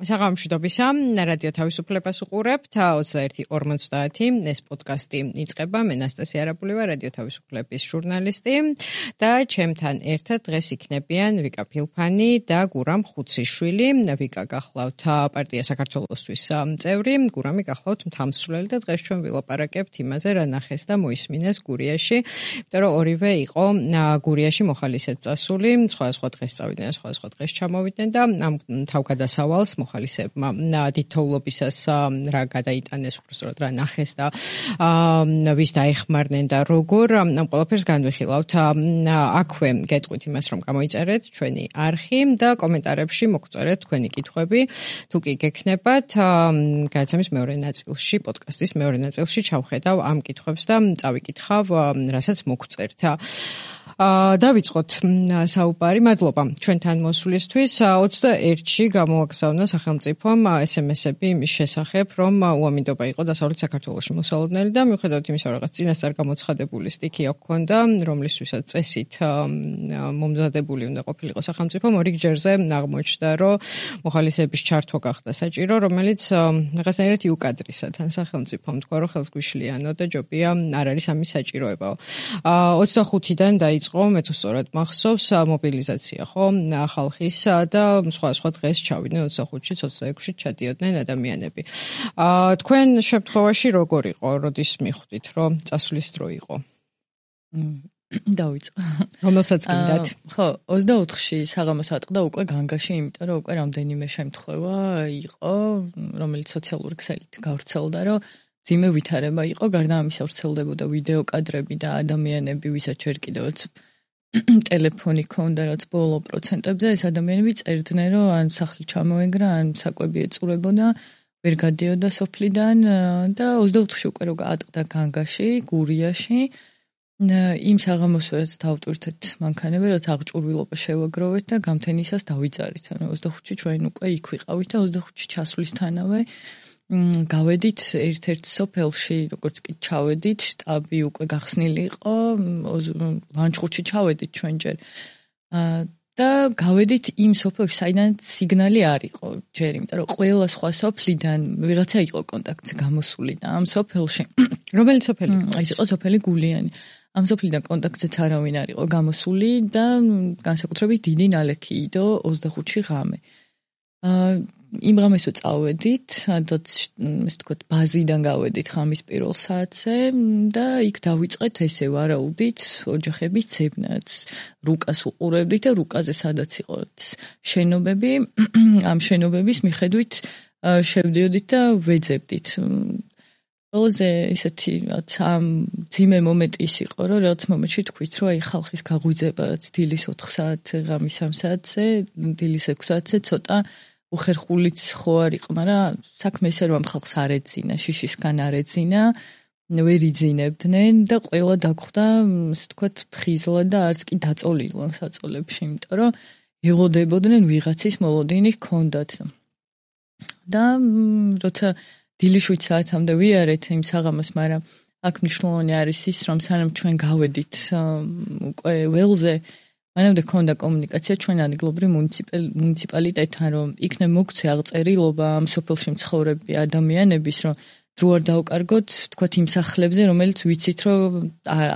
საღამოშვიდობისა, რადიო თავისუფლებას უყურებთ 21:50 ეს პოდკასტი იწყება. მე ნასტასია არაბულევა, რადიო თავისუფლების ჟურნალისტი და ჩემთან ერთად დღეს იქნებიან ვიკა ფილფანი და გურამ ხუციშვილი. ვიკა გახლავთ პარტია საქართველოსთვის წევრი, გურამი გახლავთ მთამსვლელი და დღეს ჩვენ ვილაპარაკებთ იმაზე, რა ნახეს და მოისმინეს გურიაში, იმიტომ რომ ორივე იყო გურიაში მოხალისედ წასული, სხვადასხვა დღეს წავიდნენ, სხვადასხვა დღეს ჩამოვიდნენ და ამ თავგადასავალს მოხალისეებმა დიდთოვლობისას რა გადაიტანეს, უბრალოდ რა ნახეს და ვის დაეხმარნენ და როგორ ამ ყველაფერს განვიხილავთ. აქვე გეტყვით იმას, რომ გამოიწერეთ ჩვენი არხი და კომენტარებში მოგწერეთ თქვენი კითხვები, თუ კი გექნებათ. გადაცემის მეორე ნაწილში, პოდკასტის მეორე ნაწილში ჩავხედავ ამ კითხვებს და წავიკითხავ, რასაც მოგწერთ. დავიწყოთ საუბარი. მადლობა ჩვენთან მოსვლისთვის. 21-ში გამოაგზავნა სახელმწიფომ SMS-ები იმის შესახებ, რომ უამინდობა იყო დასავლეთ საქართველოში მოსალოდნელი და მიუხედავად იმისა, რომ რაღაც წინასწარ გამოცხადებული სტიქია ჰქონდა, რომლისთვისაც წესით მომზადებული უნდა ყოფილიყო სახელმწიფომ, ორი ჯერზე აღმოჩნდა, რომ მოხალისეების ჩართვა გახდა საჭირო, რომელიც რაღაცნაირად იუკადრისა თან სახელმწიფომ თქვა, რომ ხელს გვიშლიანო და ჯობია არ არის ამის საჭიროებაო. 25-დან დაიწყო, მე თუ სწორად მახსოვს, მობილიზაცია, ხო, ხალხის და სხვა დღეს ჩავიდნენ 25-ში, 26-ში ჩადიოდნენ ადამიანები. თქვენ შემთხვევაში როგორ იყო, როდის მიხვდით, რომ წასვლის დრო იყო? დავიწყო. რომელსაც გინდათ? ხო, 24-ში საღამოს ატყდა უკვე განგაში, იმიტომ რომ უკვე რამდენიმე შემთხვევა იყო, რომელიც სოციალური ქსელით გავრცელდა, რომ ძიმე ვითარება იყო, გარდა ამისა ვრცელდებოდა ვიდეო კადრები და ადამიანები, ვისაც ჯერ კიდევაც ტელეფონი ქონდა, რაც ბოლო პროცენტებზე, ეს ადამიანები წერდნენ, რომ ან სახლი ჩამოეგრა, ან საკვები ეწურებოდა, ვერ გადიოდა სოფლიდან და 24-ში უკვე რო ატყდა განგაში, გურიაში. იმ საღამოსვერაც დავტვირთეთ მანქანები, რაც აღჭურვილობა შევაგროვეთ და გამთენისას დავიძარით. ანუ 25-ში ჩვენ უკვე იქ ვიყავით და 25-ში ჩასვლისთანავე გავედით ერთ-ერთ სოფელში, როგორც კი ჩავედით, შტაბი უკვე გახსნილი იყო, ლანჩხუთში ჩავედით ჩვენ ჯერ. და გავედით იმ სოფელში, საიდანაც სიგნალი არ იყო ჯერ, იმიტომ რომ ყველა სხვა სოფლიდან ვიღაცა იყო კონტაქტზე გამოსული და ამ სოფელში, რომელი სოფელი იყო? ეს იყო სოფელი გულიანი. ამ სოფლიდან კონტაქტზეც არავინ არ იყო გამოსული და განსაკუთრებით დიდი ნალექი იდო 25-ში ღამე. იმ ღამესო წავედით, სადაც ესე ვთქვათ, ბაზიდან გავედით ღამის პირველ საათზე და იქ დავიწყეთ ესე ვარაუდით ოჯახების ცებნაც. რუკას უყურებდით და რუკაზე სადაც იყო შენობები, ამ შენობების მიხედვით შევდიოდით და ვეძებდით. ყველაზე ისეთი რაც ამ ძიმე მომენტი ის იყო, რომ რაღაც მომენტში თქვით, რომ აი ხალხის გაღვიძება დილის 4 საათზე, ღამის 3 საათზე, დილის 6 საათზე ცოტა უხერხულიც ხო არ იყო, მაგრამ საქმე ესე რომ ხალხს არ ეძინა, შიშისგან არ ეძინა, ვერ იძინებდნენ და ყველა დაგხვდა, ასე ვთქვათ, ფხიზლა და არც კი დაწოლილან საწოლებში, იმიტომ რომ ელოდებოდნენ ვიღაცის მოლოდინი ჰქონდათ. და როცა დილის 7 საათამდე ვიარეთ იმ საღამოს, მაგრამ აქ მნიშვნელოვანი არის ის, რომ სანამ ჩვენ გავედით უკვე ველზე, მანამდე ქონდა კომუნიკაცია ჩვენ ადგილობრივ მუნიციპალიტეტთან, რომ იქნებ მოგცე აღწერილობა ამ სოფელში მცხოვრები ადამიანების, რომ დრო არ დავკარგოთ, თქვათ იმ სახლებზე, რომელიც ვიცით, რომ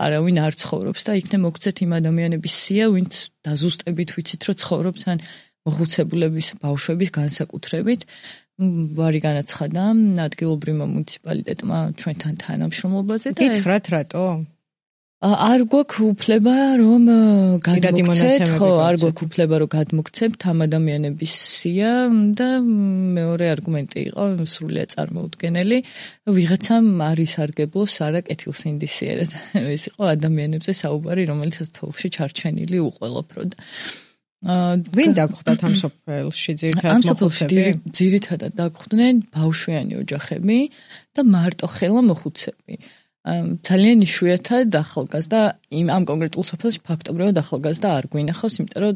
არავინ არ ცხოვრობს და იქნებ მოგცეთ იმ ადამიანების სია, ვინც დაზუსტებით ვიცით, რომ ცხოვრობს, ან მოხუცებულების ბავშვების განსაკუთრებით. ვარი განაცხადა ადგილობრივმა მუნიციპალიტეტმა ჩვენთან თანამშრომლობაზე და გითხრათ რატო? არ გვაქვს უფლება რომ გადმოგცეთ, ხო, არ გვაქვს უფლება რომ გადმოგცემთ ამ ადამიანების სია და მეორე არგუმენტი იყო სრულიად წარმოუდგენელი, ვიღაცამ არ ისარგებლოს არა კეთილსინდისიერად. ეს იყო ადამიანებზე საუბარი, რომელიცაც თოვლში ჩარჩენილი უყველოფროდ. ვინ დაგხვდათ ამ სოფელში ძირითადად მოხუცები? ძირითადად დაგხვდნენ ბავშვიანი ოჯახები და მარტო ხელა მოხუცები. ძალიან იშვიათად ახალგაზრდა ამ კონკრეტულ სოფელში ფაქტობრივად ახალგაზრდა არ გვინახავს, იმიტომ რომ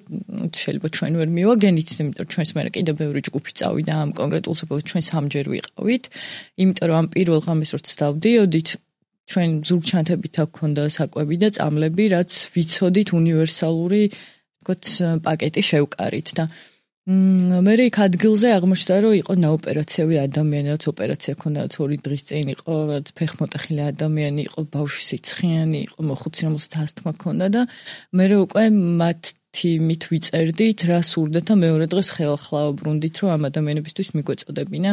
შეიძლება ჩვენ ვერ მივაგენით, იმიტომ რომ ჩვენს მერე კიდევ ბევრი ჯგუფი წავიდა ამ კონკრეტულ სოფელში, ჩვენ სამჯერ ვიყავით, იმიტომ რომ ამ პირველ ღამეს როცა დავდიოდით, ჩვენ ზურგჩანთებით აქ ქონდა საკვები და წამლები, რაც ვიცოდით უნივერსალური, ვთქვათ, პაკეტი შევკარით და მე იქ ადგილზე აღმოჩნდა, რომ იყო ნაოპერაციები ადამიანი, რაც ოპერაცია ქონდა, რაც 2 დღის წინ იყო, რაც ფეხმოტეხილი ადამიანი იყო, ბავშვი სიცხიანი იყო, მოხუცი, რომელსაც ასთმა ქონდა და მე უკვე მათი მით ვიწერდით, რა სურდეთ და მეორე დღეს ხელახლა ვბრუნდით, რომ ამ ადამიანებისთვის მიგვეწოდებინა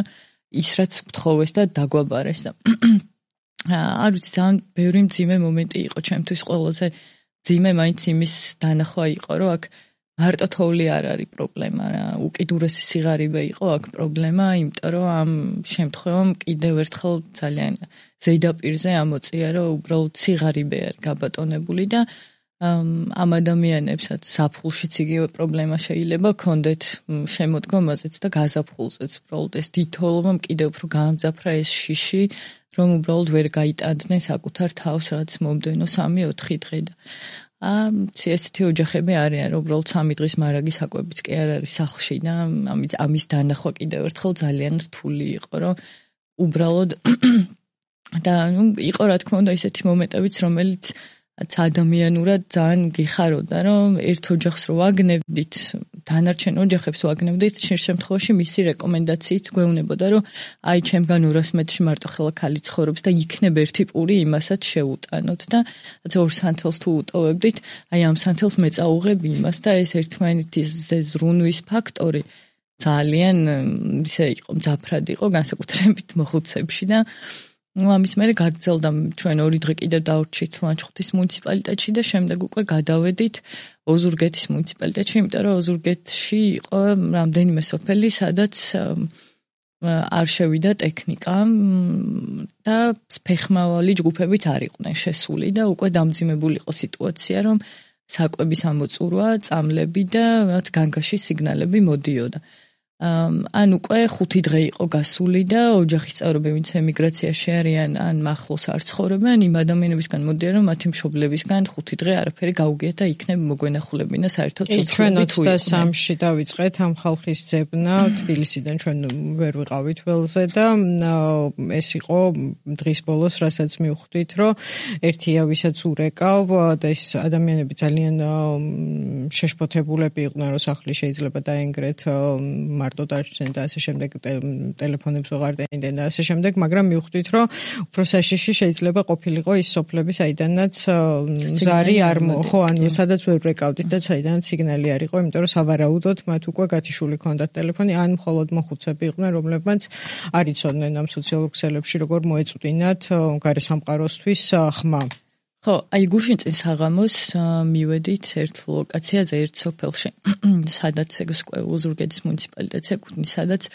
ის, რაც გთხოვეს და დაგვაბარეს და არ ვიცი, ძალიან ბევრი მძიმე მომენტი იყო ჩემთვის ყველაზე მძიმე მაინც იმის დანახვა იყო, რომ აქ მარტო თოვლი არ არის პრობლემა რა, უკიდურესი სიღარიბე იყო აქ პრობლემა, იმიტომ რომ ამ შემთხვევამ კიდევ ერთხელ ძალიან ზედაპირზე ამოწია, რომ უბრალოდ სიღარიბე არის გაბატონებული და ამ ადამიანებსაც ზაფხულშიც იგივე პრობლემა შეიძლება ქონდეთ შემოდგომაზეც და გაზაფხულზეც, უბრალოდ ეს თითოეულმა კიდევ უფრო გაამძაფრა ეს შიში, რომ უბრალოდ ვერ გაიტანდნენ საკუთარ თავს, რაც მომდევნო 3-4 დღე და ესეთი ოჯახები არიან, რომ უბრალოდ 3 დღის მარაგი საკვებიც კი არ არის სახლში და ამის დანახვა კიდევ ერთხელ ძალიან რთული იყო, რომ უბრალოდ და იყო რა თქმა უნდა ისეთი მომენტებიც, რომელიც ადამიანურად ძალიან გიხაროდა, რომ ერთ ოჯახს რო ვაგნებდით, დანარჩენ ოჯახებს ვაგნებდით, შემთხვევაში მისი რეკომენდაციით გვეუბნებოდა, რომ აი ჩემგან 200 მეტრში მარტო ხელა ქალი ცხოვრობს და იქნებ ერთი პური იმასაც შეუტანოთ და 2 სანთელს თუ უტოვებდით, აი ამ სანთელს მეწაუღებ იმას და ეს ერთმანეთის ზრუნვის ფაქტორი ძალიან ისე იყო, მძაფრად იყო განსაკუთრებით მოხუცებში და ამის მერე გაგრძელდა ჩვენ 2 დღე კიდევ დავრჩით ლანჩხუთის მუნიციპალიტეტში და შემდეგ უკვე გადავედით ოზურგეთის მუნიციპალიტეტში, იმიტომ რომ ოზურგეთში იყო რამდენიმე სოფელი, სადაც არ შევიდა ტექნიკა და ფეხმავალი ჯგუფებიც არ იყვნენ შესული და უკვე დამძიმებული იყო სიტუაცია, რომ საკვების ამოწურვა, წამლები და მათ განგაში სიგნალები მოდიოდა. ან უკვე 5 დღე იყო გასული და ოჯახის წევრები, ვინც ემიგრაციაში არიან, ან მახლოს არ ცხოვრობენ, იმ ადამიანებისგან მოდიან, რომ მათი მშობლებისგან 5 დღე არაფერი გაუგიათ და იქნებ მოგვენახულებინა საერთოდ სოციალურად. ჩვენ 23-ში დავიწყეთ ამ ხალხის ძებნა თბილისიდან, ჩვენ ვერ ვიყავით ველზე და ეს იყო დღის ბოლოს, რასაც მივხვდით, რომ ერთია ვისაც ურეკავ და ეს ადამიანები ძალიან შეშფოთებულები იყვნენ, რომ სახლი შეიძლება დაენგრეთ მარტო დაჩნდნენ და ასე შემდეგ ტელეფონებს ვეღარ დაინდენ და ასე შემდეგ, მაგრამ მივხვდით, რომ უფრო საშიში შეიძლება ყოფილიყო ის სოფლები, საიდანაც ზარი არ ხო, ანუ სადაც ვერ ვრეკავდით და საიდანაც სიგნალი არ იყო, იმიტომ რომ სავარაუდოდ მათ უკვე გათიშული ჰქონდათ ტელეფონი, ან მხოლოდ მოხუცები იყვნენ, რომლებმაც არ იცოდნენ ამ სოციალურ ქსელებში როგორ მოეწვდინათ გარესამყაროსთვის ხმა. ხო, აი გუშინ წინ საღამოს მივედით ერთ ლოკაციაზე, ერთ სოფელში, სადაც ოზურგეთის მუნიციპალიტეტს ეკუთვნის, სადაც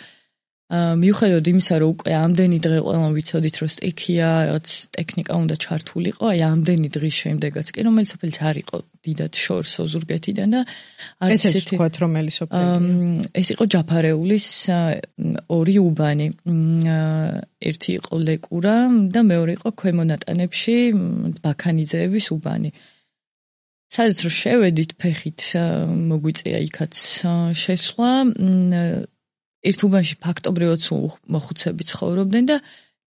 მიუხედავად იმისა, რომ უკვე ამდენი დღე ყველამ ვიცოდით, რომ სტიქია, რაც ტექნიკა უნდა ჩართულიყო, აი ამდენი დღის შემდეგაც კი, რომელიც სოფელიც არ იყო დიდად შორს ოზურგეთიდან და არის ესეთი ვთქვათ, რომელი სოფელია? ეს იყო ჯაფარეულის 2 უბანი. ერთი იყო ლეკურა და მეორე იყო ქვემონატანებში ბაქანიძეების უბანი. სადაც რო შევედით ფეხით, მოგვიწია იქაც შესვლა. ერთ უბანში ფაქტობრივად სულ მოხუცები ცხოვრობდნენ და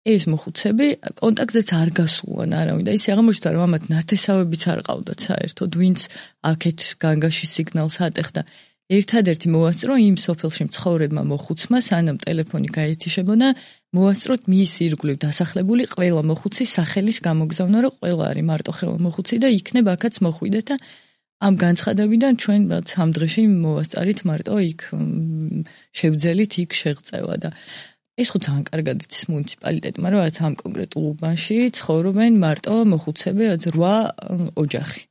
ეს მოხუცები კონტაქტზეც არ გასულან არავინ და ისე აღმოჩნდა, რომ ამათ ნათესავებიც არ ყავდათ საერთოდ, ვინც აქეთ განგაში სიგნალს ატეხდა. ერთადერთი მოვასწრო იმ სოფელში მცხოვრებმა მოხუცმა, სანამ ტელეფონი გაეთიშებოდა, მოვასწროთ მის ირგვლივ დასახლებული ყველა მოხუცის სახელის გამოგზავნა, რომ ყველა არის მარტო ხელა მოხუცი და იქნებ აქაც მოხვიდეთ და ამ განცხადებიდან ჩვენ 3 დღეში მოვასწარით მარტო იქ შევძელით იქ შეღწევა და ეს ხო ძალიან კარგად იცის მუნიციპალიტეტმა, რომ რაც ამ კონკრეტულ უბანში ცხოვრობენ მარტო მოხუცები, რაც 8 ოჯახი.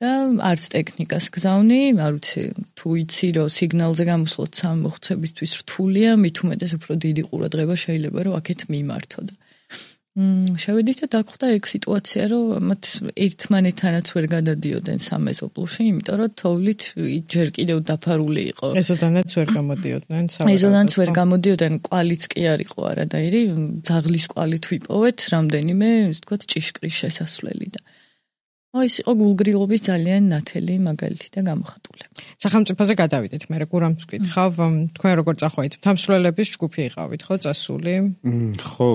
და არც ტექნიკას გზავნი, არ ვიცი, თუ იცი, რომ სიგნალზე გამოსვლოთ 3 მოხუცებისთვის რთულია, მით უმეტეს უფრო დიდი ყურადღება შეიძლება, რომ აქეთ მიმართო და შევედით და დაგხვდა ეგ სიტუაცია, რომ მათ ერთმანეთთანაც ვერ გადადიოდნენ სამეზობლოში, იმიტომ რომ თოვლით ჯერ კიდევ დაფარული იყო. ეზოდანაც ვერ გამოდიოდნენ. ეზოდანაც ვერ გამოდიოდნენ, კვალიც კი არ იყო არადაირი, ძაღლის კვალით ვიპოვეთ რამდენიმე, ისე ვთქვათ, ჭიშკრის შესასვლელი და ეს იყო გულგრილობის ძალიან ნათელი მაგალითი და გამოხატულება. სახელმწიფოზე გადავიდეთ, მე გურამს ვკითხავ, თქვენ როგორ წახვედით? თამსვლელების ჯგუფი იყავით, ხო, წასული? ხო,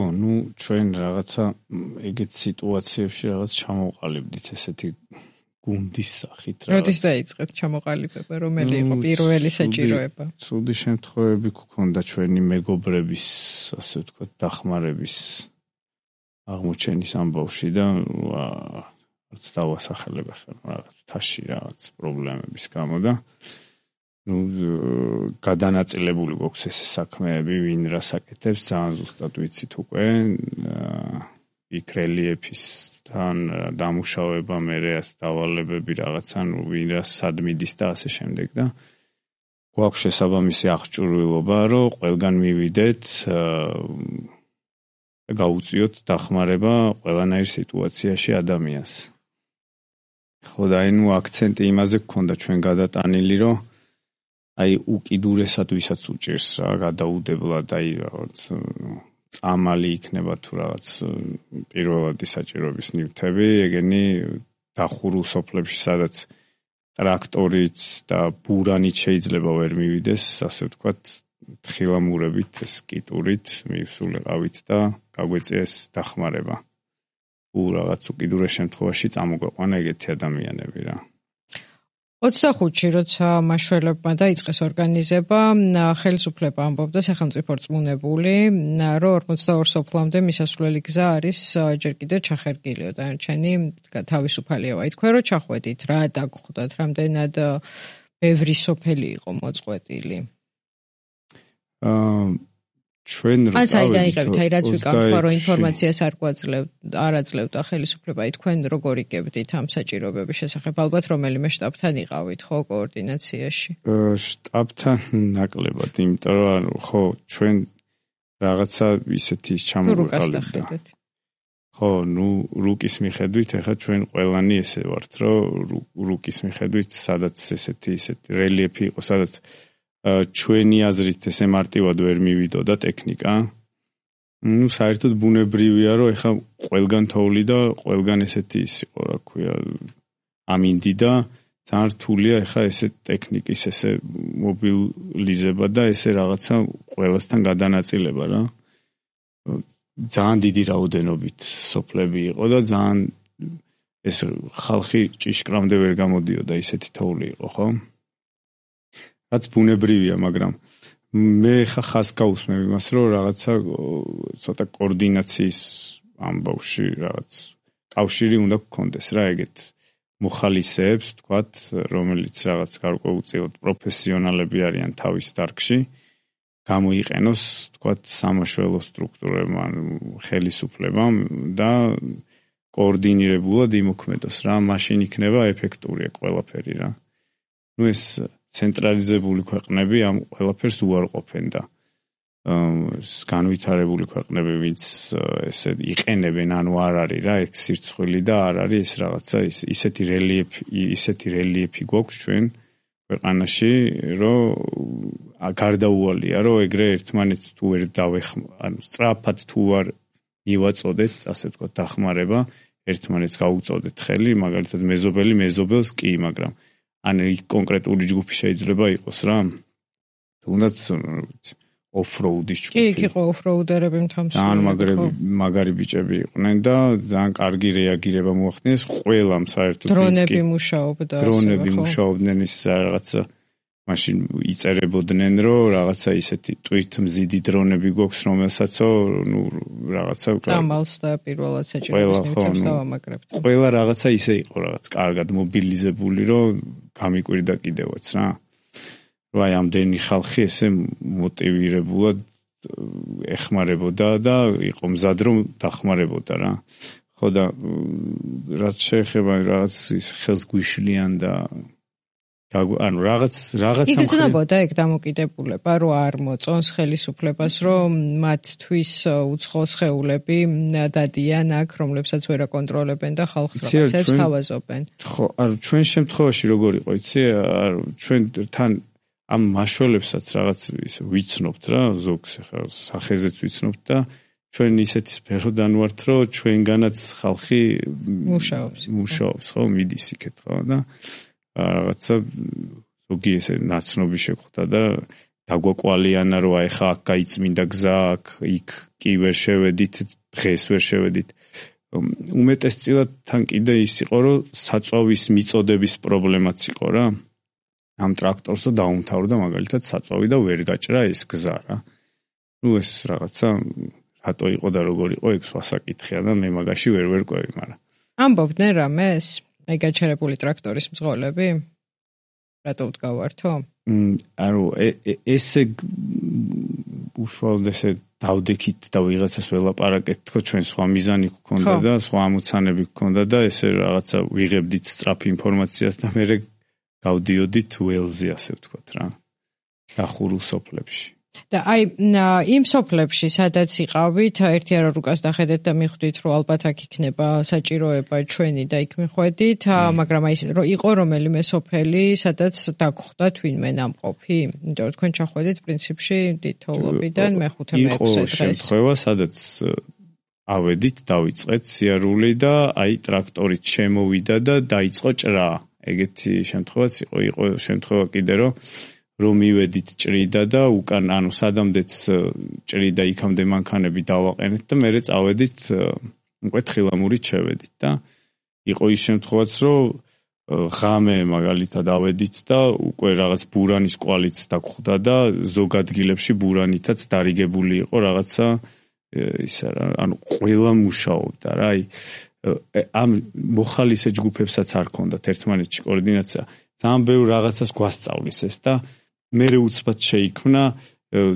ჩვენ რაღაცა ეგეთ სიტუაციებში რაღაც ჩამოვყალიბდით ესეთი გუნდის სახით რა. როდის დაიწყეთ ჩამოყალიბება, რომელი იყო პირველი საჭიროება? ცუდი შემთხვევები გქონდა ჩვენი მეგობრების, ასე ვთქვათ, დახმარების აღმოჩენის ამბავში და არც დავასახელებ ახლა რაღაც თაში რაღაც პრობლემების გამო და გადანაწილებული გვაქვს ეს საქმეები, ვინ რას აკეთებს, ძალიან ზუსტად ვიცით უკვე. იქ რელიეფისთან დამუშავება, მერე დავალებები რაღაცა, ვინ რას სად მიდის და ასე შემდეგ და გვაქვს შესაბამისი აღჭურვილობა, რომ ყველგან მივიდეთ და გაუწიოთ დახმარება ყველანაირ სიტუაციაში ადამიანს. ხო და აქცენტი იმაზე გქონდა ჩვენ გადატანილი, რომ უკიდურესად ვისაც უჭირს რა, გადაუდებლად რაღაც წამალი იქნება თუ რაღაც პირველადი საჭიროების ნივთები, ეგენი დახურულ სოფლებში, სადაც ტრაქტორიც და ბურანით შეიძლება ვერ მივიდეს, ასე ვთქვათ, თხილამურებით, კიტურით მივსულიყავით და გაგვეწია ეს დახმარება. რაღაც უკიდურეს შემთხვევაში წამოგვეყვანა ეგეთი ადამიანები რა. 25-ში, როცა მაშველებმა დაიწყეს ორგანიზება, ხელისუფლება ამბობდა სახელმწიფო რწმუნებული, რომ 42 სოფლამდე მისასვლელი გზა არის ჯერ კიდევ ჩახერგილიო დანარჩენი თავისუფალიავა. თქვენ რომ ჩახვედით, რა დაგხვდათ, რამდენად ბევრი სოფელი იყო მოწყვეტილი? ჩვენ რა დაიღებთ, რაც ვიკავთ, რომ ინფორმაციას არ აძლევდა ხელისუფლება, თქვენ როგორ იგებდით ამ საჭიროებების შესახებ? ალბათ რომელიმე შტაბთან იყავით, ხო, კოორდინაციაში? შტაბთან ნაკლებად, იმიტომ რომ ხო, ჩვენ რაღაცა ისეთი ჩამოვიყალიბდით. ხო, რუკის მიხედვით, ეხლა ჩვენ ყველანი ესე ვართ, რომ რუკის მიხედვით, სადაც ესეთი რელიეფი იყო, სადაც ჩვენი აზრით ესე მარტივად ვერ მივიდოდა ტექნიკა. საერთოდ ბუნებრივია, რომ ეხლა ყველგან თოვლი და ყველგან ესეთი ის იყო, რა ქვია, ამინდი და ძალიან რთულია ეხლა ესე ტექნიკის ესე მობილიზება და ესე რაღაცა ყველასთან გადანაწილება რა. ძალიან დიდი რაოდენობით სოფლები იყო და ძალიან ეს ხალხი ჭიშკრამდე ვერ გამოდიოდა, ისეთი თოვლი იყო, ხო? რაც ბუნებრივია, მაგრამ მე ხა ხას გავუსმევ იმას, რომ რაღაცა ცოტა კოორდინაციის ამბავში რაღაც კავშირი უნდა გქონდეს რა, ეგეთ მოხალისეებს, თქვათ, რომელიც რაღაც გარკვეულწილად პროფესიონალები არიან თავის დარგში, გამოიყენოს, თქვათ, სამაშველო სტრუქტურებმა, ხელისუფლებამ და კოორდინირებულად იმოქმედოს რა, მაშინ იქნება ეფექტური ყველაფერი რა. ეს ცენტრალიზებული ქვეყნები ამ ყველაფერს უარყოფენ და განვითარებული ქვეყნები, ვინც ესე იყენებენ, ანუ არ არის რა, ეგ სირცხვილი და არ არის ეს რაღაცა ისეთი რელიეფი გვაქვს ჩვენ ქვეყანაში, რომ გარდაუვალია, რომ ეგრე ერთმანეთს თუ ვერ ანუ სწრაფად თუ არ მივაწოდეთ, ასე ვთქვათ, დახმარება, ერთმანეთს გაუწოდეთ ხელი, მაგალითად მეზობელი მეზობელს კი, მაგრამ ან კონკრეტული ჯგუფი შეიძლება იყოს რა. თუნდაც ოფროუდის ჯგუფი. კი, იყო ოფროუდერები მთამსვლელი. ძალიან მაგარი ბიჭები იყვნენ და ძალიან კარგი რეაგირება მოახდინეს ყველამ საერთოდ. დრონები მუშაობდა. დრონები მუშაობდნენ ის რაღაცა მაშინ იწერებოდნენ, რომ რაღაცა ისეთი ტვირთმზიდი დრონები გვაქვს, რომელსაცო, რაღაცა წამალს და პირველად საჭიროების ნივთებს დავამაგრებთ. ყველა რაღაცა ისე იყო, რაღაც კარგად მობილიზებული, რომ გამიკვირდა კიდევაც რა. რომ აი ამდენი ხალხი ესე მოტივირებულად ეხმარებოდა და იყო მზად რომ დახმარებოდა რა. ხო და რაც შეეხება რაღაც ის ხელს გვიშლიან და ანუ რაღაც იგრძნობოდა ეგ დამოკიდებულება, რომ არ მოწონს ხელისუფლებას, რომ მათთვის უცხო სხეულები დადიან აქ, რომლებსაც ვერ აკონტროლებენ და ხალხს რაღაცებს თავაზობენ. ხო, ანუ ჩვენ შემთხვევაში როგორ იყო, იცი, ჩვენ თან ამ მაშველებსაც რაღაც ის ვიცნობთ რა, ზოგს ხა სახეზეც ვიცნობთ და ჩვენ ისეთი სფეროდან ვართ, რომ ჩვენგანაც ხალხი მუშაობს, ხო, მიდის იქეთ, ხო და რაღაცა ზოგი ესე ნაცნობი შეხვდა და დაგვაკვალიანა, რომ აი ხა აქ გაიწმინდა გზა, აქ იქ კი ვერ შევედით, დღეს ვერ შევედით. უმეტესწილად თან კიდე ის იყო, რომ საწვავის მიწოდების პრობლემაც იყო რა. ამ ტრაქტორსო დაუმთავრდა მაგალითად საწვავი და ვერ გაჭრა ეს გზა რა. ეს რაღაცა რატო იყო და როგორ იყო ეგ ვასაკითხია და მე მაგაში ვერ ყვევი, მაგრამ ამბობდნენ რამეს? აი გაჩერებული ტრაქტორის მძღოლები? რატო ვდგავართო? ანუ ესე უშუალოდ ესე დავდექით და ვიღაცას ველაპარაკეთ, თქო ჩვენ სხვა მიზანი გქონდა და სხვა ამოცანები გქონდა და ესე რაღაცა ვიღებდით სწრაფ ინფორმაციას და მე გავდიოდით ველზე, ასე ვთქვათ რა. დახურულ სოფლებში. და აი იმ სოფლებში, სადაც იყავით, ერთი არა რუკას დახედეთ და მიხვდით, რომ ალბათ აქ იქნება საჭიროება ჩვენი და იქ მიხვედით, მაგრამ აი იყო რომელიმე სოფელი, სადაც დაგხვდათ ვინმე ნამყოფი? იმიტომ რომ თქვენ ჩახვედით პრინციპში თითოეულობიდან მეხუთე მეექვსე დღეს. იყო შემთხვევა, სადაც ავედით, დავიწყეთ სიარული და აი ტრაქტორით შემოვიდა და დაიწყო ჭრა. ეგეთი შემთხვევაც იყო შემთხვევა კიდე რომ მივედით ჭრიდა და უკან ანუ სადამდეც ჭრიდა იქამდე მანქანები დავაყენეთ და მერე წავედით უკვე თხილამურით შევედით და იყო ის შემთხვევაც რომ ღამე მაგალითად ავედით და უკვე რაღაც ბურანის კვალიც დაგხვდა და ზოგ ადგილებში ბურანითაც დარიგებული იყო რაღაცა ისა რა ანუ ყველა მუშაობდა რა აი ამ მოხალისე ჯგუფებსაც არ ქონდათ ერთმანეთში კოორდინაცია ძალიან ბევრ რაღაცას გვასწავლის ეს და მე უცბად შეიქმნა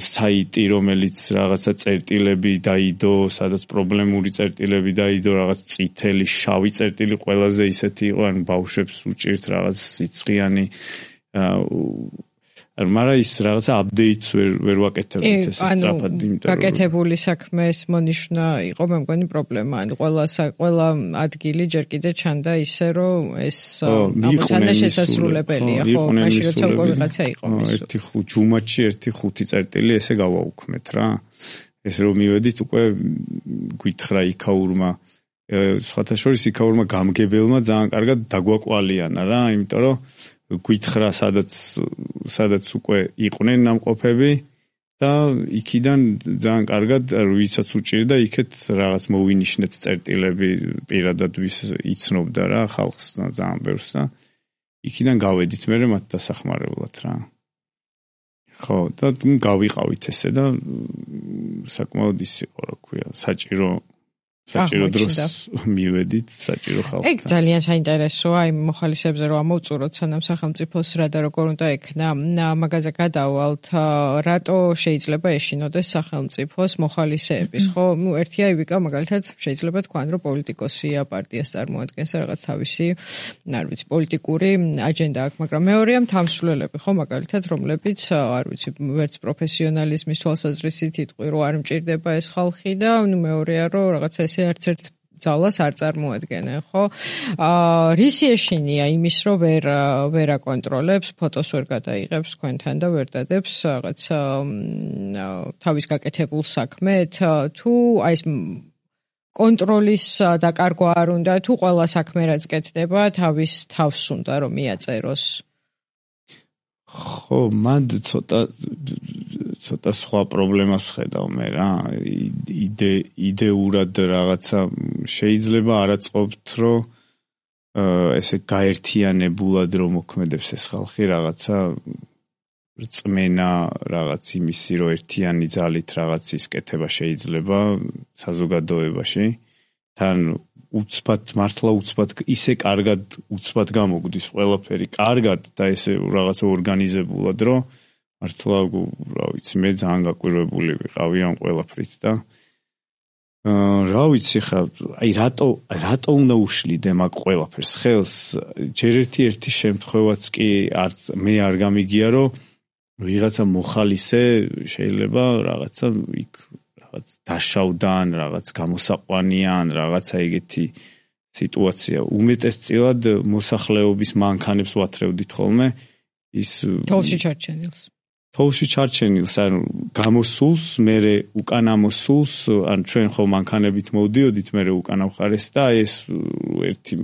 საიტი რომელიც რაღაცა წერტილები დაიდო სადაც პრობლემური წერტილები დაიდო რაღაც წითელი შავი წერტილი ყველაზე ისეთი იყო ან ბავშვებს უჭირთ რაღაც სიცხიანი მაგრამ ის რაღაცა აპდეიტს ვერ ვაკეთებდით ეს სწრაფად იმიტომ რომ გაკეთებული საქმეს მონიშნა იყო მე მგონი პრობლემა ან ყველა ადგილი ჯერ კიდე ჩანდა ისე რომ ეს ამოცანა შესაძლებელია ხო მაშინ როცა უკვე ვიღაცა იყო ერთი ჯუმათში ერთი ხუთი წერტილი ესე გავაუქმეთ რა ეს რომ მივედით უკვე გვითხრა იქაურმა სხვათა შორის იქაურმა გამგებელმა ძალიან კარგად დაგვაკვალიანა რა იმიტომ რომ გვითხრა სადაც უკვე იყვნენ ნამყოფები და იქიდან ძალიან კარგად ვისაც უჭირდა იქეთ რაღაც მოვინიშნეთ წერტილები პირადად ვის იცნობდა რა ხალხს ძალიან ბევრს და იქიდან გავედით მე მათ დასახმარებლად რა ხო და გავიყავით ესე და საკმაოდ ის იყო რა ქვია საჭირო დროს მივედით საჭირო ხალხთან. ეგ ძალიან საინტერესოა იმ მოხალისეებზე რომ ამოვწუროთ სანამ სახელმწიფოს რა და როგორ უნდა ექნა მაგაზე გადავალთ რატო შეიძლება ეშინოდეს სახელმწიფოს მოხალისეების ხო ნუ ერთია ივიკა მაგალითად შეიძლება თქვან რომ პოლიტიკოსია პარტიას წარმოადგენს რაღაც თავისი არ ვიცი პოლიტიკური აჯენდა აქვს მაგრამ მეორეა თამსვლელები ხო მაგალითად რომლებიც არ ვიცი ვერც პროფესიონალიზმის თვალსაზრისით იტყვი რომ არ მჭირდება ეს ხალხი და ნუ მეორეა რომ რაღაცა არც ერთ ძალას არ წარმოადგენენ, ხო? რისი ეშინია იმის, რომ ვერ აკონტროლებს, ფოტოს ვერ გადაიღებს თქვენთან და ვერ დადებს რაღაც თავის გაკეთებულ საქმეთ, თუ აი ეს კონტროლის დაკარგვა არ უნდა, თუ ყველა საქმე რაც კეთდება, თავის თავს უნდა რომ მიაწეროს. ხო, მანდ ცოტა სხვა პრობლემას ვხედავ მე რა. იდეურად რაღაცა შეიძლება არ აწყობთ, რომ ესე გაერთიანებულად რომ მოქმედებს ეს ხალხი რაღაცა რწმენა რაღაც იმისი რომ ერთიანი ძალით რაღაც ის კეთება შეიძლება საზოგადოებაში. თან უცბად მართლა უცბად ისე კარგად უცბად გამოგვდის ყველაფერი კარგად და ესე რაღაცა ორგანიზებულად რომ მართლა რა ვიცი მე ძალიან გაკვირვებული ვიყავი ამ ყველაფრით და რა ვიცი ხა აი რატო უნდა უშლიდე მაგ ყველაფერს ხელს ჯერ ერთი შემთხვევაც კი მე არ გამიგია რომ ვიღაცა მოხალისე შეიძლება რაღაცა იქ რაღაც დაშავდან რაღაც გამოსაყვანიან რაღაცა ეგეთი სიტუაცია უმეტესწილად მოსახლეობის მანქანებს ვათრევდით ხოლმე ის თოლში ჩარჩენილს ან გამოსულს მერე უკან ამოსულს ან ჩვენ ხო მანქანებით მოვდიოდით მერე უკან ახარეს და ეს ერთი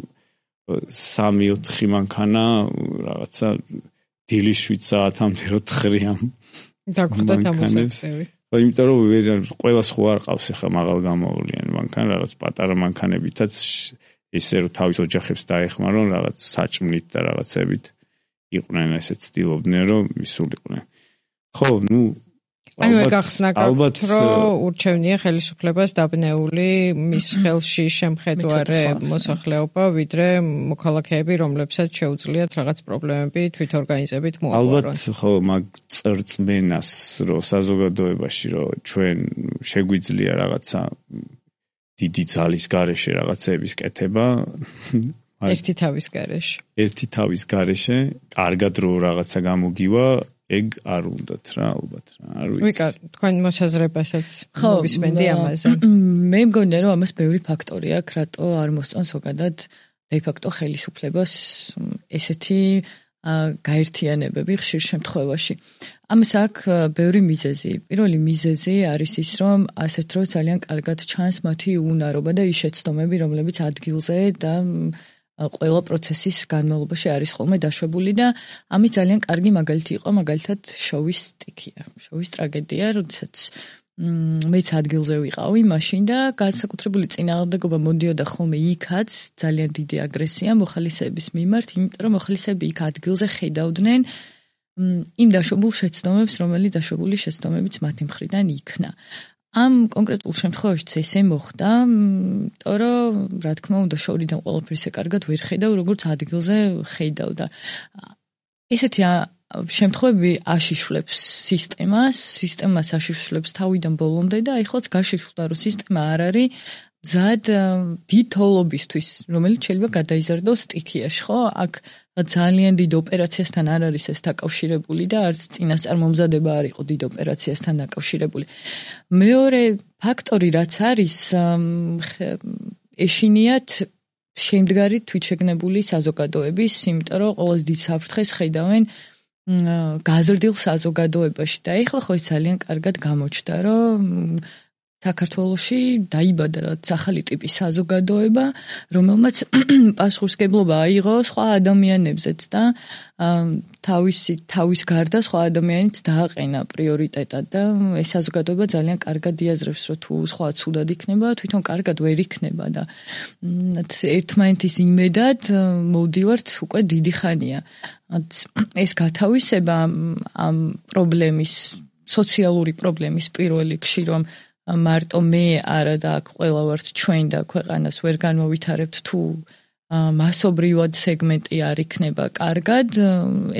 3-4 მანქანა რაღაცა დილის 7 საათამდე რო თხრიან დაგხვდათ ამოსაცევი იმიტომ რომ ყველას ხო არ ყავს ახლა მაღალ გამოვლიან მანქანა, რაღაც პატარა მანქანებითაც ესე რომ თავის ოჯახებს დაეხმარონ რაღაც საჭმლით და რაღაცებით იყვნენ ესეც ცდილობდნენ რომ მისულიყვნენ. ხო, ანუ გახსნა გაქვთ რომ ურჩევნია ხელისუფლებას დაბნეული მის ხელში შემხედვარე მოსახლეობა ვიდრე მოქალაქეები რომლებსაც შეუძლიათ რაღაც პრობლემები თვითორგანიზებით მოაყარონ. ალბათ ხო მაგ წრწმენას რომ საზოგადოებაში რომ ჩვენ შეგვიძლია რაღაცა დიდი ძალის გარეშე რაღაცების კეთება ერთი თავის გარეშე კარგად რო რაღაცა გამოგივა ეგ არ უნდათ რა ალბათ რა არ ვიცი. ვიკა თქვენ მოსაზრებასაც მოვისმენდი ამაზე. მე მგონია რომ ამას ბევრი ფაქტორი აქვს რატო არ მოსწონს ზოგადად de facto ხელისუფლებას ესეთი გაერთიანებები ხშირ შემთხვევაში. ამას აქვს ბევრი მიზეზი. პირველი მიზეზი არის ის რომ ასეთ დროს ძალიან კარგად ჩანს მათი უნარობა და ის შეცდომები რომლებიც ადგილზე და ყველა პროცესის განმავლობაში არის ხოლმე დაშვებული და ამის ძალიან კარგი მაგალითი იყო მაგალითად შოვის სტიქია. შოვის ტრაგედია, როდესაც მეც ადგილზე ვიყავი მაშინ და განსაკუთრებული წინააღმდეგობა მოდიოდა ხოლმე იქაც ძალიან დიდი აგრესია მოხალისეების მიმართ, იმიტომ რომ მოხალისეები იქ ადგილზე ხედავდნენ იმ დაშვებულ შეცდომებს, რომელი დაშვებული შეცდომებიც მათი მხრიდან იქნა. ამ კონკრეტულ შემთხვევაშიც ესე მოხდა, იმიტომ რომ რა თქმა უნდა შორიდან ყველაფერს კარგად ვერ ხედავ, როგორც ადგილზე ხედავ და ესეთი შემთხვევები აშიშვლებს სისტემას აშიშვლებს თავიდან ბოლომდე და ეხლაც გაშიშვლდა რომ სისტემა არ არის მზად დიდ თოვლობისთვის, რომელიც შეიძლება გადაიზარდოს სტიქიაში, ხო? აქ ძალიან დიდ ოპერაციასთან არ არის ეს დაკავშირებული და არც წინასწარმომზადება არ იყო დიდ ოპერაციასთან დაკავშირებული. მეორე ფაქტორი რაც არის ეშინიათ შემდგარი თვითშეგნებული საზოგადოების, იმიტომ რომ ყოველს დიდ საფრთხეს ხედავენ გაზრდილ საზოგადოებაში და ეხლა ხო ეს ძალიან კარგად გამოჩნდა, რომ საქართველოში დაიბადა რაც ახალი ტიპის საზოგადოება, რომელმაც პასუხისმგებლობა აიღო სხვა ადამიანებზეც და თავის გარდა სხვა ადამიანიც დააყენა პრიორიტეტად და ეს საზოგადოება ძალიან კარგად იაზრებს, რომ თუ სხვა ცუდად იქნება, თვითონ კარგად ვერ იქნება და ერთმანეთის იმედად მოვდივართ უკვე დიდი ხანია. ეს გათავისება ამ პრობლემის, სოციალური პრობლემის პირველ რიგში, რომ მარტო მე არა და აქ ყველა ვართ ჩვენ და ქვეყანას ვერ განმოვითარებთ თუ მასობრივად სეგმენტი არ იქნება კარგად,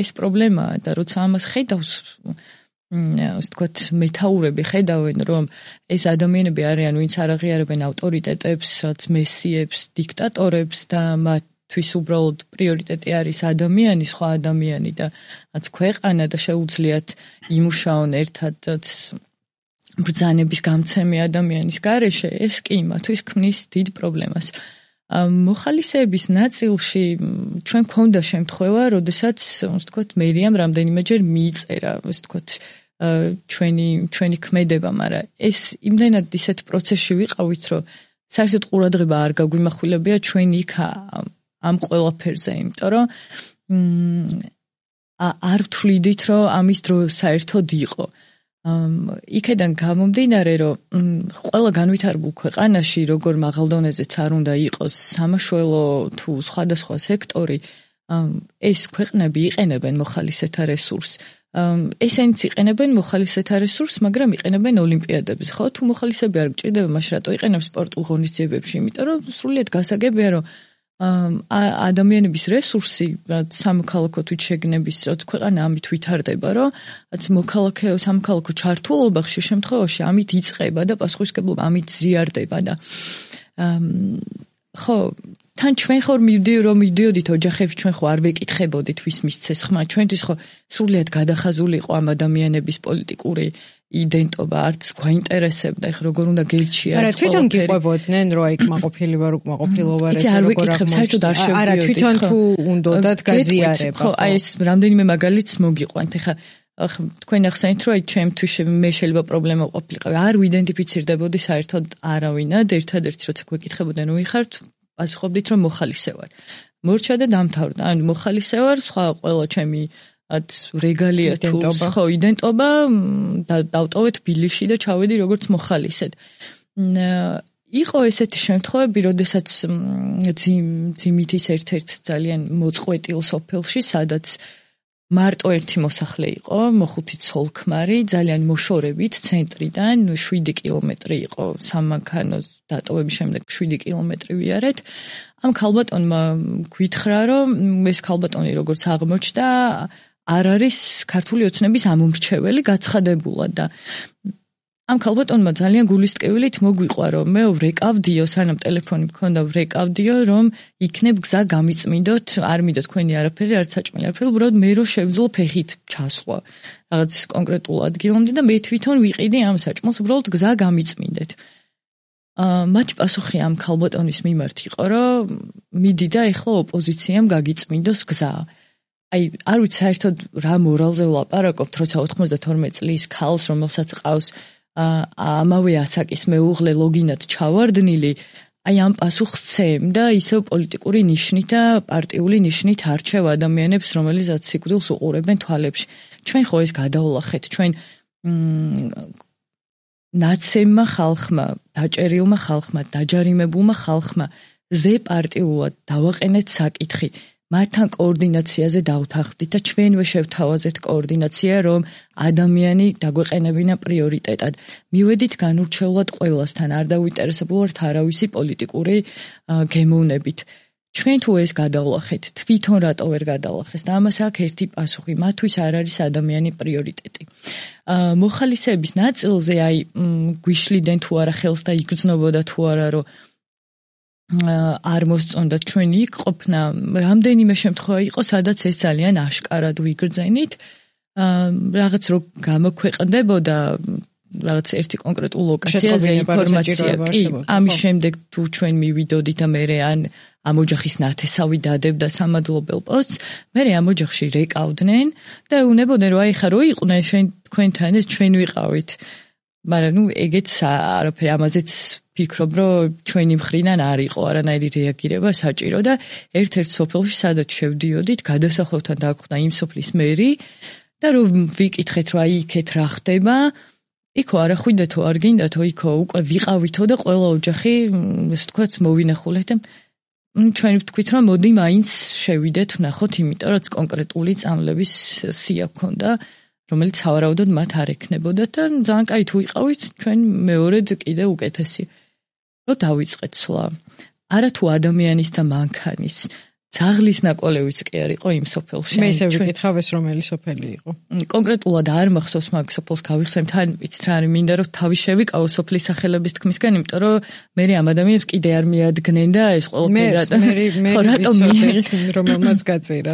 ეს პრობლემაა და როცა ამას ხედავს, ასე ვთქვათ, მეთაურები ხედავენ, რომ ეს ადამიანები არიან, ვინც არ აღიარებენ ავტორიტეტებს, რაც მესიებს, დიქტატორებს და მათთვის უბრალოდ პრიორიტეტი არის ადამიანი, სხვა ადამიანი და რაც ქვეყანა და შეუძლიათ იმუშაონ ერთად ბრძანების გამცემი ადამიანის გარეშე, ეს კი მათთვის ქმნის დიდ პრობლემას. მოხალისეების ნაწილში ჩვენ გვქონდა შემთხვევა, როდესაც, ასე ვთქვათ, მერიამ რამდენიმეჯერ მიიწერა, ასე ვთქვათ, ჩვენი ქმედება, მაგრამ ეს იმდენად ისეთ პროცესში ვიყავით, რომ საერთოდ ყურადღება არ გაგვიმახვილებია ჩვენ იქ ამ ყველაფერზე, იმიტომ რომ არ ვთვლიდით, რომ ამის დრო საერთოდ იყო. იქედან გამომდინარე, რომ ყველა განვითარებულ ქვეყანაში, როგორ მაღალ დონეზეც არ უნდა იყოს სამაშველო თუ სხვადასხვა სექტორი, ეს ქვეყნები იყენებენ მოხალისეთა რესურსს. ესენიც იყენებენ მოხალისეთა რესურსს, მაგრამ იყენებენ ოლიმპიადებზე, ხო? თუ მოხალისები არ გჭირდება, მაშინ რატო იყენებს სპორტულ ღონისძიებებში? იმიტომ რომ სრულიად გასაგებია, რომ ადამიანების რესურსი სამოქალაქო თვითშეგნების რაც ქვეყანა ამით ვითარდება, რომ სამოქალაქო ჩართულობა ხშირ შემთხვევაში ამით იწყება და პასუხისმგებლობა ამით ზიარდება და ხო თან ჩვენ ხომ მივდიოდით ოჯახებში, ჩვენ ხო არ ვეკითხებოდით ვის მისცეს ხმა, ჩვენთვის ხო სრულიად გადახაზული იყო ამ ადამიანების პოლიტიკური იდენტობა, არც გვაინტერესებდა, ეხლა როგორ უნდა გელჩია. არა, თვითონ გიყვებოდნენ, რომ იქ მაყოფილი ვარ, უკმაყოფილო ვარ, ეს როგორ აღმოჩნდა. არა, თვითონ თუ უნდათ გაზიარება. ხო, აი ეს რამდენიმე მაგალითს მოგიყვანთ. ეხლა თქვენ ახსენეთ, რომ აი ჩემთვის მე შეიძლება პრობლემა ყოფილიყავი. არ ვიდენტიფიცირდებოდი საერთოდ არავინად, ერთადერთი როცა გვეკითხებოდნენ, რომ ვიხართ, პასუხობდით, რომ მოხალისე ვარ. მორჩა და დამთავრდა. ანუ მოხალისე ვარ, სხვა ყველა ჩემი რეგალია თუ ხო იდენტობა დავტოვეთ ბილიში და ჩავედი როგორც მოხალისედ. იყო ესეთი შემთხვევები, როდესაც ძიმითის ერთ-ერთ ძალიან მოწყვეტილ სოფელში, სადაც მარტო ერთი მოსახლე იყო, მოხუთი ცოლ-ქმარი, ძალიან მოშორებით ცენტრიდან 7 კილომეტრი იყო სამანქანოს დატოვების შემდეგ 7 კილომეტრი ვიარეთ. ამ ქალბატონმა გვითხრა, რომ ეს ქალბატონი როგორც აღმოჩნდა, არ არის ქართული ოცნების ამომრჩეველი, გაცხადებულად და ამ ქალბატონმა ძალიან გულისტკევილით მოგვიყვა, რომ მე ვრეკავდიო, სანამ ტელეფონი მქონდა, ვრეკავდიო, რომ იქნებ გზა გამიწმინდოთ, არ მინდა თქვენი არაფერი, არც საჭმელი არაფერი, უბრალოდ მე რო შევძლო ფეხით ჩასვლა რაღაც კონკრეტულ ადგილამდე და მე თვითონ ვიყიდი ამ საჭმელს, უბრალოდ გზა გამიწმინდეთ. მათი პასუხი ამ ქალბატონის მიმართ იყო, რომ მიდი და ეხლა ოპოზიციამ გაგიწმინდოს გზა. აი, არ ვიცი საერთოდ რა მორალზე ვლაპარაკობთ, როცა 92 წლის ქალს, რომელსაც ყავს ამავე ასაკის მეუღლე ლოგინად ჩავარდნილი, აი ამ პასუხს ცემ და ისევ პოლიტიკური ნიშნით და პარტიული ნიშნით არჩევ ადამიანებს, რომელსაც სიკვდილს უყურებენ თვალებში. ჩვენ ხო ეს გადავლახეთ, ჩვენ ნაცემმა ხალხმა, დაჭერილმა ხალხმა, დაჯარიმებულმა ხალხმა ზე პარტიულად დავაყენეთ საკითხი. მათთან კოორდინაციაზე დავთანხმდით და ჩვენვე შევთავაზეთ კოორდინაცია, რომ ადამიანი დაგვეყენებინა პრიორიტეტად. მივედით განურჩევლად ყველასთან, არ დავინტერესებულვართ არავისი პოლიტიკური გემოვნებით. ჩვენ თუ ეს გადავლახეთ, თვითონ რატო ვერ გადავლახეს და ამას აქვს ერთი პასუხი, მათთვის არ არის ადამიანი პრიორიტეტი. მოხალისეების ნაწილზე აი გვიშლიდან თუ არა ხელს და იგრძნობოდა თუ არა, რომ არ მოსწონდა ჩვენი იქ ყოფნა, რამდენიმე შემთხვევა იყო, სადაც ეს ძალიან აშკარად ვიგრძენით. რაღაც რო გამოქვეყნდებოდა რაღაც ერთი კონკრეტულ ლოკაციაზე ინფორმაცია, კი, ამის შემდეგ თუ ჩვენ მივიდოდით და მე ან ამ ოჯახის ნათესავი დადებდა სამადლობელ პოსტს, მე ამ ოჯახში რეკავდნენ და ეუბნებოდნენ, რომ აი ხა რო იყვნენ თქვენთან ეს ჩვენ ვიყავით. მაგრამ ნუ ეგეც არაფერი ამაზეც ფიქრობ, რომ ჩვენი მხრიდან არ იყო არანაირი რეაგირება საჭირო და ერთ-ერთ სოფელში სადაც შევდიოდით, გადასახლებთან დაგვხვდა იმ სოფლის მერი და რომ ვიკითხეთ, რომ აი იქეთ რა ხდება, იქო არა ხვიდეთო, არ გინდათო, იქო უკვე ვიყავითო და ყველა ოჯახი, ესე ვთქვათ, მოვინახულეთ და ჩვენ ვთქვით, რომ მოდი მაინც შევიდეთ, ვნახოთ, იმიტომ რომ კონკრეტული წამლების სია გქონდა, რომელიც სავარაუდოდ მათ არ ექნებოდა და ძალიან კაი თუ ვიყავით, ჩვენ მეორედ კიდე უკეთესი. რომ დავიწყეთ სვლა. არა თუ ადამიანის და მანქანის, ძაღლის ნაკვალევიც კი არ იყო იმ სოფელში. მე ისე ვიკითხავ ეს რომელი სოფელი იყო. კონკრეტულად არ მახსოვს მაგ სოფელს გავიხსენებ, თან ვიცით რა არის, მინდა რომ თავი შევიკავო სოფლის სახელების თქმისგან, იმიტომ რომ მე ამ ადამიანებს კიდე არ მიადგნენ და ეს ყველაფერი რატომ რომელმაც გაწირა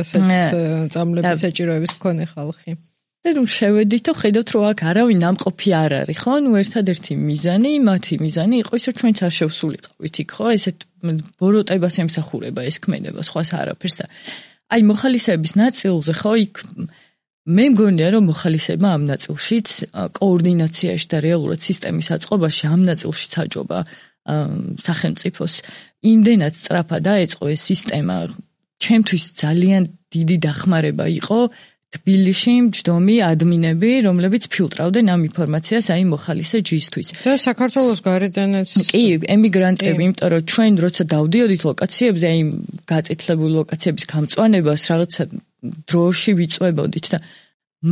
წამლების საჭიროების მქონე ხალხი. და ნუ შევედით და ხედავთ, რომ აქ არავინ ნამყოფი არ არის, ხო? ნუ ერთადერთი მიზანი, მათი მიზანი იყო ის, რომ ჩვენც არ შევსულიყავით იქ, ხო? ესეთ ბოროტებას ემსახურება ეს ქმედება, სხვას არაფერს. აი მოხალისეების ნაწილზე, ხო, იქ მე მგონია, რომ მოხალისეება ამ ნაწილშიც კოორდინაციაში და რეალურად სისტემის აწყობაში ამ ნაწილშიც აჯობა სახელმწიფოს. იმდენად სწრაფად დაეწყო ეს სისტემა, ჩემთვის ძალიან დიდი დახმარება იყო თბილისში მჯდომი ადმინები, რომლებიც ფილტრავდნენ ამ ინფორმაციას აი მოხალისე ჯისთვის. და საქართველოს გარედანაც კი, ემიგრანტები, იმიტომ რომ ჩვენ როცა დავდიოდით ლოკაციებზე, აი გაწითლებული ლოკაციების გამწვანებას რაღაცა დროში ვიწვევოდით და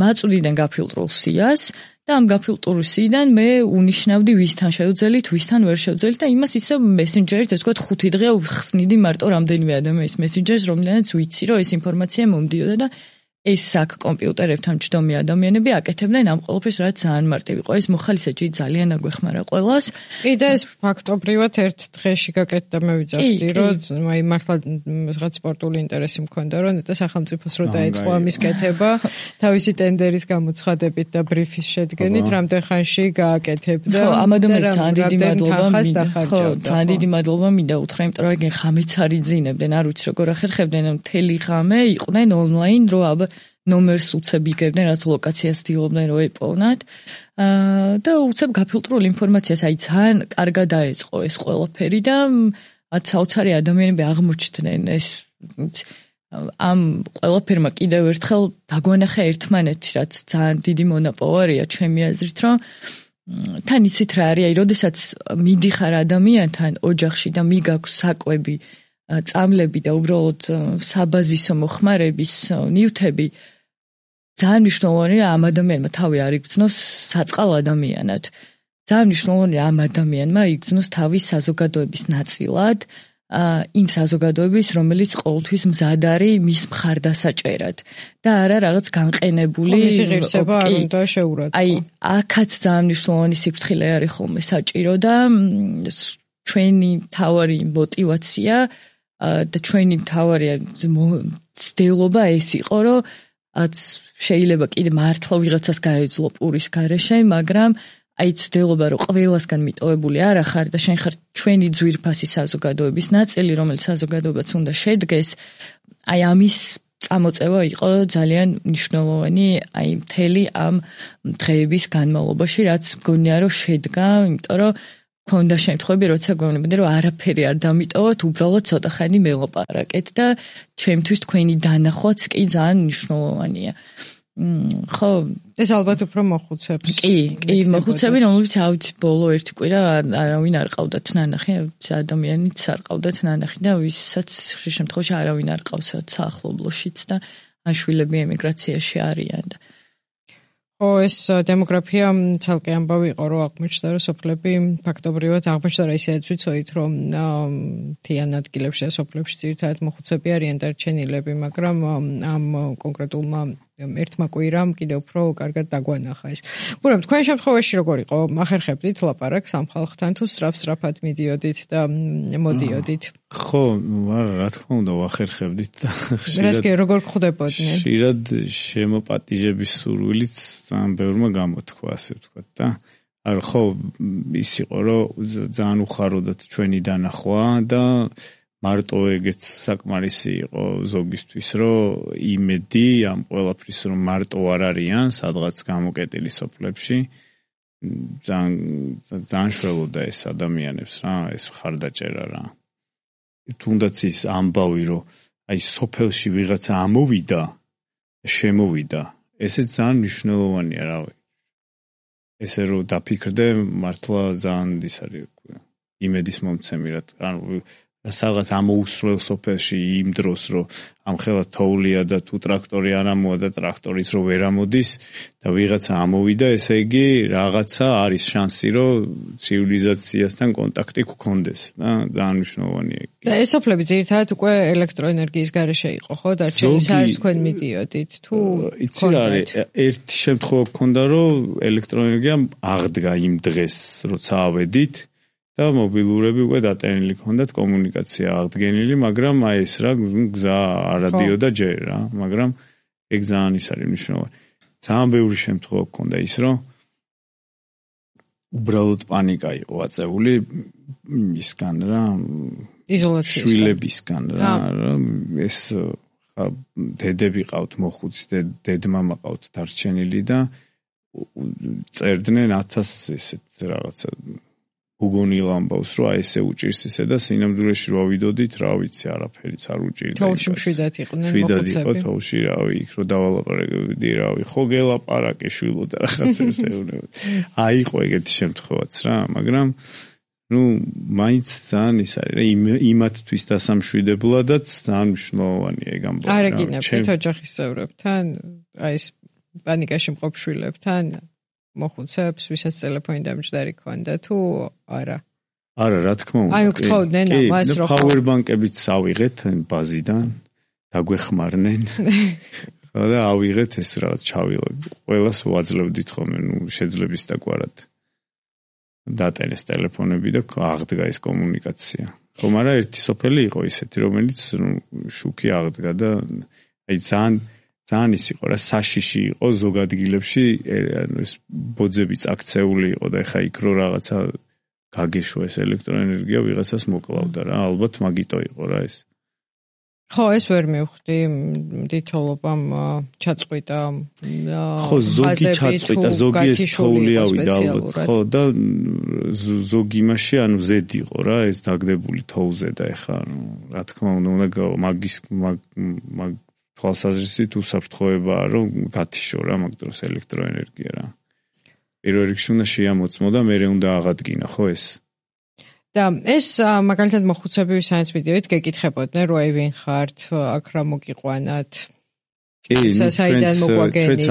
მაწვდიდან გაფილტრულ სიას და ამ გაფილტრულ სიიდან მე უნიშნავდი ვისთან შევძელით, ვისთან ვერ შევძელით და იმას ისე მესენჯერით, ეს თქვა 5 დღე ვხსნიდი მარტო რამდენიმე ადამიანის მესენჯერს, რომლიანაც ვიცი, რომ ეს ინფორმაცია მომდიოდა და ეს აქ კომპიუტერებთან მჯდომი ადამიანები აკეთებდნენ ამ ყველაფერს, რაც ძალიან მარტივი იყო. ეს მოხალისეჯი ძალიან აგვეხმარა ყველას. კი და ეს ფაქტობრივად ერთ დღეში გაკეთდა, მე ვიძახდი, რომ აი მართლა რაღაც სპორტული ინტერესი მქონდა, რომ ნეტა სახელმწიფოს რო დაეწყო ამის კეთება, თავისი ტენდერის გამოცხადებით და ბრიფის შედგენით, რამდენ ხანში გააკეთებდა. ხო, ამ ადამიანებს ძალიან დიდი მადლობა მინდა. ხო, ძალიან დიდი მადლობა მინდა უთხრა, იმიტომ რომ ეგენ ხამეც არ იძინებდნენ, არ ვიცი როგორ ახერხებდნენ, მთელი ღამე იყვნენ ონლაინ, რო აბა ნომერს უცებ იგებდნენ, რაც ლოკაციას ცდილობდნენ რომ ეპოვნათ. და უცებ გაფილტრული ინფორმაციას, აი ძალიან კარგად დაეწყო ეს ყველაფერი და საოცარი ადამიანები აღმოჩნდნენ ეს ამ ყველაფერმა კიდევ ერთხელ დაგვანახა ერთმანეთში, რაც ძალიან დიდი მონაპოვარია ჩემი აზრით, რომ თან იცით რა არის, როდესაც მიდიხარ ადამიანთან ოჯახში და მიგაქვს საკვები, წამლები და უბრალოდ საბაზისო მოხმარების ნივთები, ძალიან მნიშვნელოვანია ამ ადამიანმა თავი არ იგრძნოს საწყალ ადამიანად. ძალიან მნიშვნელოვანია ამ ადამიანმა იგრძნოს თავი საზოგადოების ნაწილად, იმ საზოგადოების, რომელიც ყოველთვის მზად არის მის მხარდასაჭერად და არა რაღაც განყენებული მისი ღირსება არ უნდა შეურაცხო. აი, აქაც ძალიან მნიშვნელოვანი სიფრთხილე არის ხოლმე საჭირო და ჩვენი თავარი мотиваცია და ჩვენი თავარი ცდილობა ეს იყო, რომ შეიძლება კიდე მართლა ვიღაცას გაეძლო პურის გარეშე, მაგრამ აი ცდილობა რომ ყველასგან მიტოვებული არ ახარ და შენ ხარ ჩვენი ძვირფასი საზოგადოების ნაწილი, რომელიც საზოგადოებაც უნდა შედგეს, აი ამის წამოწევა იყო ძალიან მნიშვნელოვანი აი მთელი ამ დღეების განმავლობაში, რაც მგონია რომ შედგა, იმიტომ რომ ქონდა შემთხვევები, როცა გვეუბნებოდნენ, რომ არაფერი არ დამიტოვოთ, უბრალოდ ცოტა ხანი მელაპარაკეთ და ჩემთვის თქვენი დანახვაც კი ძალიან მნიშვნელოვანია. ხო, ეს ალბათ უფრო მოხუცებს. კი, მოხუცები, რომლებიც ავიცი ბოლო ერთი კვირა არავინ არ ყავდათ ნანახი, ადამიანიც არ ყავდათ ნანახი და ვისაც ხშირ შემთხვევაში არავინ არ ყავს საახლობლოშიც და აშვილები ემიგრაციაში არიან და ო ეს დემოგრაფია ცალკე ამბავი იყო, რომ აღმოჩნდა, რომ სოფლები ფაქტობრივად აღმოჩნდა, რომ ისედაც ვიცოდით, რომ მთიან ადგილებში და სოფლებში ძირითადად მოხუცები არიან დარჩენილები, მაგრამ ამ კონკრეტულმა ერთმა კვირამ კიდევ უფრო კარგად დაგვანახა ეს. გურამ, თქვენ შემთხვევაში როგორ იყო? ახერხებდით ლაპარაკს ამ ხალხთან თუ სწრაფად მიდიოდით და მოდიოდით? ხო, რა თქმა უნდა, ვახერხებდით და ხშირად როგორ ხვდებოდნენ? ხშირად შემოპატიჟების სურვილიც ძალიან ბევრმა გამოთქვა, ასე ვთქვათ და ხო, ის იყო, რომ ძალიან უხაროდათ ჩვენი დანახვა და მარტო ეგეც საკმარისი იყო ზოგისთვის, რომ იმედი ამ ყველაფრის, რომ მარტო არ არიან სადღაც გამოკეტილი სოფლებში, ძალიან შველოდა ეს ადამიანებს რა, ეს მხარდაჭერა რა. თუნდაც ის ამბავი, რომ აი სოფელში ვიღაცა ამოვიდა, შემოვიდა, ესეც ძალიან მნიშვნელოვანია, რავი. ესე რომ დაფიქრდე, მართლა ძალიან ის არის იმედის მომცემი რა. ანუ სადღაც ამოუსროლ სოფელში იმ დროს, რომ ამ ხელა თოვლია და თუ ტრაქტორი არ ამოვა და ტრაქტორიც რო ვერ ამოდის და ვიღაცა ამოვიდა, ესე იგი რაღაცა არის შანსი, რომ ცივილიზაციასთან კონტაქტი გქონდეს და ძალიან მნიშვნელოვანია. და ეს სოფლები ძირითადად უკვე ელექტროენერგიის გარეშე იყო, ხო? დარჩენილი საერთოდ თქვენ მიდიოდით თუ იცი რა არის, ერთი შემთხვევა გქონდა, რომ ელექტროენერგია აღდგა იმ დღეს, როცა ავედით. და მობილურები უკვე დატენილი ჰქონდათ, კომუნიკაცია აღდგენილი, მაგრამ აი ეს რა გზა არადიოდა ჯერ რა, მაგრამ ეგ ძალიან ის არის მნიშვნელოვანი. ძალიან ბევრი შემთხვევა გქონდა ის, რომ უბრალოდ პანიკა იყო აწეული ისგან რა, იზოლაციის შვილებისგან რა, ეს დედები ყავთ მოხუცი, დედმამა ყავთ დარჩენილი და წერდნენ 1000 ესეთ რაღაცა უგონილ ამბავს, რომ აი ესე უჭირს ისე და სინამდვილეში რა ვიდოდით, რა ვიცი, არაფერიც არ უჭირდა. თოვში მშვიდად იყვნენ მოხუცები. მშვიდად იყო თოვში, რავი, იქ რო დავალაპარაკებდი, რავი, ხო გელაპარაკე შვილო და რაღაცა ესეუნება. აი იყო ეგეთი შემთხვევაც რა, მაგრამ ნუ მაინც ძალიან ის არის რა, იმათთვის დასამშვიდებლადაც ძალიან მნიშვნელოვანია ეგ ამბავი. არ ეკინებთ ოჯახის წევრებთან, აი ეს პანიკაში მყოფ შვილებთან მოხუცებს, ვისაც ტელეფონი დამჯდარი ქონდა თუ არა? არა, რა თქმა უნდა. აი უქთოვდნენ ამას, რომ პაუერბანკებიც ავიღეთ ბაზიდან, დაგვეხმარნენ. ხო და ავიღეთ ეს რაღაც ჩავიღოთ. ყველას ვაძლევდით ხოლმე, ნუ შეძლების დაგვარად. დატენეს ტელეფონები და აღდგა ეს კომუნიკაცია. ხო, მაგრამ ერთი სოფელი იყო ისეთი, რომელიც შუქი აღდგა და აი ძალიან ის იყო რა, საშიში იყო ზოგ ადგილებში, ანუ ეს ბოძები წაქცეული იყო და ეხა იქ რო რაღაცა გაგეშვა ეს ელექტროენერგია ვიღაცას მოკლავდა რა, ალბათ მაგიტო იყო რა ეს. ხო, ეს ვერ მივხვდი, მდითოლობამ ჩაწყვიტა. ხო, ზოგი ჩაწყვიტა, ზოგი ეს თოვლი ავიდა ალბათ, ხო და ზოგი იმაში, ანუ ზედ იყო რა, ეს დაგდებული თოვლზე და ეხა რა თქმა უნდა მაგის თვალსაზრისით უსაფრთხოებაა, რომ გათიშო რა მაგ დროს ელექტროენერგია რა. პირველ რიგში უნდა შეამოწმო და მერე უნდა აღადგინა, ხო ეს? და ეს მაგალითად მოხუცები ვისაც ვიდეოით გეკითხებოდნენ, რომ აი ვინ ხართ, აქ რა მოგიყვანათ? კი, ჩვენც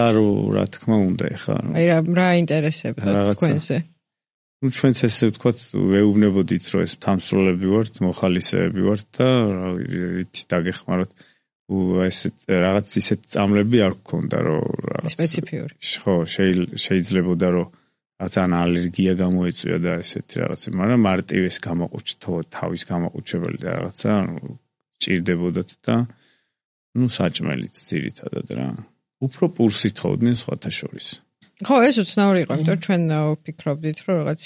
რა თქმა უნდა ეხლა. აი რა ინტერესებდა თქვენზე? ჩვენც ესე ვთქვათ, ვეუბნებოდით, რომ ეს თამსროლები ვართ, მოხალისეები ვართ და იცით დაგეხმაროთ. ესეთ რაღაც ისეთ წამლები არ გქონდა, რომ რაღაც სპეციფიური. ხო, შეიძლებოდა რომ რაღაც ალერგია გამოეწვია და ესეთი რაღაცა, მაგრამ მარტივეს გამოყუჩთო, თავის გამოყუჩებელი და რაღაცა ჭირდებოდათ და საჭმელიც ძირითადად რა. უფრო პურსით ხოვდნენ სხვათა შორის. ხო, ეს უცნაური იყო, იმიტომ რომ ჩვენ ვფიქრობდით, რომ რაღაც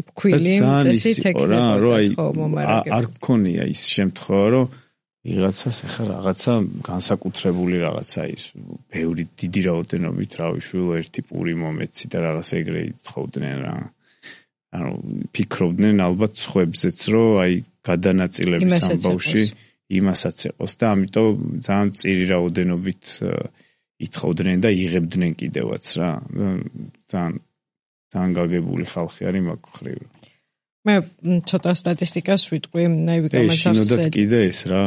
ფქვილი წესით ეკნებოდა, ხო, მომარაგება. არ გქონია ის შემთხვევა, რომ ვიღაცას ახლა რაღაცა განსაკუთრებული რაღაცა ის ბევრი დიდი რაოდენობით რავი შვილო ერთი პური მომეცი და რაღაც ეგრე ითხოვდნენ რა. ანუ ფიქრობდნენ ალბათ სხვებზეც, რომ აი გადანაწილების ამბავში იმასაც ეყოს და ამიტომ ძალიან წირი რაოდენობით ითხოვდნენ და იღებდნენ კიდევაც რა. ძალიან გაგებული ხალხი არის მაგ ხრივ. მე ცოტა სტატისტიკას ვიტყვი, ნაივიკამას ახსენე. კიდე ეს რა,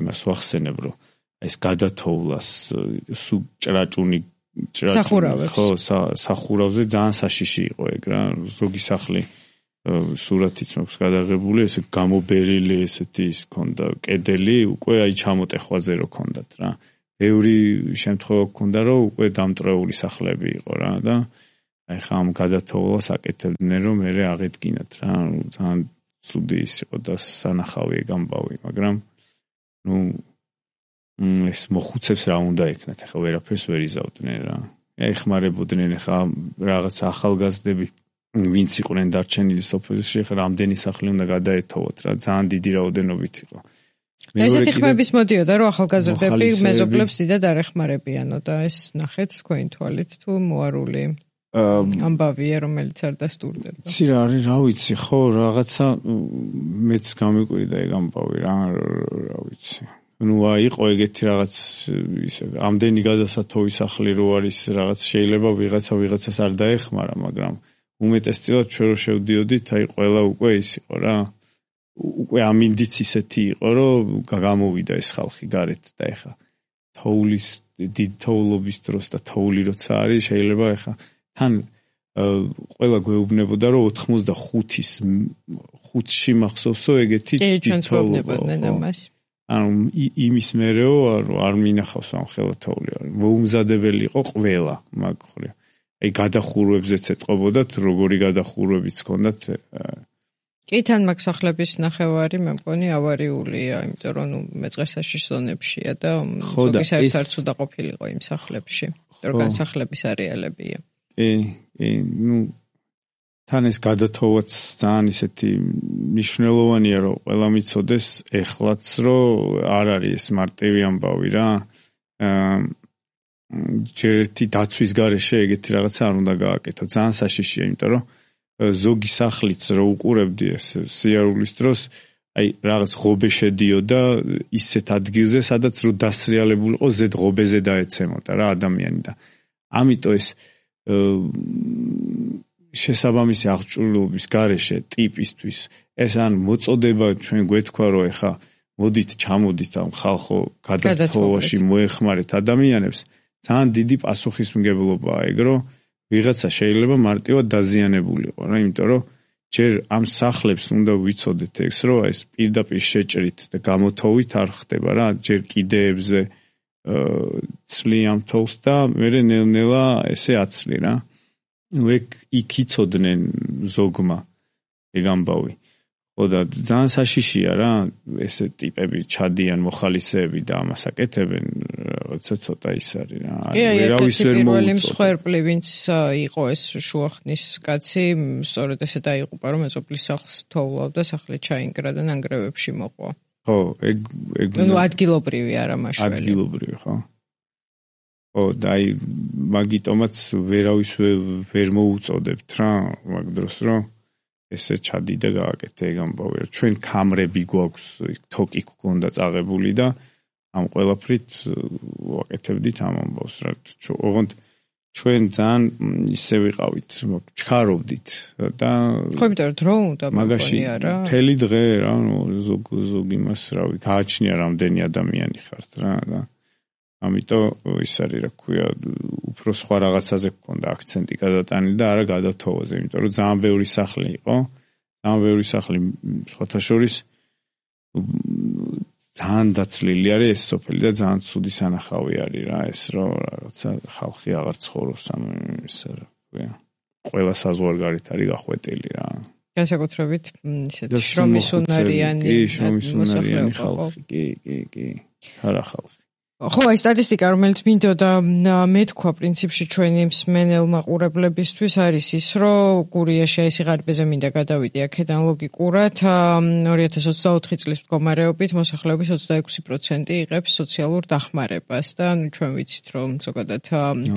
იმას ვახსენებ, რომ ეს გადათოვლას ჭრაჭუნი სახურავებს. ხო, სახურავზე ძალიან საშიში იყო ეგ რა, ზოგი სახლი სურათიც მაქვს გადაღებული, ესე გამობერილი ესეთი ის ქონდა კედელი, უკვე აი ჩამოტეხვაზე რო ქონდათ რა. ბევრი შემთხვევა ქონდა, რომ უკვე დამტრეული სახლები იყო რა და აი ხა ამ გადათოვლას აკეთებდნენ, რომ მე აღედგინათ რა. ძალიან ცუდი ის იყო და სანახავი ეგ ამბავი, მაგრამ ეს მოხუცებს რა უნდა ეკნათ, ახლა ვერაფერს ვერ იზავდნენ რა. ეხმარებოდნენ ახლა რაღაც ახალგაზრდები, ვინც იყვნენ დარჩენილი სოფელში, ახლა რამდენი სახლი უნდა გადაეთოვოთ რა, ძალიან დიდი რაოდენობით იყო. ესეთი ხმების მოდიოდა, რომ ახალგაზრდები მეზობლებს დიდად არ ეხმარებიანო და ეს ნახეთ თქვენი თვალით თუ მოარული ამბავია, რომელიც არ დასტურდება. იცი რა არის, რა ვიცი, ხო, რაღაცა მეც გამიკვირდა ეგ ამბავი რა ვიცი. იყო ეგეთი რაღაც ისე ამდენი გადასათოვი სახლი რო არის რაღაც შეიძლება ვიღაცას არ დაეხმარა, მაგრამ უმეტესწილად ჩვენ რო შევდიოდით, აი ყველა უკვე ის იყო რა. უკვე ამინდიც ისეთი იყო, რომ გამოვიდა ეს ხალხი გარეთ და ეხა თოვლის დიდ თოვლობის დროს და თოვლი როცა არის, შეიძლება ეხა თან ყველა გვეუბნებოდა, რომ 85-ში მახსოვსო ეგეთი დიდი თოვლობა. ანუ იმის მერეო არ მინახავს ამ ხელათოვლი. მოუმზადებელი იყო ყველა მაგ ხრი. აი გადახურვებზეც ეტყობოდათ, როგორი გადახურვებიც ჰქონდათ. კი, თან მაგ სახლების ნახევარი მე მგონი ავარიულია, იმიტომ რომ მეწყერსაშიშ ზონებშია და ზოგი საერთოდ ცუდა ყოფილიყო იმ სახლებში, რომ განსახლების არეალებია. თან ეს გადათოვაც ძალიან ისეთი მნიშვნელოვანია, რომ ყველა მიცოდეს ეხლაც, რომ არ არის ეს მარტივი ამბავი რა. ჯერ ერთი დაცვის გარეშე ეგეთი რაღაცა არ უნდა გააკეთო. ძალიან საშიშია, იმიტომ რომ ზოგი სახლიც რო უყურებდი ეს სიარულის დროს, აი რაღაც ღობე შედიოდა ისეთ ადგილზე, სადაც რო დასრიალებულიყო ზედ ღობეზე დაეცემოდა რა ადამიანი და ამიტომ ეს შესაბამისი აღჭურვილობის გარეშე ტიპისთვის ეს ან მოწოდება ჩვენ გვეთქვა რომ ეხა მოდით ჩამოდით ამ ხალხო გადათოვაში მოეხმარეთ ადამიანებს ძალიან დიდი პასუხისმგებლობაა ეგ რომ ვიღაცა შეიძლება მარტივად დაზიანებულიყო რა იმიტომ რომ ჯერ ამ სახლებს უნდა ვიცოდეთ ეს რომ ეს პირდაპირ შეჭრით და გამოთოვით არ ხდება რა ჯერ კიდეებზე ცლიან თოვს და მე ნელ-ნელა ესე აცლი რა იქ იცოდნენ ზოგმა ეგ ამბავი ხო და ძალიან საშიშია რა ესე ტიპები ჩადიან მოხალისეები და ამას აკეთებენ რაღაცა ცოტა ის არის რა ვერავის ვერ მოუწოდე მსხვერპლი ვინც იყო ეს შუახნის კაცი სწორედ ესე დაიღუპა რომ მეზობლის სახლს თოვლავდა სახლი ჩაინგრა და ნანგრევებში მოყვა ხო ეგ ნუ ადგილობრივი არა მაშველი ადგილობრივი ხო ო დაი მაგიტომაც ვერავის ვერ მოუწოდებთ რა მაგ დროს რომ ესე ჩადი და გააკეთე ეგ ამბავი რომ ჩვენ კამრები გვაქვს თოკი გქონდა წაღებული და ამ ყველაფრით ვაკეთებდით ამ ამბავს რა ოღონდ ჩვენ ძალიან ისე ვიყავით, ჩქარობდით და ხო, იმიტომ რომ დრო უნდა მაგაში მთელი დღე რა, ზოგ იმას რავი, გააჩნია რამდენი ადამიანი ხართ რა და ამიტომ ის არის რა ქვია, უფრო სხვა რაღაცაზე გქონდა აქცენტი გადატანილი და არა გადათოვაზე, იმიტომ რომ ძალიან ბევრი სახლი იყო, ძალიან ბევრი სახლი სხვათა შორის ძალიან დაცლილი არის ეს სოფელი და ძალიან ცუდი სანახავი არის რა, ეს რომ რაღაცა ხალხი აღარ ცხოვრობს ამ ისე რა ქვია, ყველა საზღვარგარეთ არის გახვეტილი რა. განსაკუთრებით ისეთი შრომისუნარიანი ხალხი, კი, არა ხალხი. ხო, აი სტატისტიკა, რომელიც მინდოდა მეთქვა პრინციპში ჩვენი მსმენელ მაყურებლებისთვის არის ის, რომ გურიაში აი სიღარიბეზე მინდა გადავიდე აქედან ლოგიკურად 2024 წლის მდგომარეობით მოსახლეობის 26% იღებს სოციალურ დახმარებას და ჩვენ ვიცით, რომ ზოგადად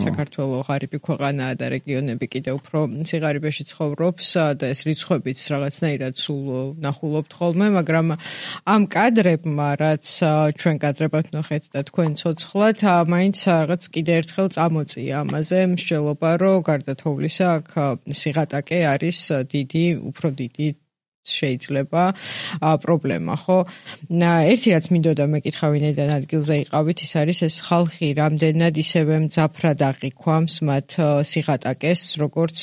საქართველოს ღარიბი ქვეყანაა და რეგიონები კიდევ უფრო სიღარიბეში ცხოვრობს და ეს რიცხვებიც რაღაცნაირად სულ ნახულობთ ხოლმე, მაგრამ ამ კადრებმა, რაც ჩვენ კადრებად ვნახეთ და თქვენ ცოცხლად, მაინც რაღაც კიდე ერთხელ წამოწია ამაზე მსჯელობა, რომ გარდა თოვლისა აქ სიღატაკე არის უფრო დიდი შეიძლება პრობლემა, ხო? ერთი რაც მინდოდა მეკითხა ვინაიდან ადგილზე იყავით, ის არის ეს ხალხი რამდენად ისევე მძაფრად აღიქვამს მათ სიღატაკეს, როგორც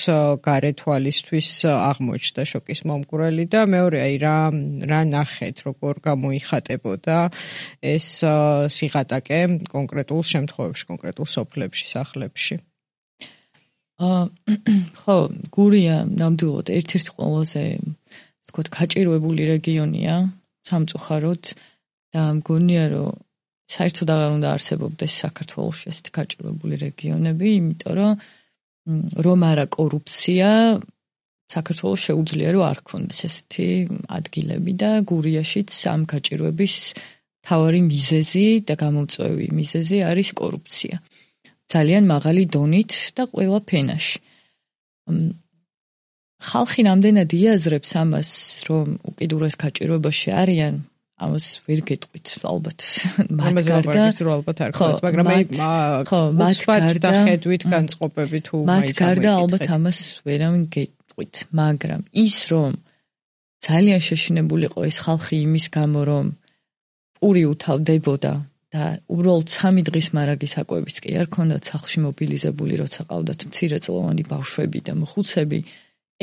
გარეთვალისთვის აღმოჩნდა შოკის მომგვრელი და მეორე აი რა ნახეთ, როგორ გამოიხატებოდა ეს სიღატაკე კონკრეტულ შემთხვევებში, კონკრეტულ სოფლებში, სახლებში. ხო, გურია ნამდვილად ერთ-ერთი ყველაზე თქვათ გაჭირვებული რეგიონია სამწუხაროდ და მგონია რომ საერთოდ აღარ უნდა არსებობდეს საქართველოში ესეთი გაჭირვებული რეგიონები, იმიტომ რომ არა კორუფცია საქართველოს შეუძლია რომ არ ქონდეს ესეთი ადგილები და გურიაშიც ამ გაჭირვების მთავარი მიზეზი და გამომწვევი მიზეზი არის კორუფცია. ძალიან მაღალი დონით და ყველა ფენაში. ხალხი რამდენად იაზრებს ამას, რომ უკიდურეს გაჭირვებაში არიან, ამას ვერ გეტყვით ალბათ. მათ გარდა ხედვით განწყობები თუ მათ გარდა ალბათ ამას ვერავინ გეტყვით, მაგრამ ის რომ ძალიან შეშინებულიყო ეს ხალხი იმის გამო, რომ პური უთავდებოდა და უბრალოდ 3 დღის მარაგის საკვებიც კი არ ქონდათ სახლში მობილიზებული, როცა ყავდათ მცირეწლოვანი ბავშვები და მოხუცები,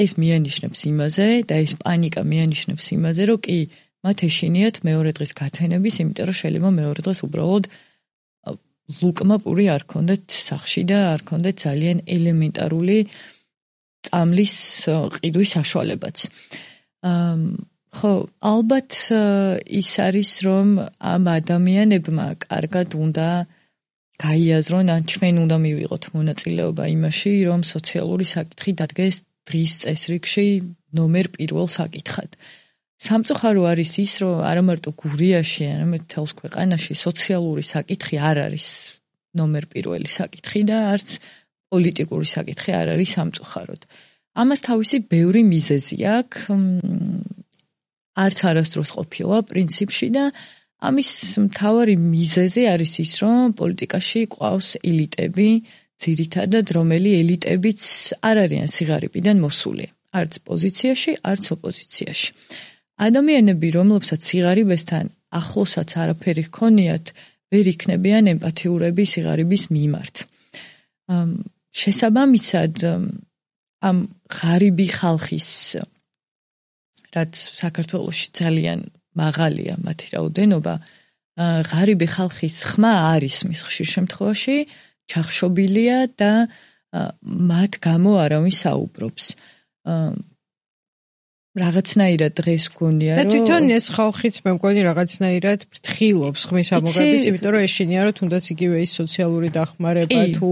ეს მიანიშნებს იმაზე და ეს პანიკა მიანიშნებს იმაზე, რომ კი მათ ეშინიათ მეორე დღის გათენების, იმიტომ რომ შეიძლება მეორე დღეს უბრალოდ ლუკმა პური არ ქონდეთ სახლში და არ ქონდეთ ძალიან ელემენტარული წამლის ყიდვის საშუალებაც. ხო, ალბათ ის არის, რომ ამ ადამიანებმა კარგად უნდა გაიაზრონ, ან ჩვენ უნდა მივიღოთ მონაწილეობა იმაში, რომ სოციალური საკითხი დადგეს დღის წესრიგში ნომერ 1 საკითხად. სამწუხარო არის ის, რომ არა მარტო გურიაში, არამედ მთელს ქვეყანაში სოციალური საკითხი არ არის ნომერ 1 საკითხი და არც პოლიტიკური საკითხი არ არის სამწუხაროდ. ამას თავისი ბევრი მიზეზი აქვს. არც არასდროს ყოფილა პრინციპში და ამის მთავარი მიზეზი არის ის, რომ პოლიტიკაში ყავს ელიტები, ძირითადად რომელი ელიტებიც არ არიან სიღარიბიდან მოსული, არც პოზიციაში, არც ოპოზიციაში. ადამიანები, რომლებსაც სიღარიბესთან ახლოსაც არაფერი ჰქონიათ, ვერ იქნებიან ემპათიურები სიღარიბის მიმართ. შესაბამისად, ამ ღარიბი ხალხის რაც საქართველოში ძალიან მაღალია მათი რაოდენობა, ღარიბი ხალხის ხმა არის მის ხშირ შემთხვევაში ჩახშობილია და მათ გამო არავინ საუბრობს. რაღაცნაირად დღეს გქონია რომ და თვითონ ეს ხალხიც მე მგონი რაღაცნაირად ფრთხილობს ხმის ამოღების, იმიტომ რომ ეშინია რომ თუნდაც იგივე ის სოციალური დახმარება თუ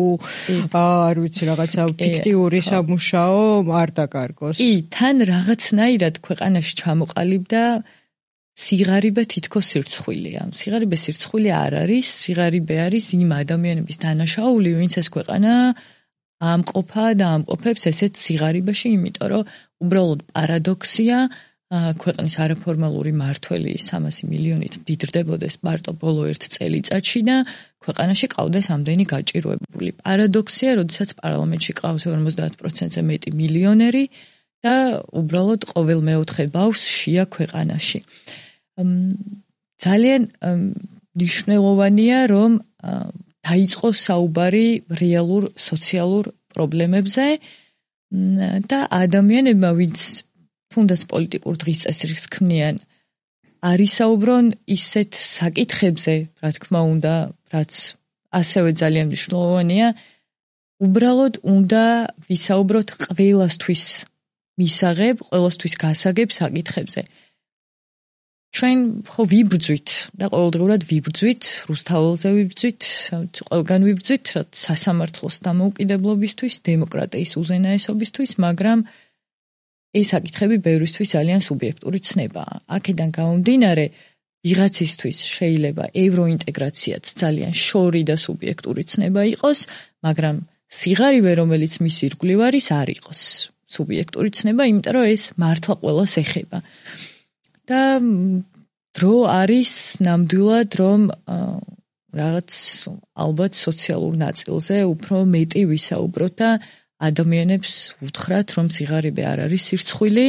არ ვიცი რაღაცა ფიქტიური სამუშაო არ დაკარგოს. კი, თან რაღაცნაირად ქვეყანაში ჩამოყალიბდა სიღარიბე თითქოს სირცხვილია. სიღარიბე სირცხვილი არ არის, სიღარიბე არის იმ ადამიანების დანაშაული, ვინც ეს ქვეყანა ამყოფა და ამყოფებს ესეთ სიღარიბეში, იმიტომ რომ უბრალოდ პარადოქსია, ქვეყნის არაფორმალური მართველი 300 მილიონით მდიდრდებოდეს მარტო ბოლო 1 წელიწადში და ქვეყანაში ყავდეს ამდენი გაჭირვებული. პარადოქსია, როდესაც პარლამენტში ყავს 50%-ზე მეტი მილიონერი და უბრალოდ ყოველ მეოთხე ბავშვს შია ქვეყანაში. ძალიან მნიშვნელოვანია, რომ დაიწყოს საუბარი რეალურ სოციალურ პრობლემებზე და ადამიანებმა, ვინც თუნდაც პოლიტიკურ დღის წესრიგს ქმნიან, არისაუბრონ ისეთ საკითხებზე, რა თქმა უნდა, რაც ასევე ძალიან მნიშვნელოვანია, უბრალოდ უნდა ვისაუბროთ ყველასთვის მისაღებ, ყველასთვის გასაგებ საკითხებზე. ჩვენ ხო ვიბრძვით და ყოველდღურად ვიბრძვით, რუსთაველზე ვიბრძვით, ყველგან ვიბრძვით, რაც სასამართლოს დამოუკიდებლობისთვის, დემოკრატიის უზენაესობისთვის, მაგრამ ეს საკითხები ბევრისთვის ძალიან სუბიექტური ცნებაა. აქედან გამომდინარე, ვიღაცისთვის შეიძლება ევროინტეგრაციაც ძალიან შორი და სუბიექტური ცნება იყოს, მაგრამ სიღარიბე, რომელიც მის ირგვლივ არის, არ იყოს სუბიექტური ცნება, იმიტომ რომ ეს მართლა ყველას ეხება. და დრო არის ნამდვილად, რომ რაღაც ალბათ სოციალურ ნაწილზე უფრო მეტი ვისაუბროთ და ადამიანებს უთხრათ, რომ სიღარიბე არ არის სირცხვილი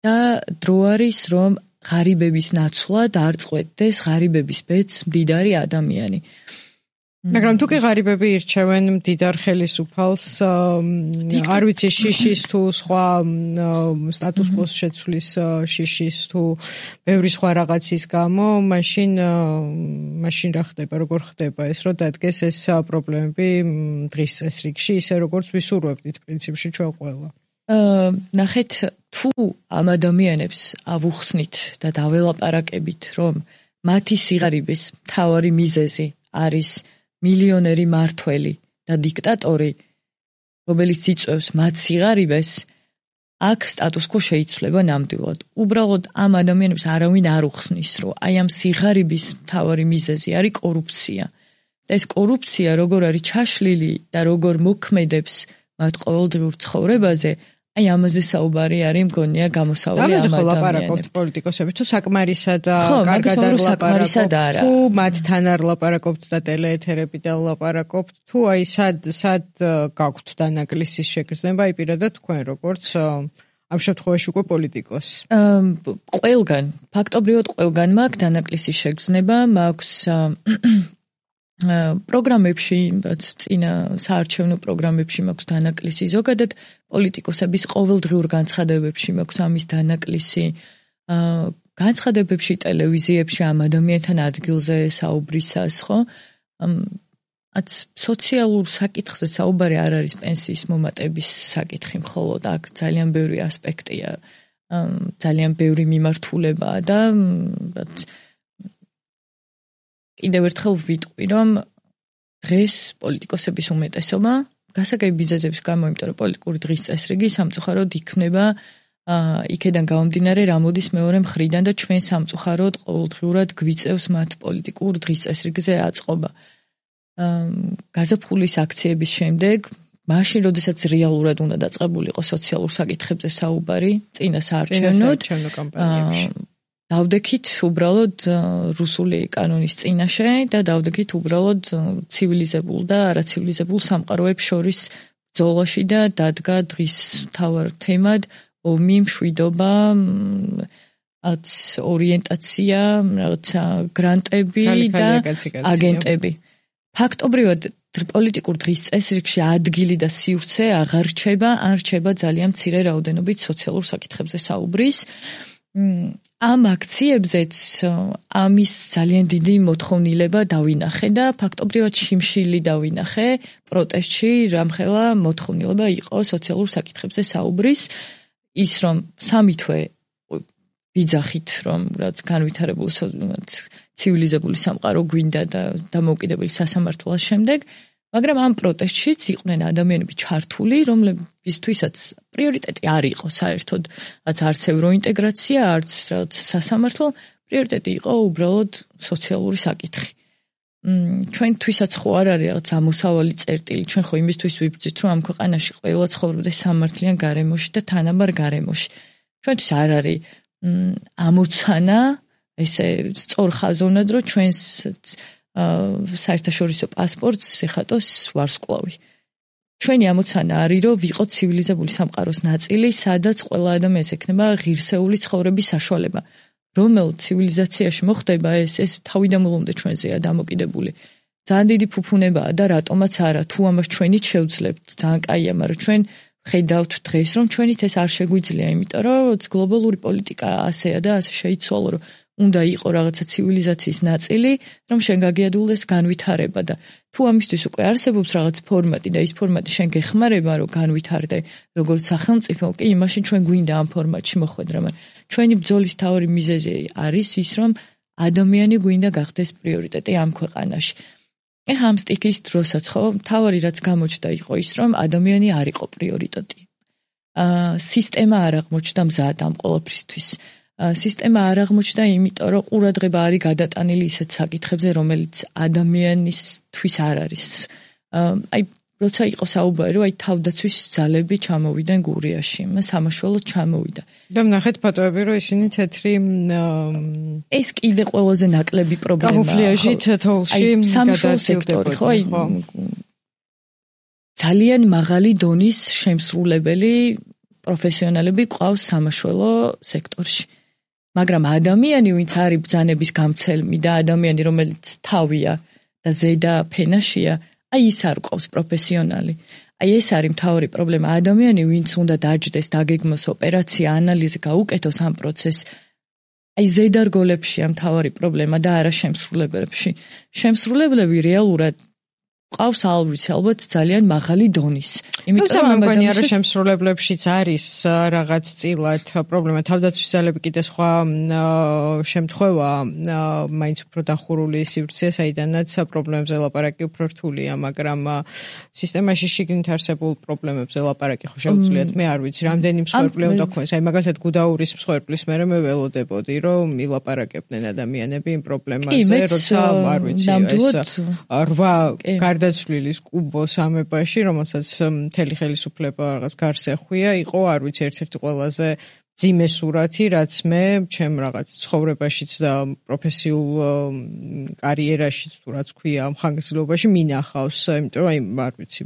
და დრო არის, რომ ღარიბების ნაცვლად არ წყვეტდეს ღარიბების ბედს მდიდარი ადამიანი. მაგრამ თუ კი ღარიბები ირჩევენ მდიდარ ხელისუფალს, არ ვიცი შიშის თუ სხვა სტატუს კოს შეცვლის შიშის თუ ბევრი სხვა რაღაცის გამო, მაშინ რა ხდება, როგორ ხდება ეს, რომ დადგეს ეს პრობლემები დღის წესრიგში, ისე როგორც ვისურვებდით პრინციპში ჩვენ ყველა. ნახეთ, თუ ამ ადამიანებს ავუხსნით და დაველაპარაკებით, რომ მათი სიღარიბის მთავარი მიზეზი არის მილიონერი მართველი და დიქტატორი, რომელიც იწვევს მათ სიღარიბეს, აქ სტატუს-კვო შეიცვლება ნამდვილად. უბრალოდ ამ ადამიანებს არავინ არ უხსნის, რომ აი ამ სიღარიბის მთავარი მიზეზი არის კორუფცია. და ეს კორუფცია როგორ არის ჩაშლილი და როგორ მოქმედებს მათ ყოველდღიურ ცხოვრებაზე, აი ამაზე საუბარი არის მგონია გამოსავალი ამ ადამიანებს. ამაზე ლაპარაკობთ პოლიტიკოსები, თუ საკმარისად კარგად არ ლაპარაკობთ, თუ მათთან არ ლაპარაკობთ და ტელეეთერებიდან ლაპარაკობთ, თუ აი სად გაქვთ დანაკლისის შეგრძნება, აი პირადად თქვენ როგორც ამ შემთხვევაში უკვე პოლიტიკოსი. ყველგან, ფაქტობრივად ყველგან მაქვს დანაკლისის შეგრძნება, მაქვს პროგრამებში, წინა საარჩევნო პროგრამებში მაქვს დანაკლისი, ზოგადად პოლიტიკოსების ყოველდღიურ განცხადებებში მაქვს ამის დანაკლისი, განცხადებებში, ტელევიზიებში ამ ადამიანთან ადგილზე საუბრისას, ხო? სოციალურ საკითხზე საუბარი არ არის პენსიის მომატების საკითხი მხოლოდ, აქ ძალიან ბევრი ასპექტია, ძალიან ბევრი მიმართულებაა და კიდევ ერთხელ ვიტყვი, რომ დღეს პოლიტიკოსების უმეტესობა გასაგები მიზეზების გამო, იმიტომ რომ პოლიტიკური დღის წესრიგი სამწუხაროდ იქმნება იქედან გამომდინარე, რა მოდის მეორე მხრიდან და ჩვენ სამწუხაროდ ყოველდღიურად გვიწევს მათ პოლიტიკურ დღის წესრიგზე აწყობა. გაზაფხულის აქციების შემდეგ, მაშინ, როდესაც რეალურად უნდა დაწყებულიყო სოციალურ საკითხებზე საუბარი, წინა საარჩევნო კამპანიებში. დავდექით უბრალოდ რუსული კანონის წინაშე და დავდექით უბრალოდ ცივილიზებულ და არაცივილიზებულ სამყაროებს შორის ბრძოლაში და დადგა დღის მთავარ თემად ომი, მშვიდობა, ორიენტაცია, რაღაცა გრანტები და აგენტები. ფაქტობრივად პოლიტიკურ დღის წესრიგში ადგილი და სივრცე აღარ რჩება, ან რჩება ძალიან მცირე რაოდენობით სოციალურ საკითხებზე საუბრის. ამ აქციებზეც ამის ძალიან დიდი მოთხოვნილება დავინახე და ფაქტობრივად შიმშილი დავინახე პროტესტში, რამხელა მოთხოვნილება იყო სოციალურ საკითხებზე საუბრის, ის რომ სამი თვე ვიძახით, რომ რაც განვითარებული ცივილიზებული სამყარო გვინდა და დამოუკიდებელი სასამართლოს შემდეგ, მაგრამ ამ პროტესტშიც იყვნენ ადამიანები ჩართული, რომლებისთვისაც პრიორიტეტი არ იყო საერთოდ, არც ევროინტეგრაცია, არც სასამართლო, პრიორიტეტი იყო უბრალოდ სოციალური საკითხი. ჩვენთვისაც ხო არ არის რაღაც ამოსავალი წერტილი, ჩვენ ხო იმისთვის ვიბრძვით, რომ ამ ქვეყანაში ყველა ცხოვრობდეს სამართლიან გარემოში და თანაბარ გარემოში. ჩვენთვის არ არის ამოცანა ესე სწორ ხაზოვნად რომ ჩვენს საერთაშორისო პასპორტს ეხატოს ვარსკვლავი. ჩვენი ამოცანა არის რომ ვიყოთ ცივილიზებული სამყაროს ნაწილი, სადაც ყველა ადამიანს ექნება ღირსეული ცხოვრების საშუალება. რომელ ცივილიზაციაში მოხდება ეს თავიდანვე ჩვენზეა დამოკიდებული. ძალიან დიდი ფუფუნებაა და რატომაც არა, თუ ამას ჩვენით შევძლებთ, ძალიან კაია, მაგრამ ჩვენ ხედავთ დღეს რომ ჩვენით ეს არ შეგვიძლია, იმიტომ რომ გლობალური პოლიტიკა ასეა და ასე შეიცვალა, რომ უნდა იყო რაღაცა ცივილიზაციის ნაწილი, რომ შენ გაგიადულდეს განვითარება და თუ ამისთვის უკვე არსებობს რაღაც ფორმატი და ის ფორმატი შენ გეხმარება რომ განვითარდე როგორც სახელმწიფო, კი იმაშინ ჩვენ გვინდა ამ ფორმატში მოხვედრა, მაგრამ ჩვენი ბრძოლის თავი მიზეზი არის ის რომ ადამიანი გვინდა გახდეს პრიორიტეტი ამ ქვეყანაში. ეხლა ამ სტიქის დროსაც ხო თავი რაც გამოჩნდა იყო ის რომ ადამიანი არ იყო პრიორიტეტი. სისტემა არ აღმოჩნდა მზად ამ ყოველფრისთვის. სისტემა არ აღმოჩნდა იმიტომ რომ ყურადღება არის გადატანილი ისეთ საკითხებზე რომელიც ადამიანისთვის არ არის. აი როცა იყო საუბარი რომ აი თავდაცვის ძალები ჩამოვიდნენ გურიაში, სამაშველოდ ჩამოვიდა. და ნახეთ ფოტოები რომ ისინი თეთრი ეს კიდე ყველაზე ნაკლები პრობლემაა. კამუფლიაჟით თოვლში გადაადგილდებოდი, ხო? აი ძალიან მაღალი დონის შემსრულებელი პროფესიონალები ყავს სამაშველო სექტორში. მაგრამ ადამიანი, ვინც არის ბრძანების გამცემი და ადამიანი, რომელიც თავია და ზედა ფენაშია, აი ის არ ყავს პროფესიონალი. აი ეს არის მთავარი პრობლემა. ადამიანი, ვინც უნდა დაჯდეს, დაგეგმოს ოპერაცია, ანალიზი გაუკეთოს ამ პროცესს, აი ზედა რგოლებშია მთავარი პრობლემა და არა შემსრულებლებში. შემსრულებლები რეალურად ყავს ალბათ ძალიან მაღალი დონის. იმიტომ რომ მგონი არა შემსრულებლებშიც არის რაღაც წილად პრობლემა. თავდაცვის ძალები კიდე სხვა შემთხვევაა, მაინც უფრო დახურული სივრცე, საიდანაც პრობლემებზე ლაპარაკი უფრო რთულია, მაგრამ სისტემაში შიგნით არსებულ პრობლემებზე ლაპარაკი ხო შეუძლიათ. მე არ ვიცი, რამდენი მსხვერპლი უნდა ქონდეს. აი მაგალითად გუდაურის მსხვერპლის მერე მე ველოდებოდი, რომ ილაპარაკებდნენ ადამიანები იმ პრობლემაზე, როცა არ ვიცი, ეს 8 გადაცვლილის კუბოს ამებაში, რომელსაც მთელი ხელისუფლება რაღაც გარს ეხვია, იყო, არ ვიცი, ერთ-ერთი ყველაზე ძიმე სურათი, რაც მე ჩემ რაღაც ცხოვრებაშიც და პროფესიულ კარიერაშიც თუ რაც ქვია ამ ხანგრძლივობაში მინახავს, იმიტომ რომ აი არ ვიცი,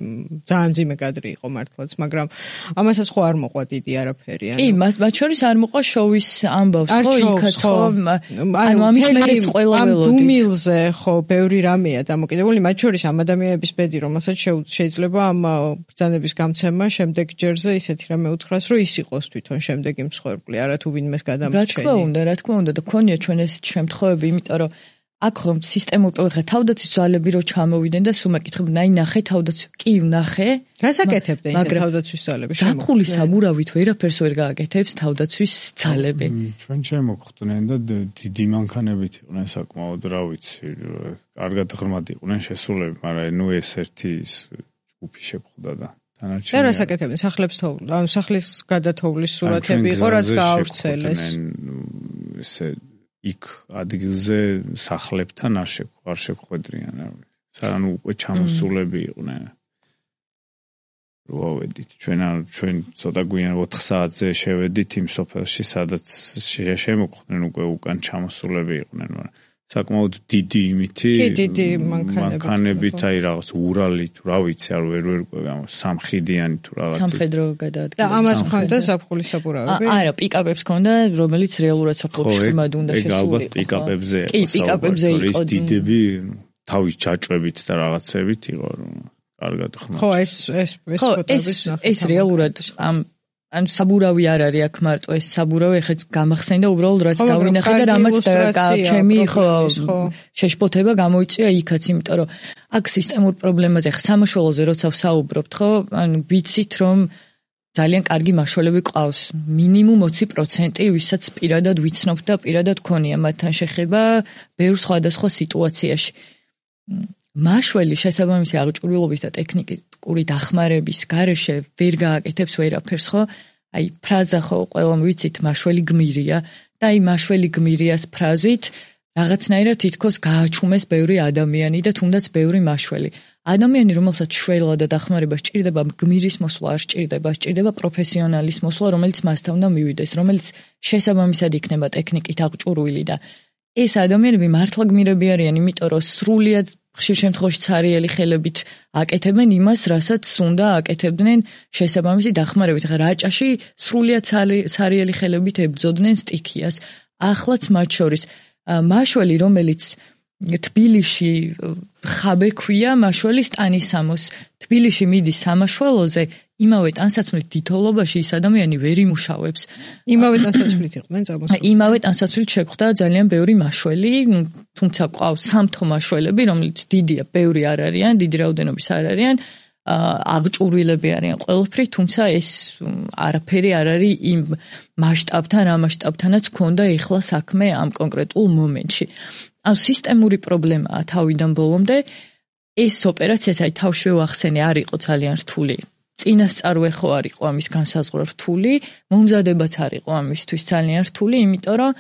ძალიან ძიმე კადრი იყო მართლაც, მაგრამ ამასაც ხო არ მოყვა დიდი არაფერი. კი, მათ შორის არ მოყვა შოვის ამბავს, ხო, იქაც ხო. ანუ ამის მერეც ყველა ველოდით. ამ დუმილზე ხო, ბევრი რამეა დამოკიდებული, მათ შორის ამ ადამიანების ბედი, რომელსაც შეიძლება ამ ბრძანების გამცემა შემდეგ ჯერზე ისეთი რამე უთხრას, რომ ის იყოს თვითონ შემდეგ იმ მსხვერპლი, არა თუ ვინმეს გადამრჩენი. რა თქმა უნდა და ქონია ჩვენ ეს შემთხვევები, იმიტომ რომ აქ ხომ სისტემურ პრობლემა თავდაცვის ძალები რო ჩამოვიდნენ და სულ მეკითხები, აი ნახე თავდაცვის, კი ნახე. რას აკეთებდნენ ეს თავდაცვის ძალები? ზაფხულის საბურავით ვერაფერს ვერ გააკეთებს თავდაცვის ძალები. ჩვენ შემოგხვდნენ და დიდი მანქანებით იყვნენ საკმაოდ, რა ვიცი, კარგად ღრმად იყვნენ შესულები, მაგრამ ნუ ეს ერთი ჯგუფი შეგვხვდა და და რას აკეთებდნენ? სახლის გადათოვლის სურათები იყო, რაც გაავრცელეს. ესე იქ ადგილზე სახლებთან არ შეგვხვედრიან, ანუ უკვე ჩამოსულები იყვნენ. როვედით ჩვენ ცოტა გვიან 4 საათზე შევედით იმ სოფელში, სადაც შემოხვდნენ უკვე უკან ჩამოსულები იყვნენ, მაგრამ საკმაოდ დიდი იმითი მანქანებით, აი რაღაც ურალი თუ რა ვიცი, არ ვერ სამხიდიანი თუ რაღაც. სამხედრო გადაადგილება. და ამას ხონდა ზაფხულის საბურავები? არა, პიკაპებს ხონდა, რომელიც რეალურად საფრთხეში ხმად უნდა შესულიყო. კი, პიკაპებზე იყო. კი, პიკაპებზე იყო. ის დიდები თავის ჯაჭვებით და რაღაცებით იყო, რომ კარგად ხმად. ხო, ეს ფოტოების ნახე. ეს რეალურად ანუ საბურავი არ არის აქ მარტო ეს საბურავი ხეთ გამახსენდა უბრალოდ რაც დავინახე და რამაც ჩემი ხო შეშფოთება გამოიწვია იქაც, იმიტომ რომ აქ სისტემურ პრობლემაზე ხა სამაშველოზე როცა ვსაუბრობთ, ხო, ანუ ვიცით რომ ძალიან კარგი მაშველები ყავს, მინიმუმ 20%, ვისაც პირადად ვიცნობ და პირადად ქონია მათთან შეხება ბევრ სხვადასხვა სიტუაციაში. მაშველი შესაბამისი აღჭურვილობის და ტექნიკური დახმარების გარეშე ვერ გააკეთებს ვერაფერს, ხო? აი ფრაზა ხო ყველამ ვიცით მაშველი გმირია და აი მაშველი გმირიას ფრაზით რაღაცნაირად თითქოს გააჩუმეს ბევრი ადამიანი და თუნდაც ბევრი მაშველი. ადამიანი, რომელსაც შველა და დახმარება სჭირდება, გმირის მოსვლა არ სჭირდება, სჭირდება პროფესიონალის მოსვლა, რომელიც მასთან უნდა მივიდეს, რომელიც შესაბამისად იქნება ტექნიკით აღჭურვილი და ეს ადამიანები მართლა გმირები არიან, იმიტომ რომ სრულიად ხშირ შემთხვევაში ცარიელი ხელებით აკეთებენ იმას, რასაც უნდა აკეთებდნენ შესაბამისი დახმარებით. ხა რაჭაში სრულიად ცარიელი ხელებით ებრძოდნენ სტიქიას. ახლაც მათ შორის მაშველი, რომელიც თბილისში ხაბე ქვია, მაშველი სტანისამოს. თბილისში მიდის სამაშველოზე, იმავე ტანსაცმლით თითოეულობაში ის ადამიანი ვერ იმუშავებს. იმავე ტანსაცმლით იყვნენ წამოსული. იმავე ტანსაცმლით შეხვდა ძალიან ბევრი მაშველი, თუმცა ყავს სამთო მაშველები, რომელიც დიდია, ბევრი არ არიან, დიდი რაოდენობის არ არიან, აღჭურვილები არიან ყველაფრით, თუმცა ეს არაფერი არ არის იმ მასშტაბთან, ამ მასშტაბთანაც ქონდა ეხლა საქმე ამ კონკრეტულ მომენტში. ან სისტემური პრობლემაა თავიდან ბოლომდე. ეს ოპერაციაც აი თავშივე ვახსენე არ იყო ძალიან რთული. წინასწარვე ხო არ იყო ამის განსაზღვრა რთული, მომზადებაც არ იყო ამისთვის ძალიან რთული, იმიტომ რომ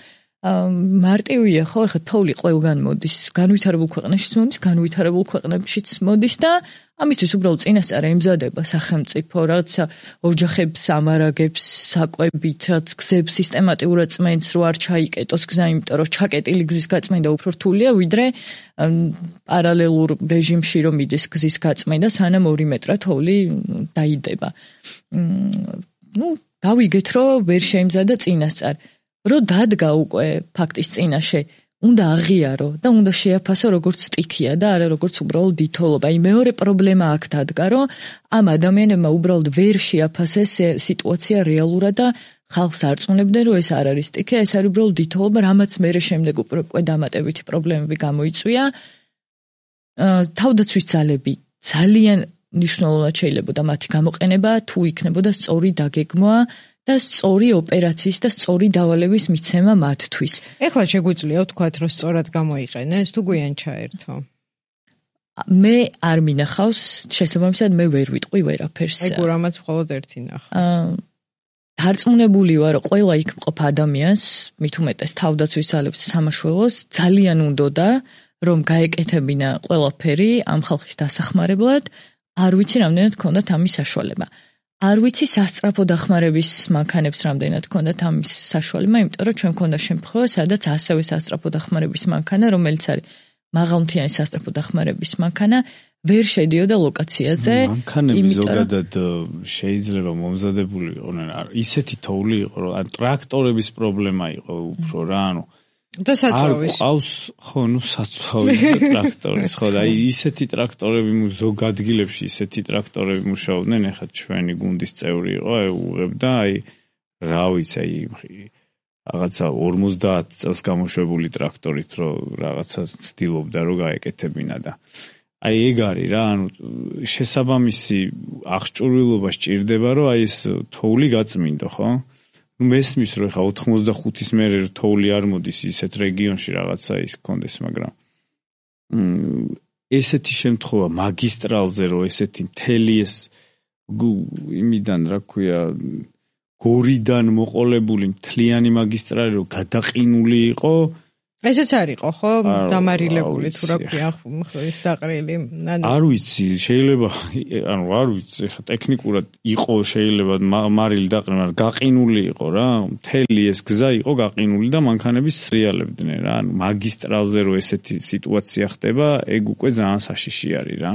მარტივია ხო, ეხლა თოვლი ყველგან მოდის, განვითარებულ ქვეყნებშიც მოდის, განვითარებულ ქვეყნებშიც მოდის და ამისთვის უბრალოდ წინასწარ ემზადება სახელმწიფო, რაც ოჯახებს ამარაგებს საკვებით, რაც გზებს სისტემატიურად წმენს, რო არ ჩაიკეტოს გზა, იმიტომ რომ ჩაკეტილი გზის გაწმენდა უფრო რთულია, ვიდრე პარალელურ რეჟიმში რომ მიდის გზის გაწმენდა, სანამ 2 მეტრა თოვლი დაიდება. გავიგეთ, რომ ვერ შეიმზადა წინასწარ. რო დადგა უკვე ფაქტის წინაშე, უნდა აღიარო და უნდა შეაფასო როგორც სტიქია და არა როგორც უბრალოდ დითოლობა. აი მეორე პრობლემა აქ დადგა, რომ ამ ადამიანებმა უბრალოდ ვერ შეაფასეს სიტუაცია რეალურად და ხალხს არწმუნებდნენ, რომ ეს არ არის სტიქია, ეს არის უბრალოდ დითოლობა, რამაც მერე შემდეგ უკვე დამატებითი პრობლემები გამოიწვია. თავდაცვის ძალები ძალიან მნიშვნელოვნად შეიძლებოდა მათი გამოყენება, თუ იქნებოდა სწორი დაგეგმვა და სწორი ოპერაციის და სწორი დავალების მიცემა მათთვის. ეხლა შეგვიძლია ვთქვათ, რომ სწორად გამოიყენეს, თუ გვიან ჩაერთო. მე არ მინახავს, შესაბამისად მე ვერ ვიტყვი ვერაფერს. აი გურამაც მხოლოდ ერთი ნახა. დარწმუნებული ვარ, რომ ყველა იქ მყოფ ადამიანს, მით უმეტეს თავდაცვის ძალებს სამაშველოს ძალიან უნდოდა, რომ გაეკეთებინა ყველაფერი ამ ხალხის დასახმარებლად, არ ვიცი რამდენად ქონდათ ამის საშუალება. არ ვიცი სასწრაფო დახმარების მანქანებს რამდენად ქონდათ ამის საშუალება, იმიტომ რომ ჩვენ ქონდა შემთხვევა, სადაც ასევე სასწრაფო დახმარების მანქანა, რომელიც არის მაღალმთიანი სასწრაფო დახმარების მანქანა, ვერ შედიოდა ლოკაციაზე. მანქანები ზოგადად შეიძლება მომზადებული იყვნენ, ისეთი თოვლი იყო, რომ ტრაქტორების პრობლემა იყო უფრო რა, და საწვავის. ყავს, ხო, საწვავის ტრაქტორის, ხო, და აი ისეთი ტრაქტორები ზოგ ადგილებში ისეთი ტრაქტორები მუშაობდნენ, ეხლა ჩვენი გუნდის წევრი იყო, უღებდა, აი რა ვიცი, აი რაღაცა 50 წელს გამოშვებული ტრაქტორით, რომ რაღაცა ცდილობდა, რომ გაეკეთებინა და აი ეგ არის რა, შესაბამისი აღჭურვილობა სჭირდება, რომ აი ეს თოვლი გაწმინდო, ხო? მესმის რომ ხა 85-ის მერე თოვლი არ მოდის ისეთ რეგიონში რაღაცა ის კონდეს, მაგრამ ესეთი შემთხვევა მაგისტრალზე რომ ესეთი მთელი ეს იმიდან რა ქვია გორიდან მოყოლებული მთლიანი მაგისტრალი რომ გადაყინული იყო, ესეც არისო ხო დამარილებული თუ რა ქვია ის დაყრილი. არ ვიცი, შეიძლება არ ვიცი, ხა ტექნიკურად იყო შეიძლება მარილი დაყრილი, მაგრამ გაყინული იყო რა, მთელი ეს გზა იყო გაყინული და მანქანები სრიალებდნენ რა. მაგისტრალზე რომ ესეთი სიტუაცია ხდება, ეგ უკვე ძალიან საშიში არის რა.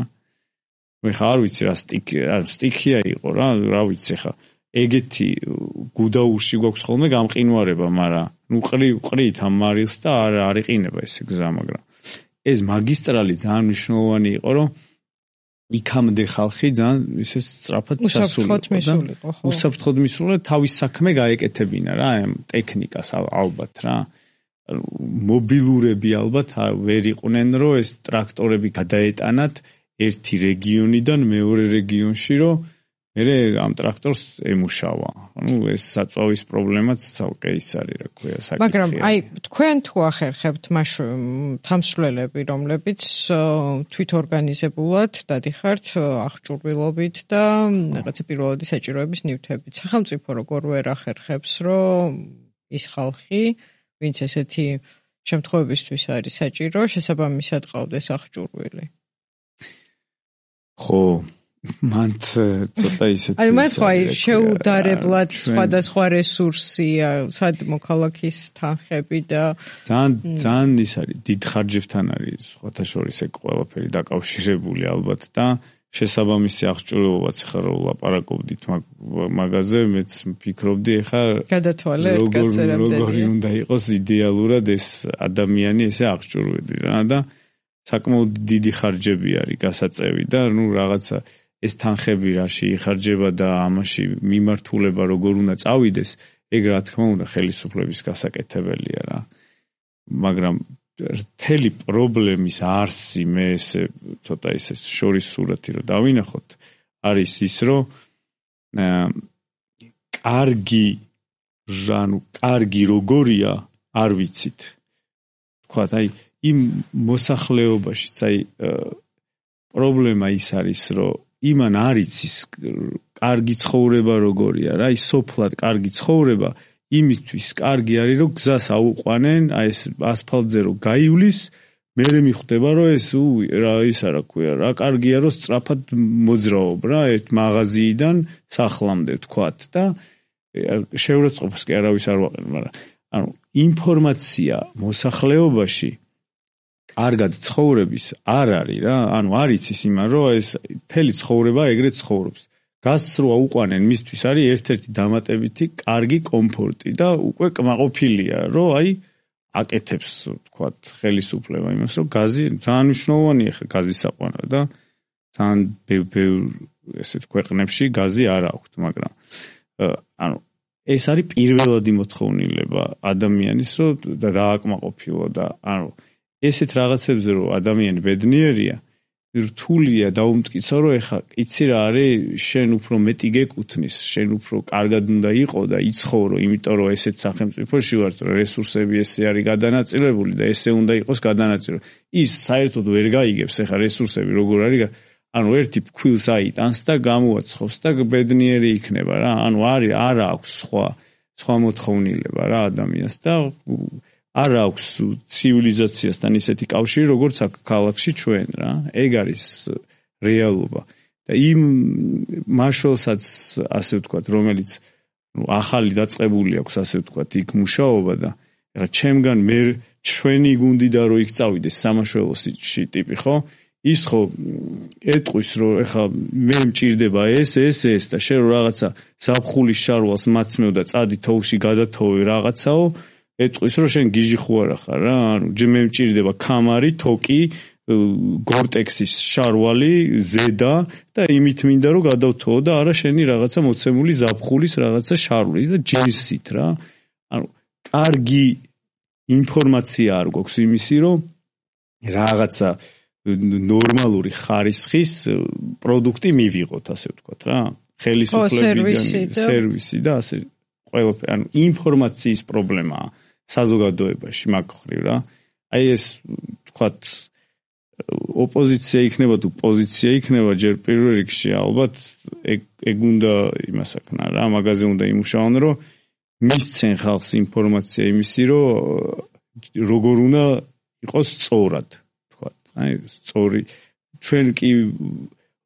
ხა არ ვიცი რა სტიქია იყო რა ვიცი ხა ეგეთი გუდაურში გვაქვს ხოლმე გამყინვარება, მაგრამ ყრით ამ მარილს და არ იყინება ეს გზა, მაგრამ ეს მაგისტრალი ძალიან მნიშვნელოვანი იყო, რომ იქამდე ხალხი ძალიან ისე სწრაფად ჩასულიყო. უსაფრთხოდ მისულა თავის საქმე გაეკეთებინა რა, ამ ტექნიკას ალბათ რა. მობილურები ალბათ ვერ იყვნენ, რომ ეს ტრაქტორები გადაეტანათ ერთი რეგიონიდან მეორე რეგიონში, რომ მე ამ ტრაქტორს ემუშავა. ეს საწვავის პრობლემაც ცალკე ის არის, რა ქვია, საკითხია. მაგრამ აი თქვენ თუ ახერხებთ თამსვლელები, რომლებიც თვითორგანიზებულად დადიხართ აღჭურვილობით და რაღაცა პირველადი საჭიროების ნივთებით. სახელმწიფო როგორ ვერ ახერხებს, რომ ის ხალხი, ვინც ესეთი შემთხვევებისთვის არის საჭირო შესაბამისად ყავდეს აღჭურვილი. ხო, მანთ ცოტა ისეთი აი მათ ხო შეუდარებლად სხვადასხვა რესურსია, სად მოქალაქის თანხები და ძალიან ის არის დიდ ხარჯებთან არის სხვათა შორის ეგ ყველაფერი დაკავშირებული ალბათ და შესაბამისი აღჭურვილობაც ხა რო ლაპარაკობდით მაგაზე მეც ფიქრობდი ხა გადათვალე ერთ კაცერამდე როგორი უნდა იყოს იდეალურად ეს ადამიანი ესე აღჭურვილი რა და საკმაოდ დიდი ხარჯები არის გასაწევი და ნუ რაღაცა ეს თანხები რაში იხარჯება და ამაში მიმართულება როგორ უნდა წავიდეს ეგ რა თქმა უნდა ხელისუფლების გასაკეთებელია რა მაგრამ მთელი პრობლემის არსი მე ესე ცოტა ისე შორის სურათი რომ დავინახოთ არის ის რომ კარგი როგორია არ ვიცით თქვა აი იმ მოსახლეობაშიც აი პრობლემა ის არის რომ იმან არ იცის კარგი ცხოვრება როგორია რა ის სოფლად კარგი ცხოვრება იმისთვის კარგი არის რომ გზას აუყვანენ აი ეს ასფალტზე რომ გაივლის მერე მიხვდება რომ ეს რა ის არა ქვია რა კარგია რომ სწრაფად მოძრაობ რა ერთ მაღაზიიდან სახლამდე თქვათ და შეურაცხყოფას კი არავის არ ვაყენ მაგრამ ანუ ინფორმაცია მოსახლეობაში კარგად ცხოვრების არ არის რა ანუ არ იცის იმან რომ ეს მთელი ცხოვრება ეგრეთ ცხოვრობს გაზს რო აუყვანენ მისთვის არის ერთ-ერთი დამატებითი კარგი კომფორტი და უკვე კმაყოფილია რომ აი აკეთებს თქვათ ხელისუფლება იმას რომ გაზი ძალიან მნიშვნელოვანია ხა გაზის აყვანა და ძალიან ბევრ ესეთ ქვეყნებში გაზი არ აქვს მაგრამ ანუ ეს არის პირველადი მოთხოვნილება ადამიანის რომ დააკმაყოფილო და ანუ ესეთ რაღაცებზე რომ ადამიანი ბედნიერია რთულია დაუმტკიცა რომ ეხა იცი რა არის შენ უფრო მეტი გეკუთნის შენ უფრო კარგად უნდა იყო და იცხოვრო იმიტომ რომ ესეთ სახელმწიფოში ვარ რომ რესურსები ესე არის გადანაწილებული და ესე უნდა იყოს გადანაწილებული ის საერთოდ ვერ გაიგებს ეხა რესურსები როგორ არის ანუ ერთი ფქვილს აიტანს და გამოაცხობს და ბედნიერი იქნება რა ანუ არ აქვს სხვა მოთხოვნილება რა ადამიანს და არ აქვს ცივილიზაციასთან ისეთი კავშირი როგორც აქ ქალაქში ჩვენ რა ეგ არის რეალობა და იმ მაშველსაც ასე ვთქვათ რომელიც ახალი დაწყებული აქვს ასე ვთქვათ იქ მუშაობა და ეხლა ჩემგან მე ჩვენი გუნდიდან რო იქ წავიდეს სამაშველოსი ტიპი ხო ის ხო ეტყვის რომ ეხლა მე მჭირდება ეს და შენ რაღაცა ზაფხულის შარვალს მაცმევ და წადი თოვლში გადათოვე რაღაცაო ეტყვის რომ შენ გიჟი ხო არა ხარ რა ანუ მე მჭირდება კამარი თოკი გორტექსის შარვალი ზედა და იმით მინდა რომ გადავთოვო და არა შენი რაღაცა მოცემული ზაფხულის რაღაცა შარვალი და ჯინსით რა ანუ კარგი ინფორმაცია არ გვაქვს იმისი რომ რაღაცა ნორმალური ხარისხის პროდუქტი მივიღოთ ასე ვთქვათ რა ხელისუფლებიდან სერვისი და ასე ყველაფერი ანუ ინფორმაციის პრობლემაა საზოგადოებაში მაგ ხრივ რა აი ეს ვთქვათ ოპოზიცია იქნება თუ პოზიცია იქნება ჯერ პირველ რიგში ალბათ ეგ უნდა იმასაკნა რა მაგაზე უნდა იმუშაონ რომ მისცენ ხალხს ინფორმაცია იმისი რომ როგორ უნდა იყოს სწორად ვთქვათ აი სწორი ჩვენ კი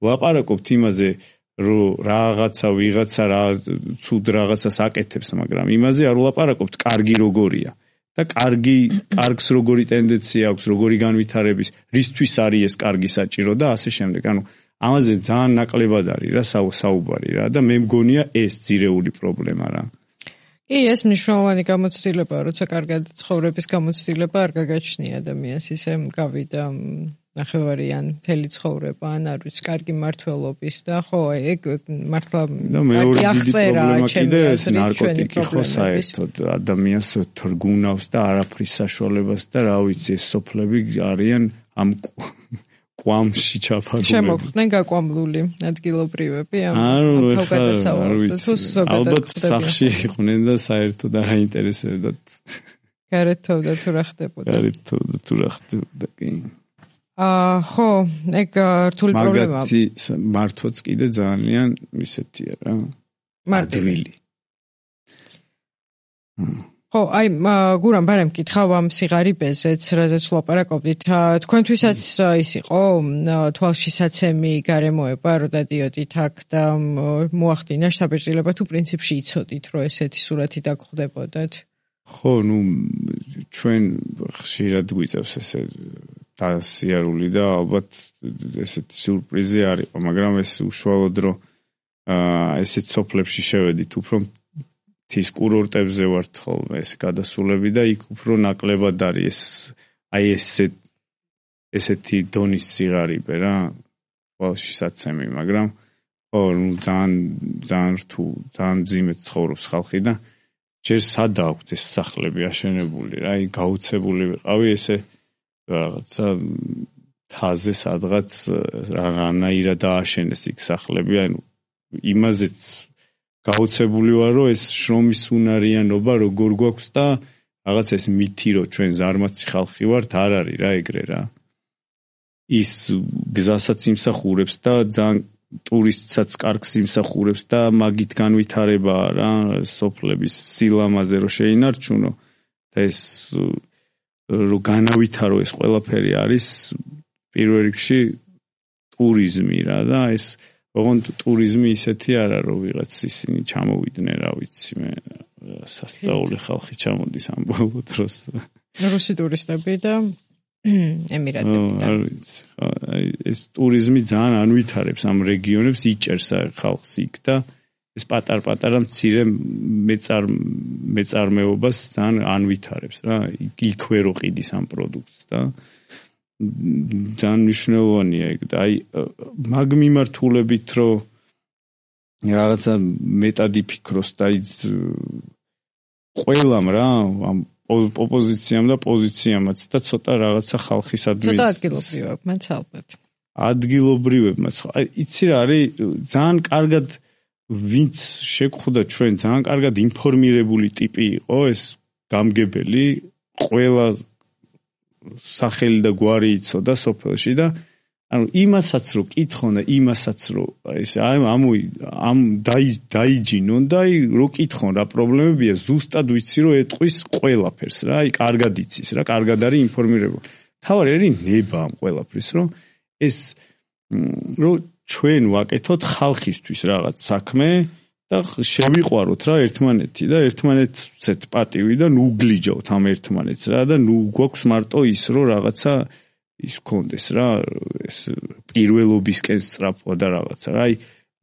ლაპარაკობთ იმაზე რომ რაღაცა ვიღაცა რა ცუდ რაღაცას აკეთებს მაგრამ იმაზე არ ვლაპარაკობთ კარგი როგორია და კარგს როგორი ტენდენცია აქვს როგორი განვითარების რისთვის არის ეს კარგი საჭირო და ასე შემდეგ ანუ ამაზე ძალიან ნაკლებად არის რა საუბარი რა და მე მგონია ეს ძირეული პრობლემა რა კი ეს მნიშვნელოვანი გამოცდილებაა როცა კარგად ცხოვრების გამოცდილება არ გაგაჩნია ადამიანს ისე გავიდა ნახევარიან მთელი ცხოვრება ან არ ვიცი კარგი მართლობის და ხო ეგ მართლა კარგი აღწერა ჩემი აზრით ნარკოტიკი ხო საერთოდ ადამიანს თრგუნავს და არაფრის საშუალებას და რა ვიცი ეს სოფლები არიან ამ კვამში ჩაფარული შემოხვდნენ გაკვამლული ადგილობრივები ამ თავგადასავალს ალბათ სახში იყვნენ და საერთოდ არ აინტერესებდათ გარეთოვდა თუ რა ხდებოდა კი ხო, ეგ რთული პრობლემაა. მაგათი მართვაც კიდე ძალიან ისეთია რა. ადვილი. ხო, აი გურამ ბარემ მკითხავ ამ სიღარიბეზეც, რაზეც ვლაპარაკობდით, თქვენთვისაც ის იყო თვალშისაცემი გარემოება, რომ დადიოდით აქ და მოახდინა შთაბეჭდილება თუ პრინციპში იცოდით, რომ ესეთი სურათი დაგხვდებოდათ? ხო, ჩვენ ხშირად გვიწევს ესე დასიარული და ალბათ ესეთი სიურპრიზი არ იყო, მაგრამ ეს უშუალოდ რომ ესეთ სოფლებში შევედით, უფრო მთის კურორტებზე ვართ ხოლმე ეს გადასულები და იქ უფრო ნაკლებად არის ესეთი დონის სიღარიბე რა, თვალშისაცემი, მაგრამ ხო, ძალიან რთულ, ძალიან მძიმედ ცხოვრობს ხალხი და ჯერ სადა აქვთ ეს სახლები აშენებული რა, გაუცებული ვიყავი ესე რაღაცა თაზე სადღაც რანაირად დააშენეს იქ სახლები, ანუ იმაზეც გაუცებული ვარ, რომ ეს შრომის უნარიანობა როგორ გვაქვს და რაღაც ეს მითი, რომ ჩვენ ზარმაცი ხალხი ვართ, არ არის რა ეგრე რა. ის გზასაც იმსახურებს და ძალიან ტურისტსაც კარგს იმსახურებს და მაგით განვითარებაა რა, სოფლების სილამაზე რომ შეინარჩუნო და ეს რომ განავითარო ეს ყველაფერი არის პირველ რიგში ტურიზმი რა და ეს ოღონდ ტურიზმი ისეთი არა რომ ვიღაც ისინი ჩამოვიდნენ რა ვიცი მე სასწაული ხალხი ჩამოდის ამ ბოლო დროს რუსი ტურისტები და ემირატებიდან ეს ტურიზმი ძალიან ანვითარებს ამ რეგიონებს იჭერს ხალხს იქ და ეს პატარ-პატარა მცირე მეწარმეობას ძალიან ანვითარებს რა იქვე რო ყიდის ამ პროდუქტს და ძალიან მნიშვნელოვანია ეგ და აი მაგ მიმართულებით რომ რაღაცა მეტად იფიქროს და აი ყველამ რა ამ ოპოზიციამ და პოზიციამაც და ცოტა რაღაცა ხალხისადმი ცოტა ადგილობრივებმაც ალბათ ადგილობრივებმაც აი იცი რა არის ძალიან კარგად ვინც შეგხვდა ჩვენ ძალიან კარგად ინფორმირებული ტიპი იყო ეს გამგებელი ყველა სახელი და გვარი იცოდა სოფელში და ანუ იმასაც რო კითხონ და იმასაც რო ეს ამ დაიჯინონ და რო კითხონ რა პრობლემებია ზუსტად ვიცი რომ ეტყვის ყველაფერს რა აი კარგად იცის რა კარგად არის ინფორმირებული თავარი არის ნება ამ ყველაფრის რომ ეს რო ჩვენ ვაკეთოთ ხალხისთვის რაღაც საქმე და შევიყვაროთ რა ერთმანეთი და ერთმანეთს პატივი და ნუ გლიჯავთ ამ ერთმანეთს რა და ნუ გვაქვს მარტო ის რომ რაღაცა ის კონდეს რა ეს პირველობისკენ სწრაფვა და რაღაცა რა აი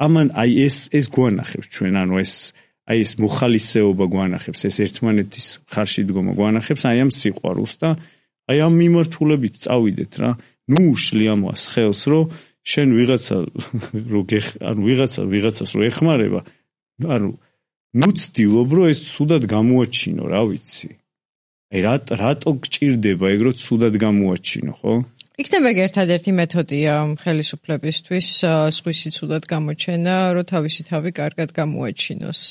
ამან აი ეს გვანახებს ჩვენ ანუ ეს აი ეს მოხალისეობა გვანახებს ეს ერთმანეთის ხარში დგომა გვანახებს აი ამ სიყვარულს და აი ამ მიმართულებით წავიდეთ რა ნუ უშლი ამას ხელს რომ შენ ვიღაცა რო ანუ ვიღაცას რო ეხმარება ანუ ნუ ცდილობ რომ ეს ცუდად გამოაჩინო რა ვიცი აი რატო გჭირდება ეგ რომ ცუდად გამოაჩინო ხო იქნება ერთადერთი მეთოდია ხელისუფლებისთვის სხვისი ცუდად გამოჩენა რომ თავისი თავი კარგად გამოაჩინოს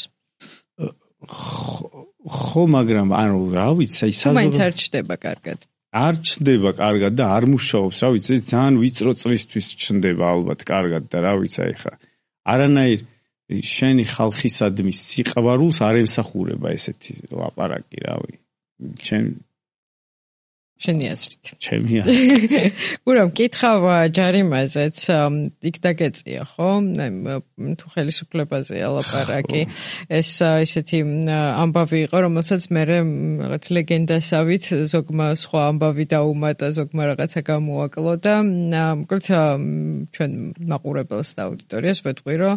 ხო მაგრამ ანუ რა ვიცი აი მაინც არ ჩდება კარგად არ ჩნდება კარგად და არ მუშაობს რა ვიცი ეს ძალიან ვიწრო წრისთვის ჩნდება ალბათ კარგად და რა ვიცი აი ხა არანაირ შენი ხალხისადმი სიყვარულს არ ემსახურება ესეთი ლაპარაკი რავი შენი აზრით ჩემი აზრით გურამ კითხავ ჯარიმაზეც იქ დაგეწია ხო თუ ხელისუფლებაზე ალაპარაკი ეს ისეთი ამბავი იყო რომელსაც მე რაღაც ლეგენდასავით ზოგმა სხვა ამბავი დაუმატა ზოგმა რაღაცა გამოაკლო და მოკლედ ჩვენ მაყურებელს და აუდიტორიას ვეთყვი რომ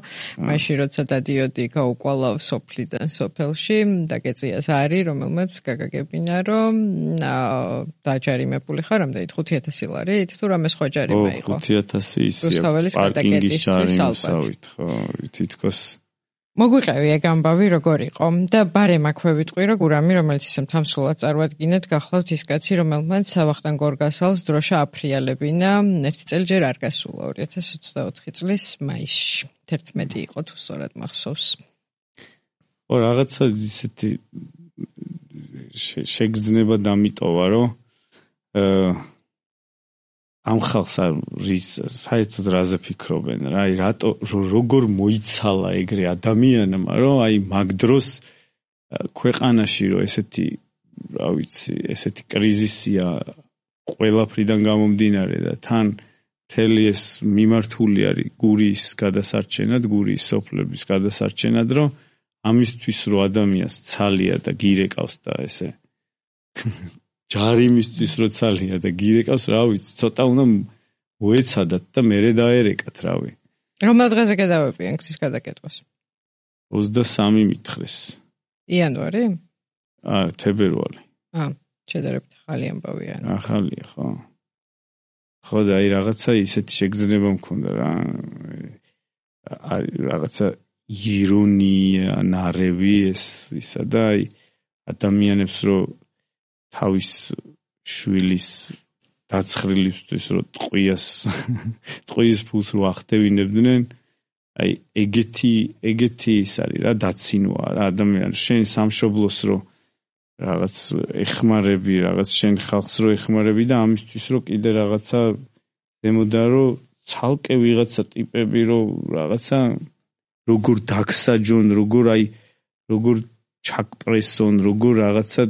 მაშინ როცა დადიოდი გაუკვალავ სოფლიდან სოფელში დაგეწიას არის რომელმაც გაგაგებინა რომ დაჯარიმებული ხარ ამდენით 5000 ლარით თუ რამე სხვა ჯარიმა იყო 5000 ისია პარკინგის ჯარიმსავით ხო თითქოს მოგვიყევი ეგ ამბავი როგორ იყო და ბარემ აქვე ვიტყვი რომ გურამი რომელიც ისე მთამსვლად წარვადგინეთ გახლავთ ის კაცი რომელმაც ვახტანგ გორგასალს დროშა აფრიალებინა ერთი წელი ჯერ არ გასულა 2024 წლის მაისში 11 იყო თუ სწორად მახსოვს ო რაღაცა ისეთი შეგრძნება დამიტოვა რომ ამ ხალხს რის საერთოდ რაზე ფიქრობენ რა აი რატო როგორ მოიცალა ეგრე ადამიანმა რომ აი მაგ დროს ქვეყანაში რომ ესეთი რა ვიცი ესეთი კრიზისია ყველაფრიდან გამომდინარე და თან მთელი ეს მიმართული არის გურიის გადასარჩენად, გურიის სოფლების გადასარჩენად, რომ ამისთვის რომ ადამიანს ცალია და გირეკავს და ესე ჯარიმისთვის რომ ცალია და გირეკავს, რა ვიცი, ცოტა უნდა მოეცადათ და მერე დაერეკათ, რავი. რომელ დღეზე გადავებიან გზის გადაკეთებას? 23 მითხრეს. იანვარი? თებერვალი. შედარებით ახალი ამბავია. ახალია, ხო. ხო და აი რაღაცა ისეთი შეგრძნება მქონდა რა. რაღაცა ირონია, ნარევი ისა და აი ადამიანებს რომ თავის შვილის დაცხრილისთვის რომ ტყვიის ფულს რო ახდევინებდნენ, აი ეგეთი ის არის რა, დაცინოა რა ადამიანს შენ სამშობლოს რო რაღაც ეხმარები, რაღაც შენ ხალხს რო ეხმარები და ამისთვის რო კიდე რაღაცა დემოდა რო ცალკე ვიღაცა ტიპები რო რაღაცა როგორ დაგსაჯონ, როგორ ჩაკპრესონ, როგორ რაღაცა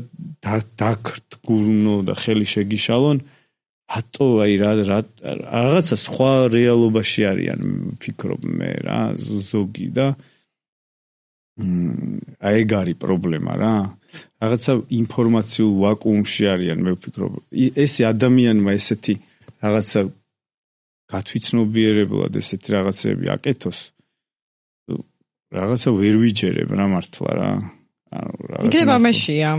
დაგრდგურნო და ხელი შეგიშალონ, რატო აი რაღაცა სხვა რეალობაში არიან, ვფიქრობ მე რა, ზოგი და აი ეგ არის პრობლემა რა. რაღაცა ინფორმაციულ ვაკუუმში არიან, მე ვფიქრობ. ეს ადამიანმა ესეთი რაღაცა გათვითცნობიერებლად ესეთი რაღაცები აკეთოს. რაღაცა ვერ ვიჯერებ რა მართლა რა. იქნება მეშია.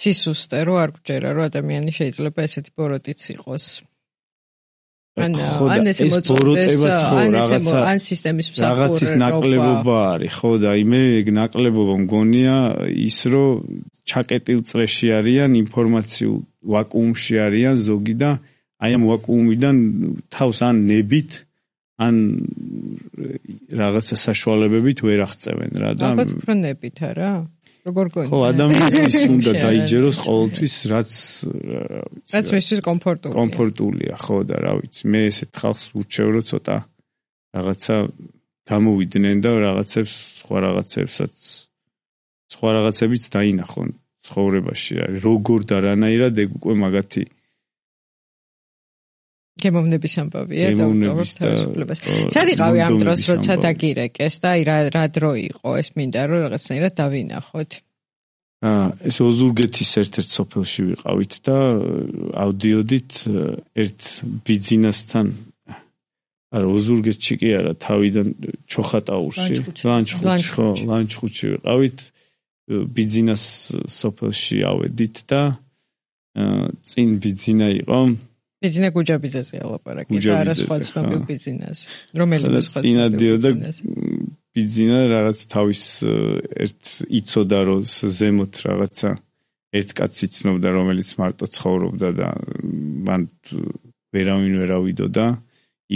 სისუსტე რო არ გჯერა რომ ადამიანი შეიძლება ესეთი ბოროტიც იყოს. ან ესე მოწოდეს, ან სისტემის მსახური რაღაცის ნაკლებობა არის, ხო და მე ეგ ნაკლებობა მგონია ის რომ ჩაკეტილ წრეში არიან, ინფორმაციულ ვაკუუმში არიან ზოგი და აი ამ ვაკუუმიდან თავს ან ნებით ან რაღაცა საშუალებებით ვერ აღწევენ რა და ალბათ უფრო ნებით არა? როგორ გონია? ხო, ადამიანის უნდა დაიჯეროს ყოველთვის რაც მისთვის კომფორტულია, ხო და რა ვიცი, მე ესეთ ხალხს ურჩევ რომ ცოტა რაღაცა გამოვიდნენ და რაღაცებს სხვა რაღაცებიც დაინახონ ცხოვრებაში, როგორ და რანაირად ეგ უკვე მაგათი გემოვნების ამბავია და უწევს თავისუფლებას. სად იყავი ამ დროს, როცა დაგირეკეს და აი რა დრო იყო ეს მინდა რომ რაღაცნაირად დავინახოთ. ეს ოზურგეთის ერთ-ერთ სოფელში ვიყავით და ავდიოდით ერთ ბიძინასთან. არა, ოზურგეთში კი არა, თავიდან ჩოხატაურში, ლანჩხუთში ვიყავით. ბიძინას სოფელში ავედით და წინ ბიძინა იყო ბიძინა გუჯაბიძეზე ალაპარაკი და არა სხვა ცნობილ ბიძინაზე. რომელიმე სხვა ბიძინას ბიძინა რაღაც თავის ერთ იცოდა რომ ზემოთ რაღაცა ერთ კაცს იცნობდა რომელიც მარტო ცხოვრობდა და მან ვერავინ ვერ ავიდოდა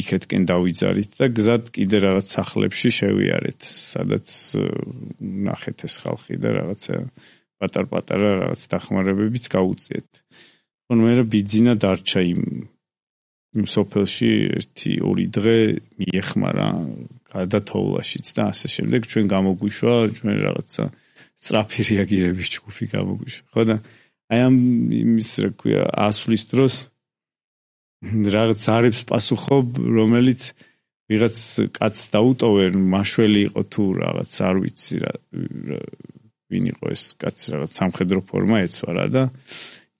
იქეთკენ დავიძარით და გზად კიდე რაღაც სახლებში შევიარეთ სადაც ნახეთ ეს ხალხი და რაღაცა პატარ-პატარა რაღაც დახმარებებიც გაუწიეთ. მე ბიძინა დარჩა იმ სოფელში 1-2 დღე მიეხმარა გადათოვლაშიც და ასე შემდეგ ჩვენ გამოგვიშვა ჩვენ რაღაცა სწრაფი რეაგირების ჯგუფი გამოგვიშვა. ხო და აი ამ იმის რა ქვია ასვლის დროს რაღაც ზარებს პასუხობ რომელიც ვიღაც კაცს დაუტოვენ მაშველი იყო თუ რაღაც არ ვიცი რა ვინ იყო ეს კაცი რაღაც სამხედრო ფორმა ეცვა და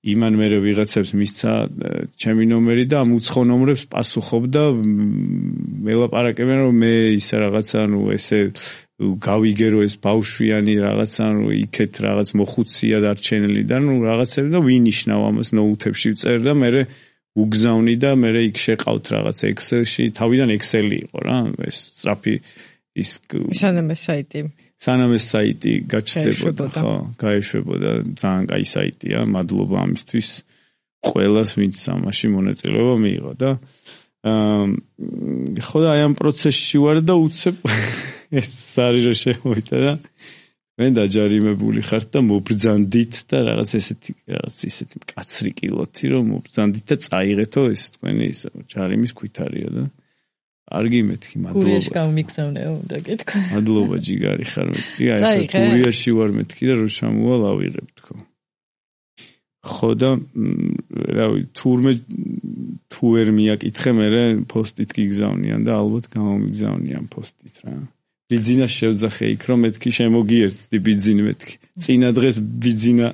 იმან მე ვიღაცებს მისცა ჩემი ნომერი და ამ უცხო ნომრებს პასუხობდა მელაპარაკებენ რომ მე ისე რაღაცა ნუ ესე გავიგერო ეს ბავშვიანი რაღაცა ნუ იქეთ რაღაც მოხუცია დარჩენილი და ნუ რაღაცები და ვინიშნავ ამას ნოუთებში ვწერ და მე უგზავნი და მე იქ შეყავთ რაღაც ექსელში თავიდან ექსელი იყო რა ეს სწრაფი ის სანამ ეს საიტი გაჩნდებოდა ხო გაეშვებოდა ძალიან კაი საიტია მადლობა ამისთვის ყველას ვინც ამაში მონაწილეობა მიიღო და ხო და აი ამ პროცესში ვარ და უცებ ეს არის რომ შემოვიდა და მე დაჯარიმებული ხარ და მობრძანდით და რაღაც ესეთი მკაცრი კილოთი რომ მობრძანდით და წაიღეთო ეს თქვენი ჯარიმის ქვითარია და კარგი მეთქი, მადლობა. გურიაში გამიგზავნეო, უნდა გეთქვა. მადლობა ჯიგარი ხარ მეთქი. აი ხა გურიაში ვარ მეთქი და რო ჩამოვალ ავიღებ თქო. ხო და რავი, თურმე თუ ვერ მიაკითხე, მე პოსტით გიგზავნიან და ალბათ გამომიგზავნიან პოსტით რა. ბიძინა შევძახე იქ რომ მეთქი შემოგიერთდი ბიძინი მეთქი. წინა დღეს ბიძინა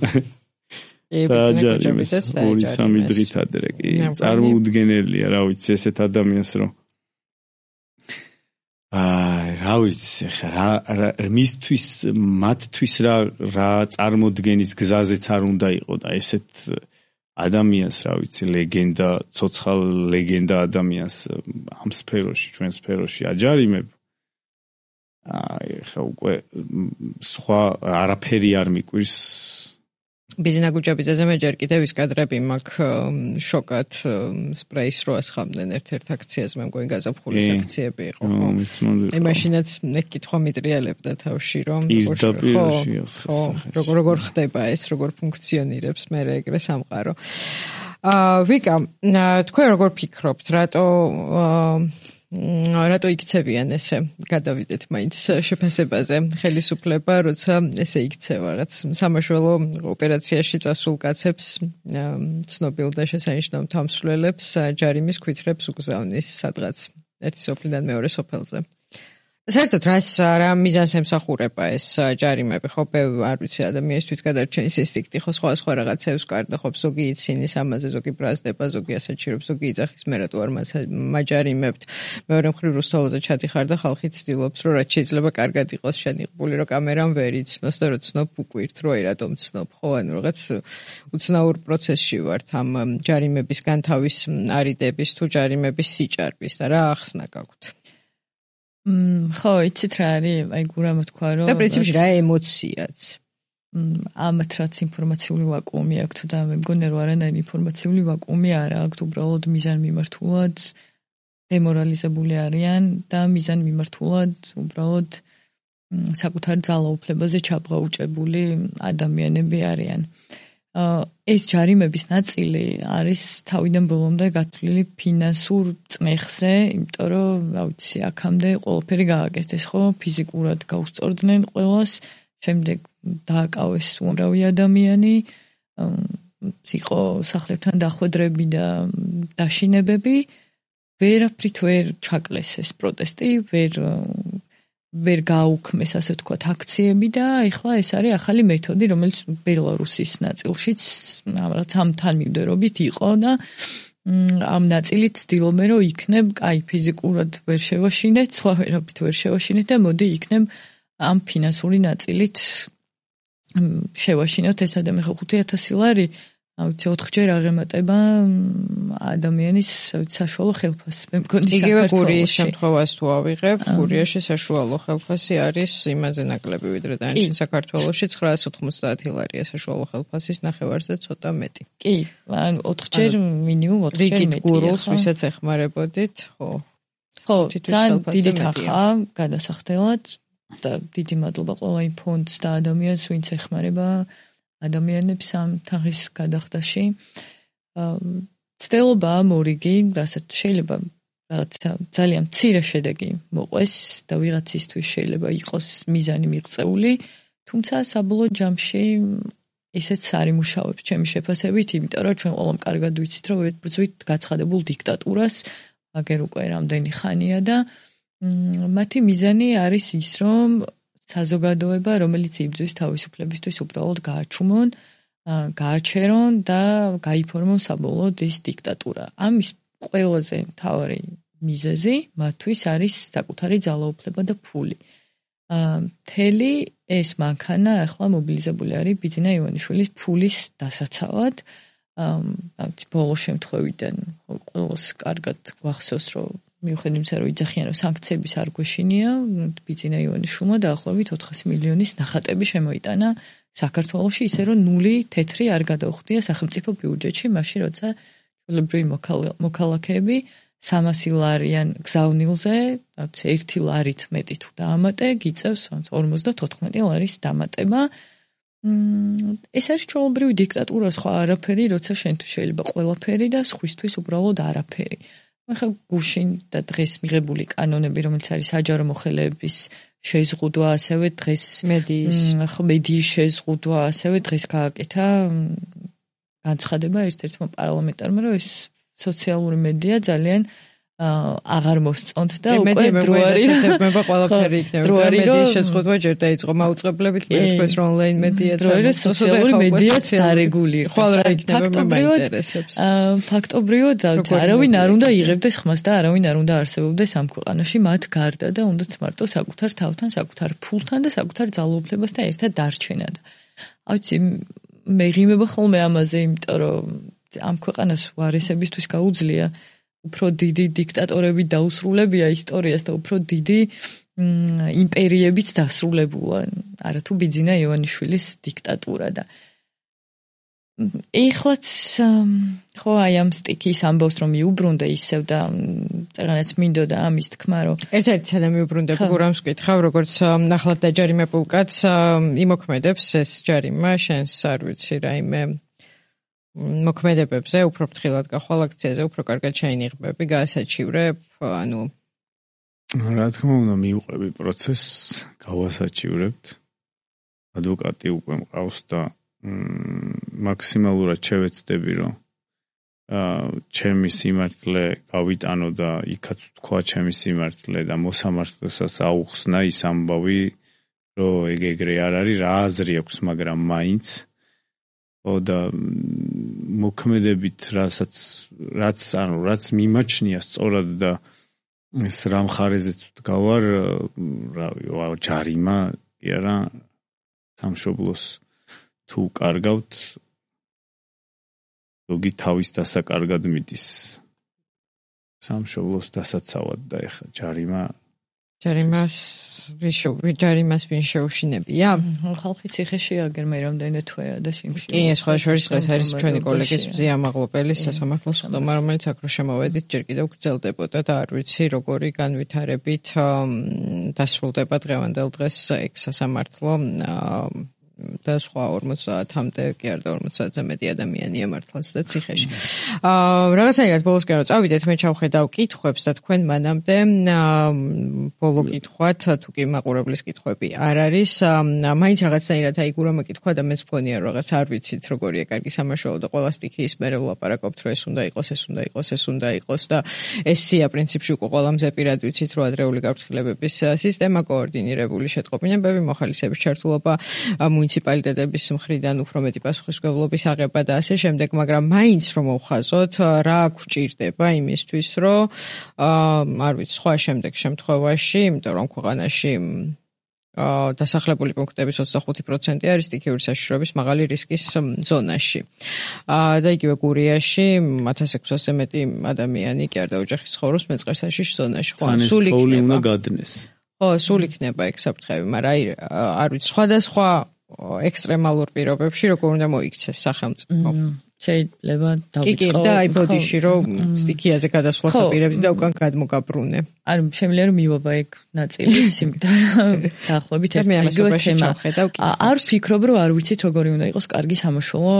დააჯარიმეს 2-3 დღით ადრე კი წარმოუდგენელია რა ვიცი ესეთ ადამიანს რომ რა ვიცი ხა მისთვის მათთვის რა წარმოდგენის გზაზეც არ უნდა იყო და ესეთ ადამიანს რა ვიცი ლეგენდა ცოცხალ ლეგენდა ადამიანს ამ სფეროში ჩვენ სფეროში აჯარიმებ ხა უკვე სხვა არაფერი არ მიკვირს ბიზნა გუჯაბიძეზე მე ჯერ კიდევ ის კადრები მაქვს შოკად სპრეის რო ასხამდნენ ერთ-ერთ აქციაზე მე მგონი გაზაფხულის აქციები იყო აი მაშინაც მეკითხვა მიტრიალებდა თავში რომ როგორ ხდება ეს როგორ ფუნქციონირებს მე ეგრე სამყარო ვიკა თქვენ როგორ ფიქრობთ რატო იქცევიან ესე გადავიდეთ მაინც შეფასებაზე ხელისუფლება როცა ესე იქცევა რაც სამაშველო ოპერაციაში წასულ კაცებს ცნობილ და შესანიშნავ თამსვლელებს ჯარიმის ქვითრებს უგზავნის სადღაც ერთი სოფლიდან მეორე სოფელზე საერთოდ რა მიზანს ემსახურება ეს ჯარიმები ხო არ ვიცი ადამიანის თვითგადარჩენის ინსტინქტი ხო სხვა რაღაცებს კარდა ხო ზოგი ცინის ამაზე ზოგი ბრაზდება ზოგი ასაჩირებს ზოგი იძახის მე რატო არ მაჯარიმებთ მეორე მხრივ რუსთავაზე ჩადიხარ და ხალხი ცდილობს რომ რაც შეიძლება კარგად იყოს შენიღბული რომ კამერამ ვერ იცნოს და რო ცნობ უკვირთ რომ აი რატომ ცნობ ხო ანუ რაღაც უცნაურ პროცესში ვართ ამ ჯარიმების განთავის არიდების თუ ჯარიმების სიჭარბის და რა ახსნა გაქვთ ხო, იცით რა არის, აი გურამ თქვა რომ და პრინციპში რა ემოციაც. ამათ რაც ინფორმაციული ვაკუუმი აქვს და მე მგონი რომ არანაირი ინფორმაციული ვაკუუმი არ აქვს, უბრალოდ მიზან მიმართულად დემორალიზებული არიან და მიზან მიმართულად უბრალოდ საკუთარ ძალაუფლებაზე ჩაბღაუჭებული ადამიანები არიან. ეს ჯარიმების ნაწილი არის თავიდან ბოლომდე გათვლილი ფინანსურ წნეხზე, იმიტომ რომ, რა ვიცი, აქამდე ყველაფერი გააკეთეს, ხო, ფიზიკურად გაუსწორდნენ ყველას, შემდეგ დააკავეს უამრავი ადამიანი, იყო სახლებთან დახვედრები და დაშინებები, ვერაფრით ვერ ჩაკლეს ეს პროტესტი, ვერ გააუქმეს ასე ვთქვათ აქციები და ეხლა ეს არის ახალი მეთოდი რომელიც ბელარუსის ნაწილშიც რაღაც ამ თანმიმდევრობით იყო და ამ ნაწილით ცდილობენ რომ იქნებ კაი ფიზიკურად ვერ შევაშინეთ სხვა ვერაფრით ვერ შევაშინეთ და მოდი იქნებ ამ ფინანსური ნაწილით შევაშინოთ ეს ადამიანი 5000 ლარი აუცი 4-ჯერ აღემატება ადამიანის საშუალო ხელფასს. მე მგონი საქართველოში. იგივე გურიის შემთხვევას თუ ავიღებ, გურიაში საშუალო ხელფასი არის იმაზე ნაკლები ვიდრე დანარჩენ საქართველოში 990 ლარია საშუალო ხელფასის ნახევარზე ცოტა მეტი. კი, ანუ 4-ჯერ მინიმუმ 4-ჯერ მეტია. გურულს ვისაც ეხმარებოდით, ხო. ხო, ძალიან დიდი თანხა გადასახდელად და დიდი მადლობა ყველა იმ ფონდს და ადამიანს ვინც ეხმარება ადამიანებს ამ თანხის გადახდაში. ცდილობა მორიგი, რასაც შეიძლება რაღაცა ძალიან მცირე შედეგი მოყვეს და ვიღაცისთვის შეიძლება იყოს მიზანი მიღწეული, თუმცა საბოლოო ჯამში ესეც არ იმუშავებს ჩემი შეფასებით, იმიტომ რომ ჩვენ ყველამ კარგად ვიცით, რომ ვიბრძვით გაცხადებულ დიქტატურას, აგერ უკვე რამდენი ხანია და მათი მიზანი არის ის, რომ საზოგადოება, რომელიც იბრძვის თავისუფლებისთვის უბრალოდ გააჩუმონ, გააჩერონ და გაიფორმონ საბოლოოდ ის დიქტატურა. ამის ყველაზე მთავარი მიზეზი მათთვის არის საკუთარი ძალაუფლება და ფული. მთელი ეს მანქანა ახლა მობილიზებული არის ბიძინა ივანიშვილის ფულის დასაცავად. ბოლო შემთხვევიდან ყველას კარგად გვახსოვს, რომ მიუხედავად იმისა, რომ იძახიან, რომ სანქციების არ გვეშინია, ბიძინა ივანიშვილმა დაახლოებით 400 მილიონის ნახატები შემოიტანა საქართველოში, ისე რომ ნული თეთრი არ გადაუხდია სახელმწიფო ბიუჯეტში, მაშინ როცა ჩვეულებრივი მოქალაქეები 300 ლარიან გზავნილზე, 1 ლარით მეტი თუ დაამატე, გიწევს 54 ლარის დამატება. ეს არის ჩვეულებრივი დიქტატურა, სხვა არაფერი, როცა შენთვის შეიძლება ყველაფერი და სხვისთვის უბრალოდ არაფერი. ახლა გუშინ და დღეს მიღებული კანონები, რომელიც არის საჯარო მოხელეების შეზღუდვა, ასევე დღეს მედიის შეზღუდვა, ასევე დღეს გააკეთა განცხადება ერთ-ერთმა პარლამენტარმა, რომ ეს სოციალური მედია ძალიან აღარ მოსწონთ და უკვე დრო არის შეცდომა ყველაფერი იქნება მედიის შეზღუდვა ჯერ დაიწყო მაუწყებლებით მეთქოს რომ ონლაინ მედია სოციალური მედიაც დარეგულირდეს ხვალ რა იქნება მაინტერესებს ფაქტობრივად არავინ არ უნდა იღებდეს ხმას და არავინ არ უნდა არსებობდეს ამ ქვეყანაში მათ გარდა და უნდაც მარტო საკუთარ თავთან, საკუთარ ფულთან და საკუთარ ძალაუფლებასთან ერთად დარჩენა და აიცი მე ღიმება ხოლმე ამაზე იმიტომ რომ ამ ქვეყანას ვარესებისთვის გაუძლია უფრო დიდი დიქტატორები დაუსრულებია ისტორიას და უფრო დიდი იმპერიებიც დასრულებულა. არა თუ ბიძინა ივანიშვილის დიქტატურა და ეხლაც ხო აი ამ სტიქის ამბავს რომ მიუბრუნდა ისევ და წეგანაც მინდოდა ამის თქმა რომ ერთ-ერთი სადამი უბრუნდება გურამს ვკითხავ როგორც ნახლად დაჯარიმებულ კაცს იმოქმედებს ეს ჯარიმა შენს არ ვიცი რაიმე მოქმედებებზე უფრო ფრთხილად გახვალ აქციაზე უფრო კარგად შეინიღბები გაასაჩივრებ ანუ რა თქმა უნდა მიუყვები პროცესს გავასაჩივრებთ ადვოკატი უკვე მყავს და მაქსიმალურად შევეცდები რომ ჩემი სიმართლე გავიტანო და იქაც თქვა ჩემი სიმართლე და მოსამართლესაც აუხსნა ის ამბავი რომ ეგრე არ არის რა აზრი აქვს მაგრამ მაინც და მოქმედებით რაც მიმაჩნია სწორად და ეს რა მხარეზეც ვდგავარ რავი ჯარიმა კი არა სამშობლოს თუ კარგავთ ზოგი თავის დასაკარგად მიდის სამშობლოს დასაცავად და ეხა ჯარიმას ვინ შეუშინებია? ხალხი ციხეში აგერ მე რამდენი თვეა და შიმში. კი, ეს სხვა შორის ეს არის ჩვენი კოლეგის ბზია მაღლობელი სასამართლოს ხდომა, რომელიც აქ რო შემოვედით, ჯერ კიდევ გრძელდებოდა და არ ვიცი როგორი განვითარებით დასრულდება დღევანდელ დღეს ეგ სასამართლო და სხვა 50-მდე კი არა 50-ზე მეტი ადამიანია მართლაც და ციხეში. რაღაცნაირად ბოლოსკენ რომ წავიდეთ, მე ჩავხედავ კითხვებს და თქვენ მანამდე ბოლო კითხვათ, თუ კი მაყურებლის კითხვები არ არის, მაინც რაღაცნაირად აი გურამა კითხვა და მეც მგონია რომ რაღაც არ ვიცით როგორია კარგი სამაშველო და ყველა სტიქის მერე ვლაპარაკობთ რომ ეს უნდა იყოს და ესია პრინციპში უკვე ყველა მზეპირად ვიცით რომ ადრეული გაფრთხილებების სისტემა კოორდინირებული შეტყობინებები მოხალისეების ჩართულობა მუნიციპალიტეტების მხრიდან უფრო მეტი პასუხისმგებლობის აღება და ასე შემდეგ, მაგრამ მაინც რომ მოვხაზოთ, რა გვჭირდება იმისთვის, რომ არ ვიცი, სხვა შემდეგ შემთხვევაში, იმიტომ რომ ქვეყანაში დასახლებული პუნქტების 25% არის სტიქიური საშიშროების მაღალი რისკის ზონაში. და იგივე გურიაში 1600-ზე მეტი ადამიანი კი არ დაოჯახის ცხოვრობს მეწყერ საშიშ ზონაში. სულ იქნება გადნეს. სულ იქნება ეგ საფრთხები, მაგრამ არ ვიცი, სხვადასხვა ექსტრემალურ პირობებში როგორ უნდა მოიქცეს სახელმწიფო. შეიძლება დავიწყო. კი, და აი ბოდიში რომ სტიქიაზე გადასვლას აპირებდი და უკან გადმოგაბრუნე. არ შემიძლია რომ მივობა ეგ ნაწილიც, იმიტომ რომ დაახლოებით იგივე თემა. არ ვფიქრობ რომ არ ვიცით როგორი უნდა იყოს კარგი სამაშველო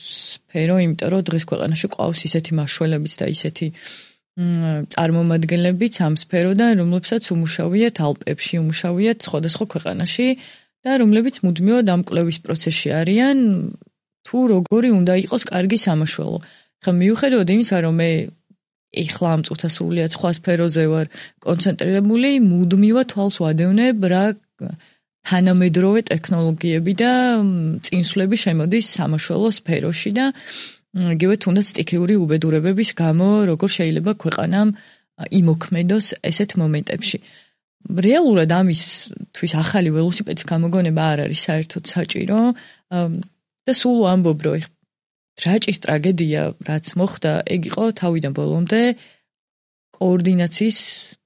სფერო, იმიტომ რომ დღეს ქვეყანაში ყავს ისეთი მაშველებიც და ისეთი წარმომადგენლებიც ამ სფეროდან, რომლებსაც უმუშავიათ ალპებში, უმუშავიათ სხვადასხვა ქვეყანაში და რომლებიც მუდმივად ამ კვლევის პროცესში არიან, თუ როგორი უნდა იყოს კარგი სამაშველო. ხა მიუხედავად იმისა, რომ მე ეხლა ამ წუთას სრულიად სხვა სფეროზე ვარ კონცენტრირებული, მუდმივად თვალს ვადევნებ რა თანამედროვე ტექნოლოგიები და წინსვლები შემოდის სამაშველო სფეროში და იგივე თუნდაც სტიქიური უბედურებების გამო როგორ შეიძლება ქვეყანამ იმოქმედოს ესეთ მომენტებში. რეალურად ამისთვის ახალი ველოსიპედის გამოგონება არ არის საერთოდ საჭირო და სულ ვამბობ რომ რაჭის ტრაგედია რაც მოხდა ეგ იყო თავიდან ბოლომდე კოორდინაციის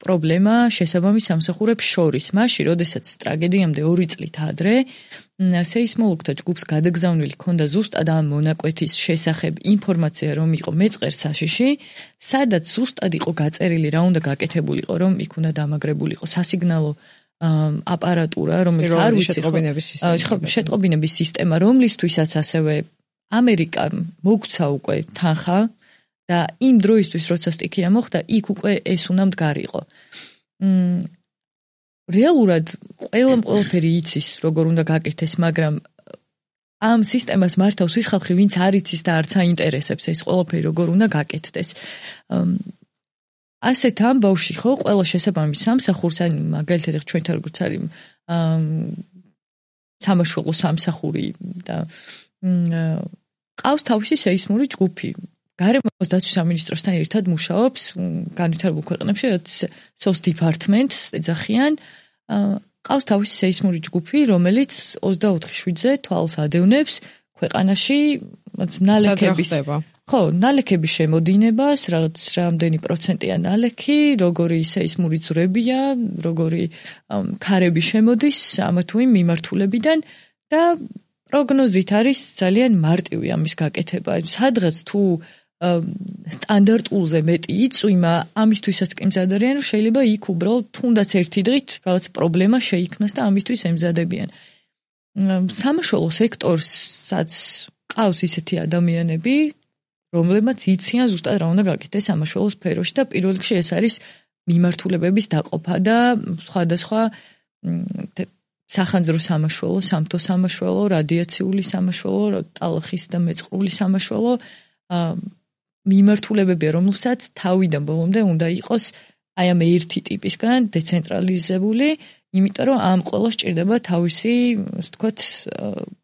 პრობლემა შესაბამის სამსახურებს შორის. მაშინ, როდესაც ტრაგედიამდე 2 წლით ადრე სეისმოლოგთა ჯგუფს გადაგზავნილი ქონდა ზუსტად ამ მონაკვეთის შესახებ ინფორმაცია, რომ იყო მეწყერ საშიში, სადაც ზუსტად იყო გაწერილი რა უნდა გაკეთებულიყო, რომ იქ უნდა დამაგრებულიყო სასიგნალო აპარატურა, რომელიც არ ვიცი შეტყობინების სისტემა, რომლისთვისაც ასევე ამერიკა მოგცა უკვე თანხა და იმ დროისთვის როცა სტიქია მოხდა, იქ უკვე ეს უნდა მდგარიყო. რეალურად ყველაფერი იცის, როგორ უნდა გაკეთდეს, მაგრამ ამ სისტემას მართავს ის ხალხი, ვინც არ იცის და არც აინტერესებს ეს ყველაფერი როგორ უნდა გაკეთდეს. ასეთ ამბავში ხო ყველა შესაბამის სამსახურს, ან მაგალითად ჩვენთან როგორც არის სამაშველო სამსახური და ყავს თავისი სეისმური ჯგუფი. გარემოს დაცვის სამინისტროსთან ერთად მუშაობს განვითარებულ ქვეყნებში, რაც SOS department ეძახიან. ყავს თავისი სეისმური ჯგუფი, რომელიც 24/7-ზე თვალს ადევნებს ქვეყანაში ნალექების შემოდინებას, რაღაც რამდენი პროცენტია ნალექი, როგორი სეისმური ძვრებია, როგორი ქარები შემოდის ამა თუ იმ მიმართულებიდან და პროგნოზით არის ძალიან მარტივი ამის გაკეთება. სადღაც თუ სტანდარტულზე მეტი იწვიმა, ამისთვისაც კი მზადარიან, რომ შეიძლება იქ უბრალოდ თუნდაც ერთი დღით რაღაც პრობლემა შეიქმნას და ამისთვის ემზადებიან. სამაშველო სექტორსაც ყავს ისეთი ადამიანები, რომლებმაც იციან ზუსტად რა უნდა გაკეთდეს სამაშველო სფეროში და პირველ რიგში ეს არის მიმართულებების დაყოფა და სხვადასხვა სახანძრო სამაშველო, სამთო სამაშველო, რადიაციული სამაშველო, ტალახის და მეწყრული სამაშველო მიმართულებებია, რომელსაც თავიდან ბოლომდე უნდა იყოს აი ამ ერთი ტიპისგან დეცენტრალიზებული, იმიტომ რომ ამ ყველას სჭირდება თავისი, ასე ვთქვათ,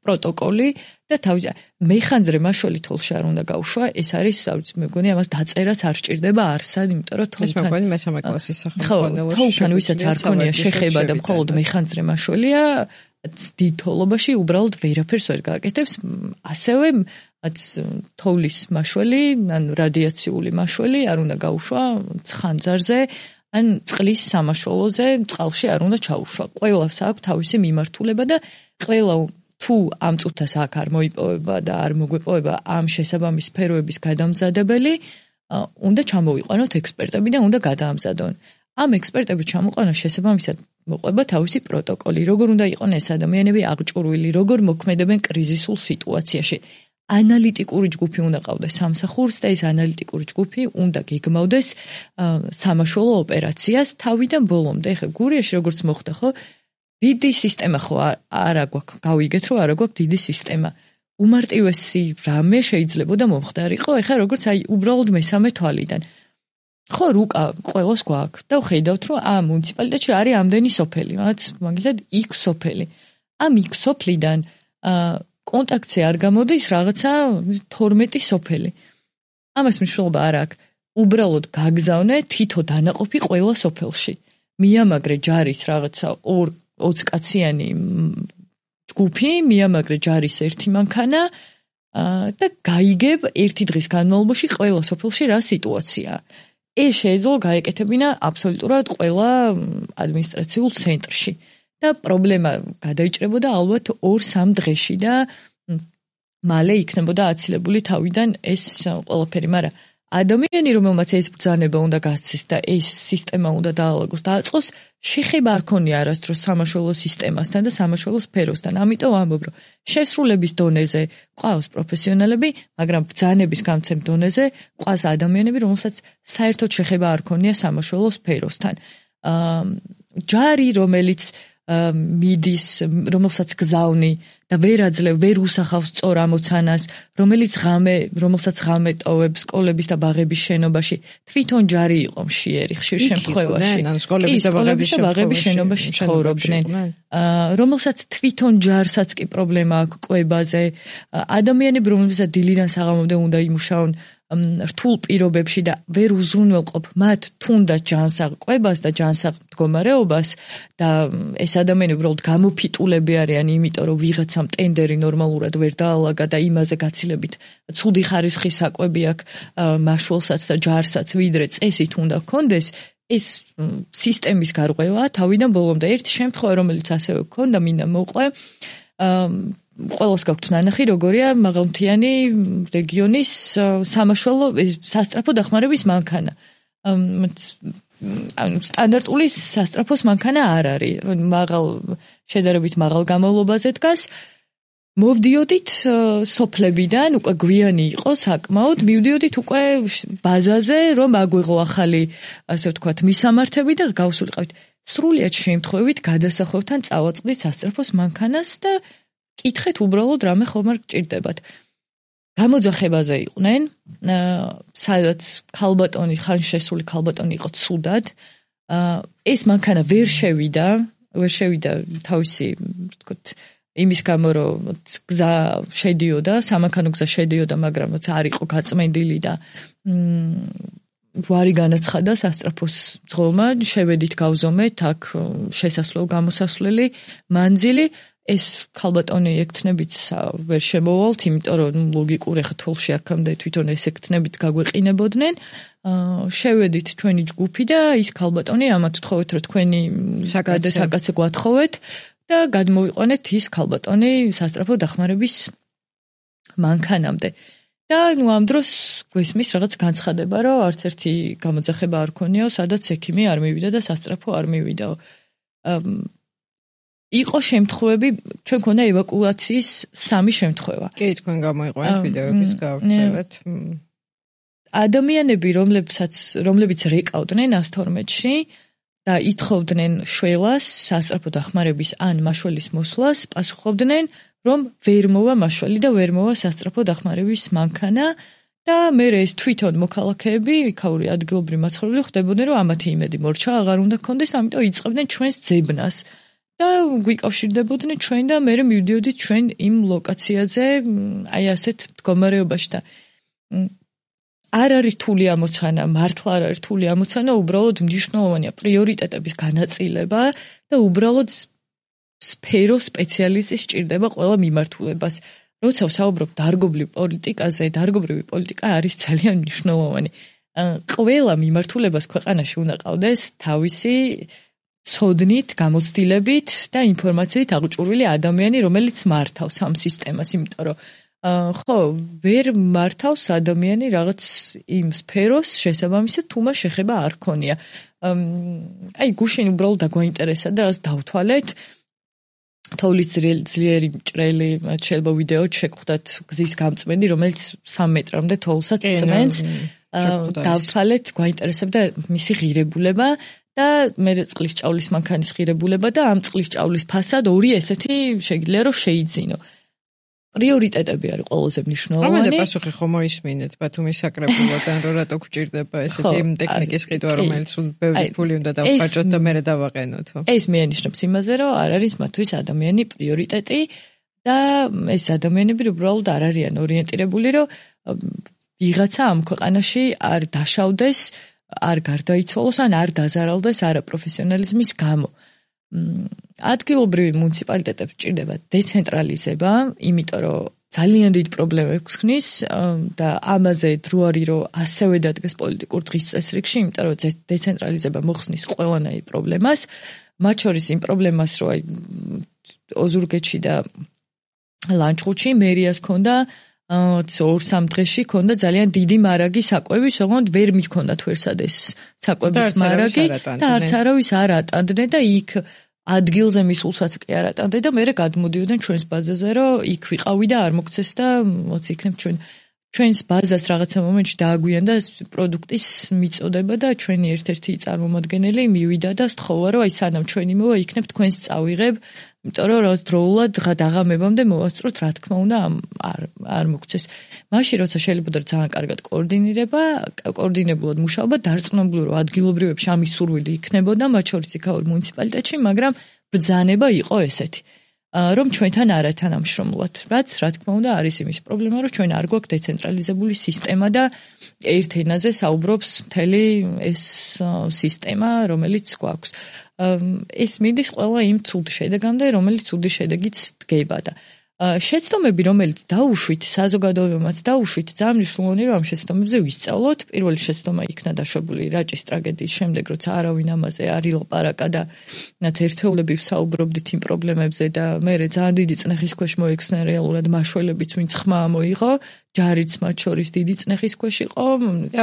პროტოკოლი და თავისი მეხანძრე მაშველი თოლში არ უნდა გავშვა, ეს არის, მე მგონი ამას დაწერაც არ სჭირდება არსად, იმიტომ რომ თოლთან მესამე კლასის სახელმწიფო თოლთან ვისაც არ ქონია შეხება და მხოლოდ მეხანძრე მაშველია, დიდ თოლობაში უბრალოდ ვერაფერს ვერ გააკეთებს, ასევე თოვლის მაშველი, ან რადიაციული მაშველი არ უნდა გაუშვა ხანძარზე, ან წყლის სამაშველოზე, წყალში არ უნდა ჩაუშვა. ყველას აქვს თავისი მიმართულება და ყველა თუ ამ წუთას აქ არ მოიპოვება და არ მოგვეპოვება ამ შესაბამის სფეროების გადამზადებელი, უნდა ჩამოვიყვანოთ ექსპერტები და უნდა გადაამზადონ. ამ ექსპერტების ჩამოყვანას შესაბამისად მოყვება თავისი პროტოკოლი, როგორ უნდა იყვნენ ეს ადამიანები აღჭურვილი, როგორ მოქმედებენ კრიზისულ სიტუაციაში. ანალიტიკური ჯგუფი უნდა ყავდეს სამსახურს და ეს ანალიტიკური ჯგუფი უნდა გეგმავდეს სამაშველო ოპერაციას თავიდან ბოლომდე. ეხლა გურიაში როგორც მოხდა ხო, დიდი სისტემა ხო არა გვაქვს, გავიგეთ რომ არა გვაქვს დიდი სისტემა. უმარტივესი რამე შეიძლებოდა მომხდარიყო, ეხლა როგორც აი უბრალოდ მესამე თვალიდან. ხო, რუკა ყველას გვაქვს და ხედავთ რომ ამ მუნიციპალიტეტში არის ამდენი სოფელი, მაგალითად X სოფელი. ამ X სოფლიდან კონტაქტზე არ გამოდის რაღაცა 12 სოფელი. ამას მნიშვნელობა არ აქვს. უბრალოდ გაგზავნე თითო დანაყოფი ყველა სოფელში. მიამაგრე ჯარის რაღაცა 20 კაციანი ჯგუფი, მიამაგრე ჯარის ერთი მანქანა და გაიგებ ერთი დღის განმავლობაში ყველა სოფელში რა სიტუაციაა. ეს შეიძლება გაეკეთებინა აბსოლუტურად ყველა ადმინისტრაციულ ცენტრში. და პრობლემა გადაიჭრებოდა ალბათ 2-3 დღეში და მალე იქნებოდა აცილებული თავიდან ეს ყველაფერი, მაგრამ ადამიანი, რომელმაც ეს ბრძანება უნდა გაცის და ეს სისტემა უნდა დაალაგოს, დააწყოს, შეხება არ ქონია არასდროს სამაშველო სისტემასთან და სამაშველო სფეროსთან. ამიტომ ამბობ, რომ შესრულების დონეზე ყავს პროფესიონალები, მაგრამ ბრძანების გამცემ დონეზე ყავს ადამიანები, რომელსაც საერთოდ შეხება არ ქონია სამაშველო სფეროსთან. ჯარი, რომელიც მიდის, რომელსაც გზავნი და ვერ უსახავს სწორ ამოცანას, რომელსაც ღამე ტოვებს სკოლების და ბაღების შენობაში, თვითონ ჯარი იყო მშიერი ხშირ შემთხვევაში. სკოლების და ბაღების შენობაში ცხოვრობდნენ. რომელსაც თვითონ ჯარსაც კი პრობლემა აქვს კვებაზე. ადამიანები, რომლებსაც დილიდან საღამომდე უნდა იმუშაონ რთულ პირობებში და ვერ უზრუნველყოფ მათ თუნდაც ჯანსაღ და ჯანსაღ მდგომარეობას და ეს ადამიანები უბრალოდ გამოფიტულები არიან, იმიტომ რომ ვიღაცამ ტენდერი ნორმალურად ვერ დაალაგა და იმაზე გაცილებით ცუდი ხარისხის საკვები აქვს მაშველსაც და ჯარსაც, ვიდრე წესით უნდა გქონდეს. ეს სისტემის გარღვევაა თავიდან ბოლომდე. ერთი შემთხვევა, რომელიც ასევე გქონდა, მინდა მოვყვე, ყველას გაქვთ ნანახი, როგორია მაღალმთიანი რეგიონის სამაშველო სასწრაფო დახმარების მანქანა. სტანდარტული სასწრაფოს მანქანა არ არის. შედარებით მაღალ გამოვლობაზე დგას მოვდიოდით სოფლებიდან, უკვე გვიანი იყო საკმაოდ, მივდიოდით უკვე ბაზაზე, რომ აგვიღო ახალი, ასე ვთქვათ, მისამართები და გავსულიყავით. სრულიად შემთხვევით გადასახვევთან წავაწყდით სასწრაფოს მანქანას და კითხეთ უბრალოდ რამე ხომ არ გჭირდებათ. გამოძახებაზე იყვნენ, სადაც ქალბატონი, ხან შესული ქალბატონი იყო ცუდად. ეს მანქანა ვერ შევიდა თავისი, ვთქვათ, იმის გამო, რომ გზა შედიოდა, სამანქანო გზა შედიოდა, მაგრამ არ იყო გაწმენდილი და გვარი განაცხადა სასწრაფოს ძღოლმა, შევედით გავზომეთ, აქ შესასვლელ-გამოსასვლელი მანძილი. ეს ქალბატონი ექთნებით ვერ შემოვალთ, იმიტომ რომ ლოგიკურ ახლა თოლში აქამდე თვითონ ეს ექთნებით გაგვეყინებოდნენ. შევედით ჩვენი ჯგუფი და ის ქალბატონი ამათ ვთხოვეთ, რომ თქვენი საკაცე გვათხოვეთ და გადმოვიყვანეთ ის ქალბატონი სასწრაფო დახმარების მანქანამდე. და ამ დროს გვესმის რაღაც განცხადება, რომ არც ერთი გამოძახება არ ქონიაო, სადაც ექიმი არ მივიდა და სასწრაფო არ მივიდაო. იყო შემთხვევები, ჩვენ ქონდა ევაკუაციის 3 შემთხვევა. კი, თქვენ გამოიყვანეთ ვიდეოების გავრცელეთ. ადამიანები, რომლებიც რეკავდნენ 112-ში და ითხოვდნენ შველას, სასწრაფო დახმარების ან მაშველის მოსვლას, პასუხობდნენ, რომ ვერ მოვა მაშველი და ვერ მოვა სასწრაფო დახმარების მანქანა და მე ეს თვითონ მოქალაქეები, იქაური ადგილობრივი მაცხოვრებელი ხვდებოდნენ, რომ ამათი იმედი მორჩა აღარ უნდა ქონდეს, ამიტომ იწყებდნენ ჩვენს ძებნას. და გვიკავშირდებოდნენ ჩვენ და მე მივდიოდით ჩვენ იმ ლოკაციაზე, აი ასეთ მდგომარეობაში და არ არის რთული ამოცანა, მართლა არ არის რთული ამოცანა, უბრალოდ მნიშვნელოვანია პრიორიტეტების განაწილება და უბრალოდ სფერო სპეციალისტი სჭირდება ყველა მიმართულებას. როცა ვსაუბრობ დარგობრივ პოლიტიკაზე, დარგობრივი პოლიტიკა არის ძალიან მნიშვნელოვანი. ყველა მიმართულებას ქვეყანაში უნდა ყავდეს თავისი ცოდნით, გამოცდილებით და ინფორმაციით აღჭურვილი ადამიანი, რომელიც მართავს ამ სისტემას, იმიტომ რომ ხო, ვერ მართავს ადამიანი რაღაც იმ სფეროს შესაბამისად, თუ მას შეხება არ ქონია. აი, გუშინ უბრალოდ დაგვაინტერესა და რას დავთვალეთ. თოვლის ძლიერი მჭრელი, შეიძლება ვიდეო შეგხვდათ გზის გამწმენდი, რომელიც 3 მეტრამდე თოვლსაც წმენს. დავთვალეთ, გვაინტერესებდა მისი ღირებულება. და მე წყლის ჭავლის მანქანის ღირებულება და ამ წყლის ჭავლის ფასად 2 ესეთი შეიძლება რომ შეიძინო. პრიორიტეტები არის ყველაზე მნიშვნელოვანი. ამაზე პასუხი ხომ მოისმინეთ ბათუმის საკრებულოდან, რომ რატო გვჭირდება ესეთი ტექნიკის ყიდვა, რომელიც ბევრი ფული უნდა დავხარჯოთ და მერე დავაყენოთ. ეს მეანიშნებს იმაზე, რომ არ არის მათთვის ადამიანი პრიორიტეტი და ეს ადამიანები უბრალოდ არ არიან ორიენტირებული, რომ ვიღაცა ამ ქვეყანაში არ დაშავდეს, არ გარდაიცვალოს ან არ დაზარალდეს არაპროფესიონალიზმის გამო. ადგილობრივი მუნიციპალიტეტებს ჭირდება დეცენტრალიზება, იმიტომ რომ ძალიან დიდ პრობლემებს ხნის და ამაზე დრო არის, რომ ასევე დადგეს პოლიტიკურ დღის წესრიგში, იმიტომ რომ დეცენტრალიზება მოხსნის ყველანაირ პრობლემას, მათ შორის იმ პრობლემას, რომ აი ოზურგეთში და ლანჩხუთში მერიას ქონდა 2-3 დღეში ქონდა ძალიან დიდი მარაგი საკვები, თუმცა ვერ მიქონდა თვერსადეს საკვების მარაგი და არც არავის არ ატანდნენ და იქ ადგილზე მისულსაც კი არ ატანდნენ და მერე გადმოდიოდნენ ჩვენს ბაზაზე, რომ იქ ვიყავი და არ მოგცეს და მოც იქნებ ჩვენს ბაზას რაღაცა მომენტში დააგვიანდა პროდუქტის მიწოდება და ჩვენი ერთ-ერთი წარმომადგენელი მივიდა და სთხოვა, რომ აი სანამ ჩვენი მოვა, იქნებ თქვენს წავიღებ, იმიტომ რომ დროულად დაღამებამდე მოვასწროთ, რა თქმა უნდა, არ მოგცეს. მაშინ როცა შეიძლება ძალიან კარგად კოორდინებულად მუშაობა, დარწმუნებული რომ ადგილობრივებში ამის სურვილი იქნებოდა, მათ შორის იქაურ მუნიციპალიტეტში, მაგრამ ბრძანება იყო ესეთი. რომ ჩვენთან არ ეთანამშრომლოთ. რაც რა თქმა უნდა არის იმის პრობლემა, რომ ჩვენ არ გვაქვს დეცენტრალიზებული სისტემა და ერთ ენაზე საუბრობს მთელი ეს სისტემა, რომელიც გვაქვს. ეს მიდის ყველა იმ ცუდ შედეგამდე, რომელიც ცუდი შედეგიც დგება და შეცდომები, რომელიც დაუშვით, საზოგადოებამაც დაუშვით, ძალიან მნიშვნელოვანი რომ ამ შეცდომებზე ვისწავლოთ. პირველი შეცდომა იქნა დაშვებული რაჭის ტრაგედიის შემდეგ, როცა არავინ ამაზე არ ილაპარაკა და რაც ერთეულები ვსაუბრობდით იმ პრობლემებზე და მე ძალიან დიდი წნეხის ქვეშ მოექცნენ რეალურად მაშველებიც, ვინც ხმა მოიღო, ჯარიც მათ შორის დიდი წნეხის ქვეშ იყო.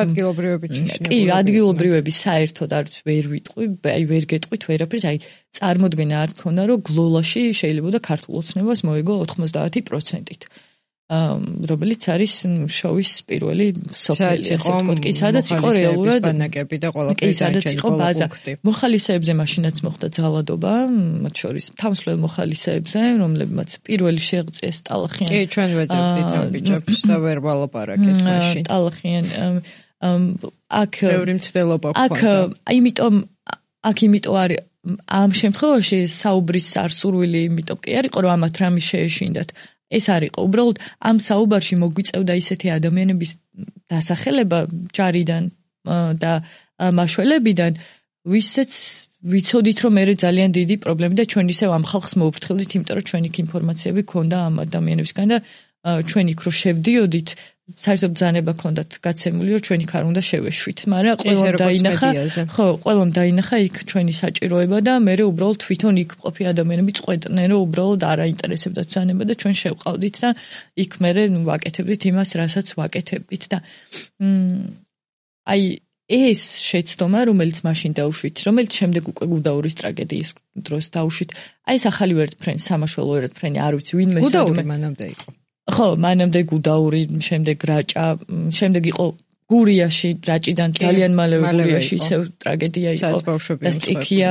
ადგილობრივები კი, ადგილობრივები საერთოდ არც ვერ ვიტყვი, აი ვერ გეტყვით ვერაფერს, აი წარმოდგენა არ მქონდა, რომ გლოლაში შეიძლება ქართულ ოცნებას მოიგო 90%-ით. რომელიც არის შოვის პირველი სოფელი, ასე ვთქვათ, კი, სადაც იყო რეალურად ბანაკები და ყველაფერი სადაც იყო ბაზა. მოხალისეებზე მაშინაც მოხდა ძალადობა, მათ შორის თავისუფლ მოხალისეებზე, რომლებმაც პირველი შეღწიეს ტალახიან. კი, ჩვენ ვეძებდით ამ ბიჭებს და ვერ ვალაპარაკეთ მაშინ. ტალახიან აქ ბევრი მცდელობა ჰქონდა. იმიტომ არის ამ შემთხვევაში საუბრის არსურვილი, იმიტომ კი არისო, რომ ამათ რამე შეეშინდათ. ეს არისო, უბრალოდ ამ საუბარში მოგვიწევდა ისეთი ადამიანების დასახელება ჯარიდან და მაშველებიდან, ვისაც ვიცოდით, რომ მე ძალიან დიდი პრობლემა და ჩვენ ისევ ამ ხალხს მოუფრთხილდით, იმიტომ რომ ჩვენ იქ ინფორმაციები ქონდა ამ ადამიანებისგან და ჩვენ იქ რო შევდიოდით, საერთოდ ბრძანება ჰქონდათ გაცემული, რომ ჩვენ იქ არ უნდა შევეშვით, მაგრამ ყველამ დაინახა იქ ჩვენი საჭიროება და მე უბრალოდ თვითონ იქ ყოფი ადამიანები წყვეტდნენ, რომ უბრალოდ არ აინტერესებდათ ბრძანება და ჩვენ შევყავდით და იქ მე ვაკეთებდით იმას, რასაც ვაკეთებდით და აი ეს შეცდომა, რომელიც მაშინ დავუშვით, რომელიც შემდეგ უკვე გუდაურის ტრაგედიის დროს დავუშვით, აი ეს ახალი ვერტფრენი, სამაშველო ვერტფრენი, არ ვიცი, ვინმე გუდაური მანამდე იყო. ხო, მანამდე გუდაური, შემდეგ რაჭა, შემდეგ იყო გურიაში, რაჭიდან ძალიან მალევე გურიაში ისევ ტრაგედია იყო და სტიქია.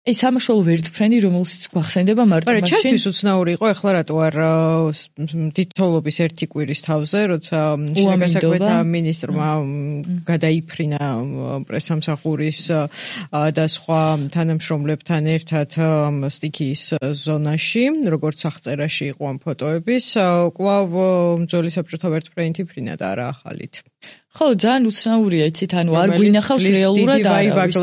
ეს სამაშველო ვერტფრენი, რომელსაც გვახსენდება მარტო მაშინ. მაგრამ ჩემთვის უცნაური იყო, ეხლა რატო არ დიდთოვლობის ერთი კვირის თავზე, როცა შინაგანსაქმეთა მინისტრმა გადაიფრინა პრესამსახურის და სხვა თანამშრომლებთან ერთად სტიქიის ზონაში, როგორც აღწერაში იყო ამ ფოტოების, კვლავ მძველი საბჭოთა ვერტფრენით იფრინა და არა ახალით. ხო, ძალიან უცნაურია, იცით, ანუ არ გვინახავს რეალურად არავის.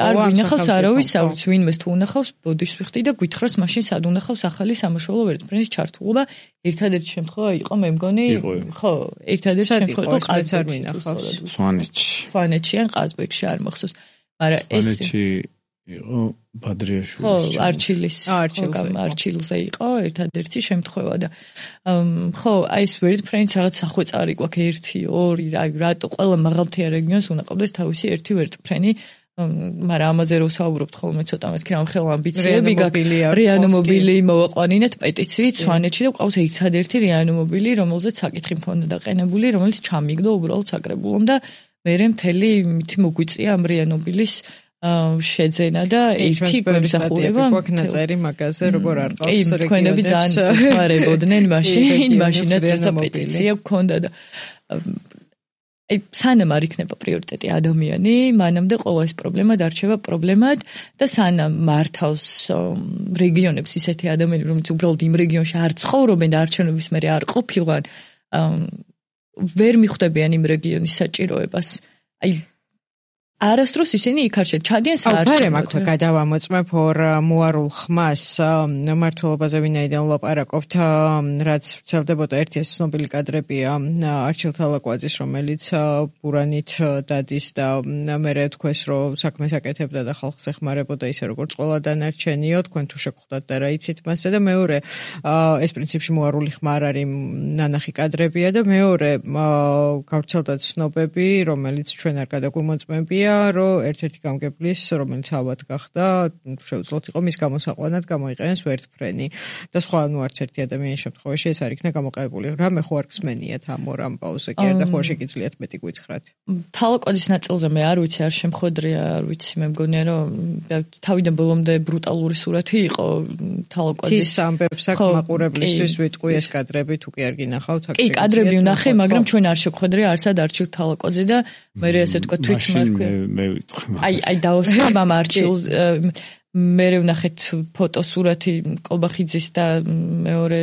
არ გვინახავს არავის, აუც ვინმეს თუ უნახავს, ბოდიშს ვიხდი და გვითხრას მაშინ სად უნახავს ახალი სამაშველო ვერტფრენის ჩართულობა. ერთადერთი შემთხვევა იყო, მე მგონი, ხო, ერთადერთი შემთხვევა იყო ყაზბეგში. სვანეთში ან ყაზბეგში არ მახსოვს. მაგრამ ეს იყო ბადრიაშვილის. ხო, არჩილზე იყო ერთადერთი შემთხვევა და ხო, აი ეს ვერტფრენიც რაღაც სახვეწარი გვაქვს 1, 2, რატო ყველა მაღალმთიან რეგიონს უნდა ყავდეს თავისი ერთი ვერტფრენი, მაგრამ ამაზე რო ვსაუბრობთ ხოლმე ცოტა მეთქი რამ ხელ ამბიციები გაქვს. რეანიმობილი მოვაყვანინეთ პეტიციით სვანეთში და ყავს ერთადერთი რეანიმობილი, რომელზეც საკითხი მქონდა დაყენებული, რომელიც ჩამიგდო უბრალოდ საკრებულომ და მე მთელი მითი მოგვიწია ამ რეანიმობილის შეძენა და ერთი გვემსახურება გვაქნაწერი მაგაზე როგორ არ ყავს რეგიონებს. კი, თქვენები ძალიან გვარებოდნენ მაშინაც რაცა პეტიცია გქონდა და აი სანამ არ იქნება პრიორიტეტი ადამიანი, მანამდე ყოველ ეს პრობლემა დარჩება პრობლემად და სანამ მართავს რეგიონებს ისეთი ადამიანები, რომლებიც უბრალოდ იმ რეგიონში არ ცხოვრობენ და არჩევნების მერე არ ყოფილვან, ვერ მიხვდებიან იმ რეგიონის საჭიროებას. აი არასდროს ისინი იქ არ ჩადიან საარჩევნოდ. ბარემ აქვე გადავამოწმებ ორ მოარულ ხმას მმართველობაზე ვინაიდან ვლაპარაკობთ, რაც ვრცელდებოდა ერთი ეს ცნობილი კადრებია არჩილ თალაკვაძის, რომელიც ბურანით დადის და მერე თქვეს, რომ საქმეს აკეთებდა და ხალხს ეხმარებოდა ისე როგორც ყველა დანარჩენიო, თქვენ თუ შეგხვდათ და რა იცით მასზე და მეორე ეს პრინციპში მოარული ხმა არ არის ნანახი კადრებია და მეორე გავრცელდა ცნობები, რომელიც ჩვენ არ გადაგვიმოწმებია, რომ ერთ-ერთი გამგებლის, რომელიც ალბათ გახდა, შეუძლოთ იყო მის გამოსაყვანად გამოიყენეს ვერტფრენი და სხვა ნუ არც ერთი ადამიანის შემთხვევაში ეს არ იქნა გამოყენებული. რამე ხო არ გსმენიათ ამ ორ ამბავზე, კი არა და ხო შეგიძლიათ მეტი გითხრათ. თალაკვაძის ნაწილზე მე არ ვიცი, არ შემხვედრია, არ ვიცი, მე მგონია რომ თავიდან ბოლომდე ბრუტალური სურათი იყო თალაკვაძის. ის ამბებს აქ მაყურებლისთვის ვიტყვი ეს კადრები თუ კი არ გინახავთ აქ. კი, კადრები ვნახე, მაგრამ ჩვენ არ შეგხვედრია არსად არჩილ თალაკვაძე და მე ასე თქვა თვითმარქვე. აი დავოსწრებ ამ არჩილს მე ვნახეთ ფოტოსურათი კოლბახიძის და მეორე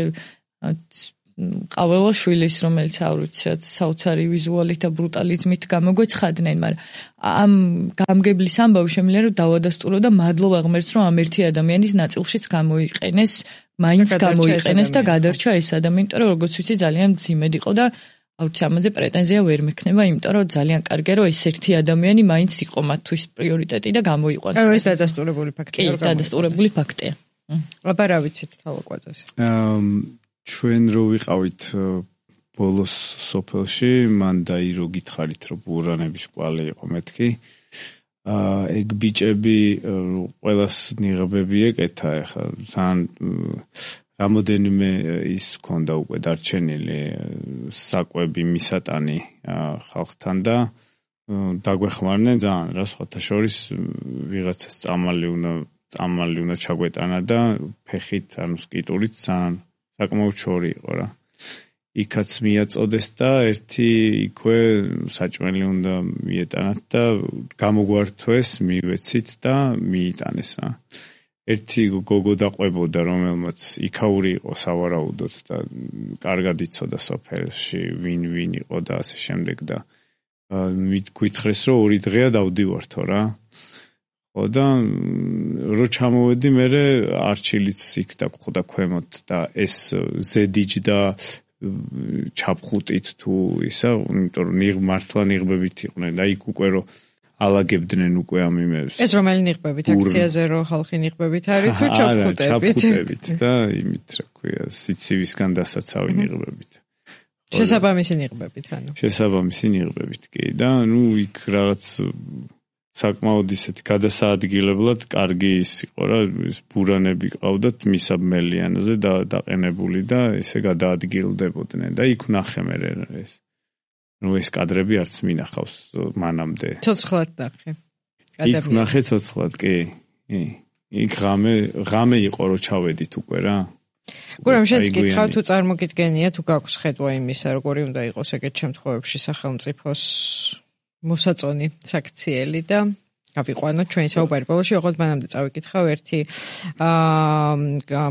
ყაველაშვილის, რომელიც არ ვიცი რაც საოცარი ვიზუალით და ბრუტალიზმით გამოგვეცხადნენ, მაგრამ ამ გამგებლის ამბავი შემიძლია რომ დავადასტურო და მადლობა ღმერთს რომ ამ ერთი ადამიანის ნაწილშიც გამოიყენეს, მაინც გამოიყენეს და გადარჩა ეს ადამიანი, იმიტომ რომ როგორც ვიცი ძალიან მძიმედ იყო და აუცი ამაზე პრეტენზია ვერ მექნება, იმიტომ რომ ძალიან კარგია რომ ეს ერთი ადამიანი მაინც იყო მათთვის პრიორიტეტი და გამოიყვანეს. ეს დადასტურებული ფაქტია. კი, დადასტურებული ფაქტია. აბა რა ვიცით თალაკვაძეს. ჩვენ რო ვიყავით ბოლოს სოფელში, მან დაირო გითხარით, რომ ბურანების კვალი იყო მეთქი. ეგ ბიჭები ყველას ნიღბები ეკეთა, ეხლა ძალიან რამოდენიმე ის ქონდა უკვე დარჩენილი საკვები მისატანი ხალხთან და დაგვეხმარნენ ძალიან რა სხვათა შორის ვიღაცას წამალი უნდა ჩაგვეტანა და ფეხით ანუ სკიტურით ძალიან საკმაოდ შორი იყო რა. იქაც მიაწოდეს და ერთი იქვე საჭმელი უნდა მიეტანათ და გამოგვართვეს, მივეცით და მიიტანეს რა. ერთი გოგო დაყვებოდა, რომელმაც იქაური იყო სავარაუდოდ და კარგად იცოდა სოფელში ვინ იყო და ასე შემდეგ და გითხრეს რომ 2 დღეა დავდივართო რა. ხო და რო ჩამოვედი მერე არჩილიც იქ დაგხვდა ქვემოთ და ეს ზედიჯ და ჩაფხუტით თუ ისა, იმიტომ რომ მართლა ნიღბებით იყვნენ და იქ უკვე რომ ალაგებდნენ უკვე ამ იმებს. ეს რომელი ნიღბებით აქციაზე რო ხალხი ნიღბებით არის თუ ჩაფხუტებით? ჩაფხუტებით და იმით რა ქვია, სიცივისგან დასაცავი ნიღბებით. შესაბამისი ნიღბებით ანუ. შესაბამისი ნიღბებით კი და ნუ იქ რაღაც საკმაოდ ისეთი გადასაადგილებლად კარგი ის იყო რა, ეს ბურანები ყავდათ მისაბმელიანზე და დაყენებული და ესე გადაადგილდებოდნენ და იქ ვნახე მე ეს. ნუ ეს კადრები არც მინახავს მანამდე. ცოცხლად ნახე. იქ ვნახე ცოცხლად, კი. იქ ღამე იყო რომ ჩავედით უკვე რა. გურამ შენც გითხავ თუ წარმოგიდგენია თუ გაქვს ხედვა იმისა როგორი უნდა იყოს ეგეთ შემთხვევებში სახელმწიფოს მოსაწონი საქციელი და გავიყვანოთ ჩვენი საუბარი ბოლოში, ოღონდ მანამდე წავიკითხავ ერთი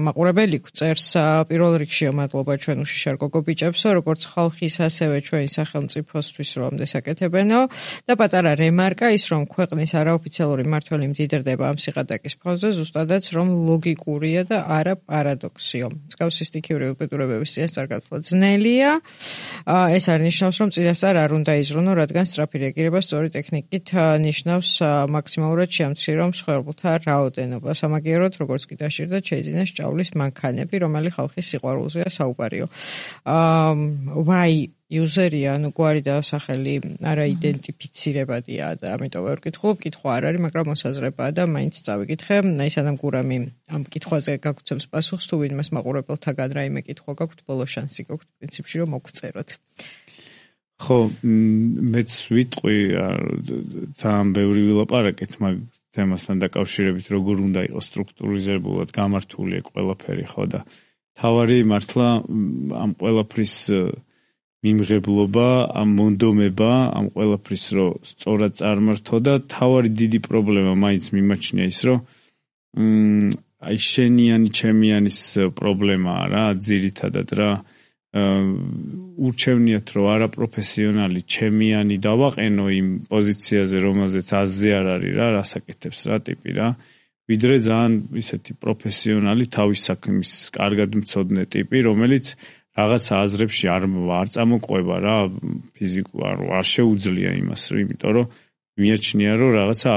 მაყურებელი წერს პირველ რიგში მადლობა ჩვენ უშიშარ გოგო ბიჭებსო, როგორც ხალხის ასევე ჩვენი სახელმწიფოსთვის რომ ამდე საკეთებენო და პატარა რემარკა ის რომ ქვეყნის არაოფიციალური მმართველი მდიდრდება ამ სიღატაკის ფონზე, ზუსტადაც რომ ლოგიკურია და არა პარადოქსიო. მსგავსი სტიქიური უბედურებების წინასწარ გათვლა ძნელია. ეს არ ნიშნავს რომ წინასწარ არ უნდა იზრუნო, რადგან სწრაფი რეაგირება სწორი ტექნიკით ნიშნავს მაქსიმალურად შეამციროს მსხვერპლთა რაოდენობას. ამაგეროთ, როგორც კი დაშირდათ, შეიძინეს ჭავლის მანქანები, რომელი ხალხის სიყვარულზეა საუბარიო. ვაი იუზერია, ანუ გვარი და სახელი არაიდენტიფიცირებადია და ამიტომ ვერ ვკითხულობ, კითხვა არ არის, მაგრამ მოსაზრებაა და მაინც წავიკითხე. სანამ გურამი ამ კითხვაზე გაგცემს პასუხს, თუ ვინმეს მაყურებელთაგან რაიმე კითხვა გაქვთ, ბოლო შანსი გაქვთ პრინციპში რომ მოგწეროთ. ხო, მეც ვიტყვი ძალიან ბევრი ვილაპარაკეთ მაგ თემასთან დაკავშირებით, როგორ უნდა იყოს სტრუქტურიზებულად გამართული ყველაფერი, ხო და თავარი მართლა ამ ყველაფრის მიმღებლობა, ამ მონდომება, ამ ყველაფრის რო სწორად წარმართო და თავარი დიდი პრობლემა მაინც მიმაჩნია ის, რომ აი შენიანი ჩემიანის პრობლემაა რა, ძირითადად რა. ურჩევნიათ რომ არაპროფესიონალი ჩემიანი დავაყენო იმ პოზიციაზე რომელზეც აზზე არ არის რა რასაკეთებს რა ტიპი რა ვიდრე ძალიან ისეთი პროფესიონალი თავის საქმის კარგად მცოდნე ტიპი რომელიც რაღაცა აზრებში არ წამოყვება რა არ შეუძლია იმას იმიტომ რომ მიაჩნია რომ რაღაცა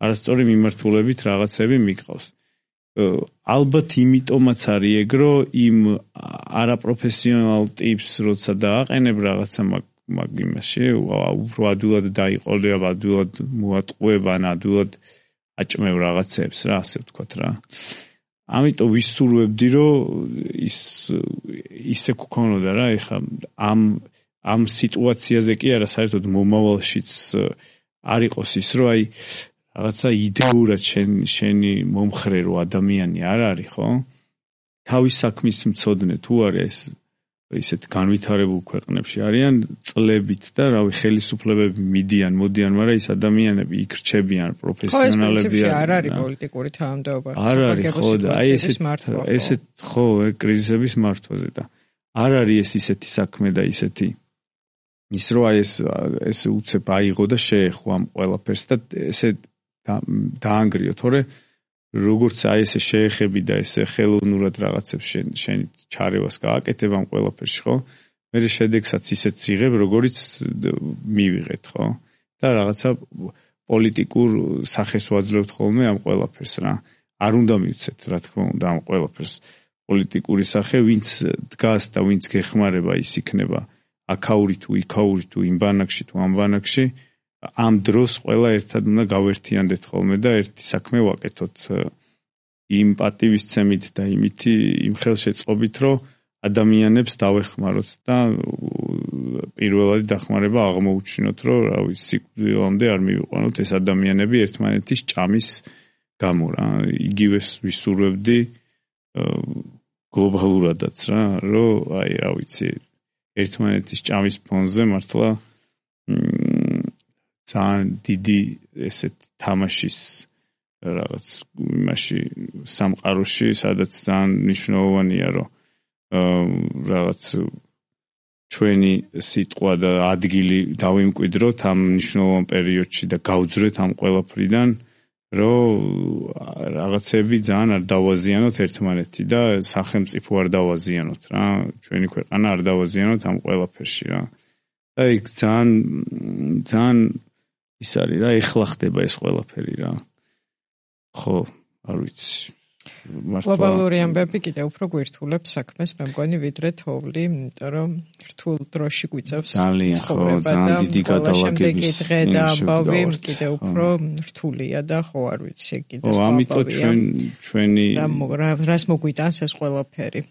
არასწორი მიმართულებით რაღაცები მიყავს ალბათ იმიტომაც არის ეგ რომ იმ არაპროფესიონალ ტიპს როცა დააყენებ რაღაცა მაგ იმაში უფრო ადვილად დაიყოლება, ადვილად მოატყუება, ადვილად აჭმევ რაღაცებს რა, ასე ვთქვათ რა. ამიტომ ვისურვებდი რომ ისე გქონოდა რა, ეხლა ამ სიტუაციაზე კი არა საერთოდ მომავალშიც არ იყოს ის რომ აი რაღაცა იდეურად შენი მომხრე რო ადამიანი არ არის, ხო? თავის საქმის მცოდნე თუ არის ისეთ განვითარებულ ქვეყნებში არიან წლებით და რავი ხელისუფლებები მოდიან, მაგრამ ის ადამიანები იქ რჩებიან პროფესიონალები არ არის პოლიტიკური თანამდებობა. არ არის ხო და აი ესეთ ხო კრიზისების მართვაზე და არ არის ეს ისეთი საქმე და ისეთი ის რო აი ეს უცებ აიღო და შეეხო ამ ყველაფერს და ესე დაანგრიო, თორე როგორც აი ესე შეეხები და ესე ხელოვნურად რაღაცებს შენ ჩარევას გააკეთებ ამ ყველაფერში, ხო? მე შედეგსაც ისეთ იღებ, როგორც მივიღეთ, ხო? და რაღაცა პოლიტიკურ სახეს ვაძლევთ ხოლმე ამ ყველაფერს რა. არ უნდა მივცეთ, რა თქმა უნდა, ამ ყველაფერს პოლიტიკური სახე, ვინც დგას და ვინც გეხმარება, ის იქნება აქაური თუ იქაური თუ იმ ბანაკში თუ ამ ბანაკში, ამ დროს ყველა ერთად უნდა გავერთიანდეთ ხოლმე და ერთი საქმე ვაკეთოთ იმ პატივისცემით და იმითი იმ ხელშეწყობით, რომ ადამიანებს დავეხმაროთ და პირველადი დახმარება აღმოუჩინოთ, რომ რავი, სიკვდილამდე არ მივიყვანოთ ეს ადამიანები ერთმანეთის ჭამის გამო რა. იგივე ვისურვებდი გლობალურადაც რა, რომ აი რა ვიცი, ერთმანეთის ჭამის ფონზე მართლა ძალიან დიდი ესეთ თამაშის რაღაც იმაში სამყაროში, სადაც ძალიან მნიშვნელოვანია, რომ რაღაც ჩვენი სიტყვა და ადგილი დავიმკვიდროთ ამ მნიშვნელოვან პერიოდში და გავძვრეთ ამ ყველაფრიდან, რომ რაღაცები ძალიან არ დავაზიანოთ ერთმანეთი და სახელმწიფო არ დავაზიანოთ რა, ჩვენი ქვეყანა არ დავაზიანოთ ამ ყველაფერში რა. და იქ ძალიან ის არის რა, ეხლა ხდება ეს ყველაფერი რა. ხო, არ ვიცი. გლობალური ამბები კიდევ უფრო გვირთულებს საქმეს, მე მგონი, ვიდრე თოვლი, იმიტომ რომ რთულ დროში გვიწევს ძალიან ხო, ძალიან დიდი გადალაგების დღე და ამბავი კიდევ უფრო რთულია და ხო არ ვიცი კიდევ სხვა ამიტომ ჩვენი რას მოგვიტანს ეს ყველაფერი.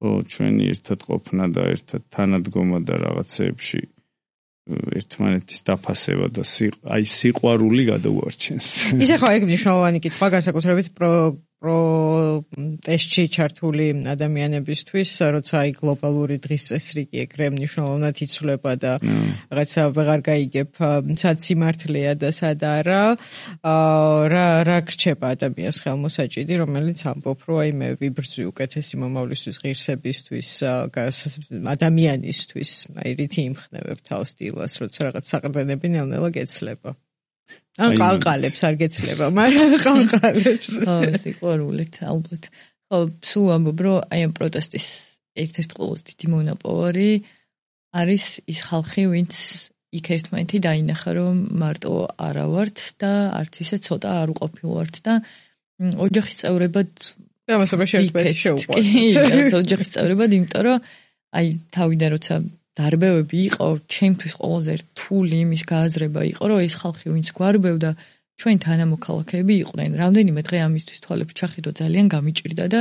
ხო, ჩვენი ერთად ყოფნა და ერთად თანადგომა და რაღაცეებში ერთმანეთის დაფასება და აი სიყვარული გადაუარჩენს. ისე ხო, ეგ მნიშვნელოვანი კითხვა, განსაკუთრებით პროტესტში ჩართული ადამიანებისთვის, როცა აი გლობალური დღის წესრიგი ეგრე მნიშვნელოვნად იცვლება და რაღაცა ვეღარ გაიგებ, სად სიმართლეა და სად არა, რა გრჩება ადამიანს ხელმოსაჭიდი, რომელიც ამბობ, რომ აი მე ვიბრძვი უკეთესი მომავლისთვის, ღირსებისთვის, ადამიანისთვის, აი რითი იმხნევებ თავს დილას, როცა რაღაც საყრდენები ნელ-ნელა გეცლება. ან ყანყალებს არ გეცლება, მაგრამ ყანყალებს. ხო, სიყვარულით ალბათ. ხო, სულ ამბობ, რომ აი ამ პროტესტის ერთ-ერთი ყველაზე დიდი მონაპოვარი არის ის ხალხი, ვინც იქ ერთმანეთი დაინახა, რომ მარტო არა ვართ და არც ისე ცოტა არ უყოფილვართ და ოჯახის წევრებად ამასობაში ერთმანეთი შეუყვართ. კი, ოჯახის წევრებად, იმიტომ რომ აი თავიდან როცა დარბევები იყო, ჩემთვის ყველაზე რთული იმის გააზრება იყო, რომ ეს ხალხი ვინც გვარბევდა, ჩვენ თანამოქალაქეები იყვნენ. რამდენიმე დღე ამისთვის თვალებს ჩახედო ძალიან გამიჭირდა და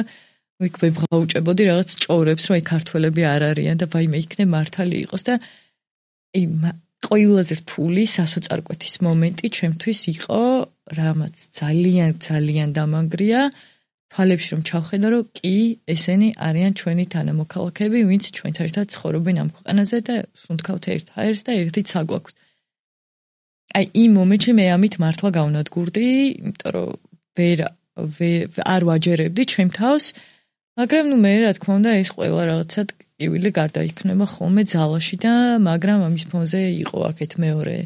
იქ ვებღაუჭებოდი რაღაც ჭორებს, რომ აი ქართველები არ არიან და ვაიმე იქნებ მართალი იყოს და აი ყველაზე რთული სასოწარკვეთის მომენტი ჩემთვის იყო, რამაც ძალიან დამანგრია. თვალებში რომ ჩავხედა, რომ კი, ესენი არიან ჩვენი თანამოქალაქეები, ვინც ჩვენთან ერთად ცხოვრობენ ამ ქვეყანაზე და სუნთქავთ ერთ ჰაერს და ერთით საგვაქვს. აი იმ მომენტში მე ამით მართლა გავნადგურდი, იმიტომ რომ არ ვაჯერებდი ჩემ თავს, მაგრამ ნუ მე რა თქმა უნდა ეს ყველა რაღაცა ტკივილი გარდაიქმნება ხოლმე ძალაში და მაგრამ ამის ფონზე იყო აქეთ მეორე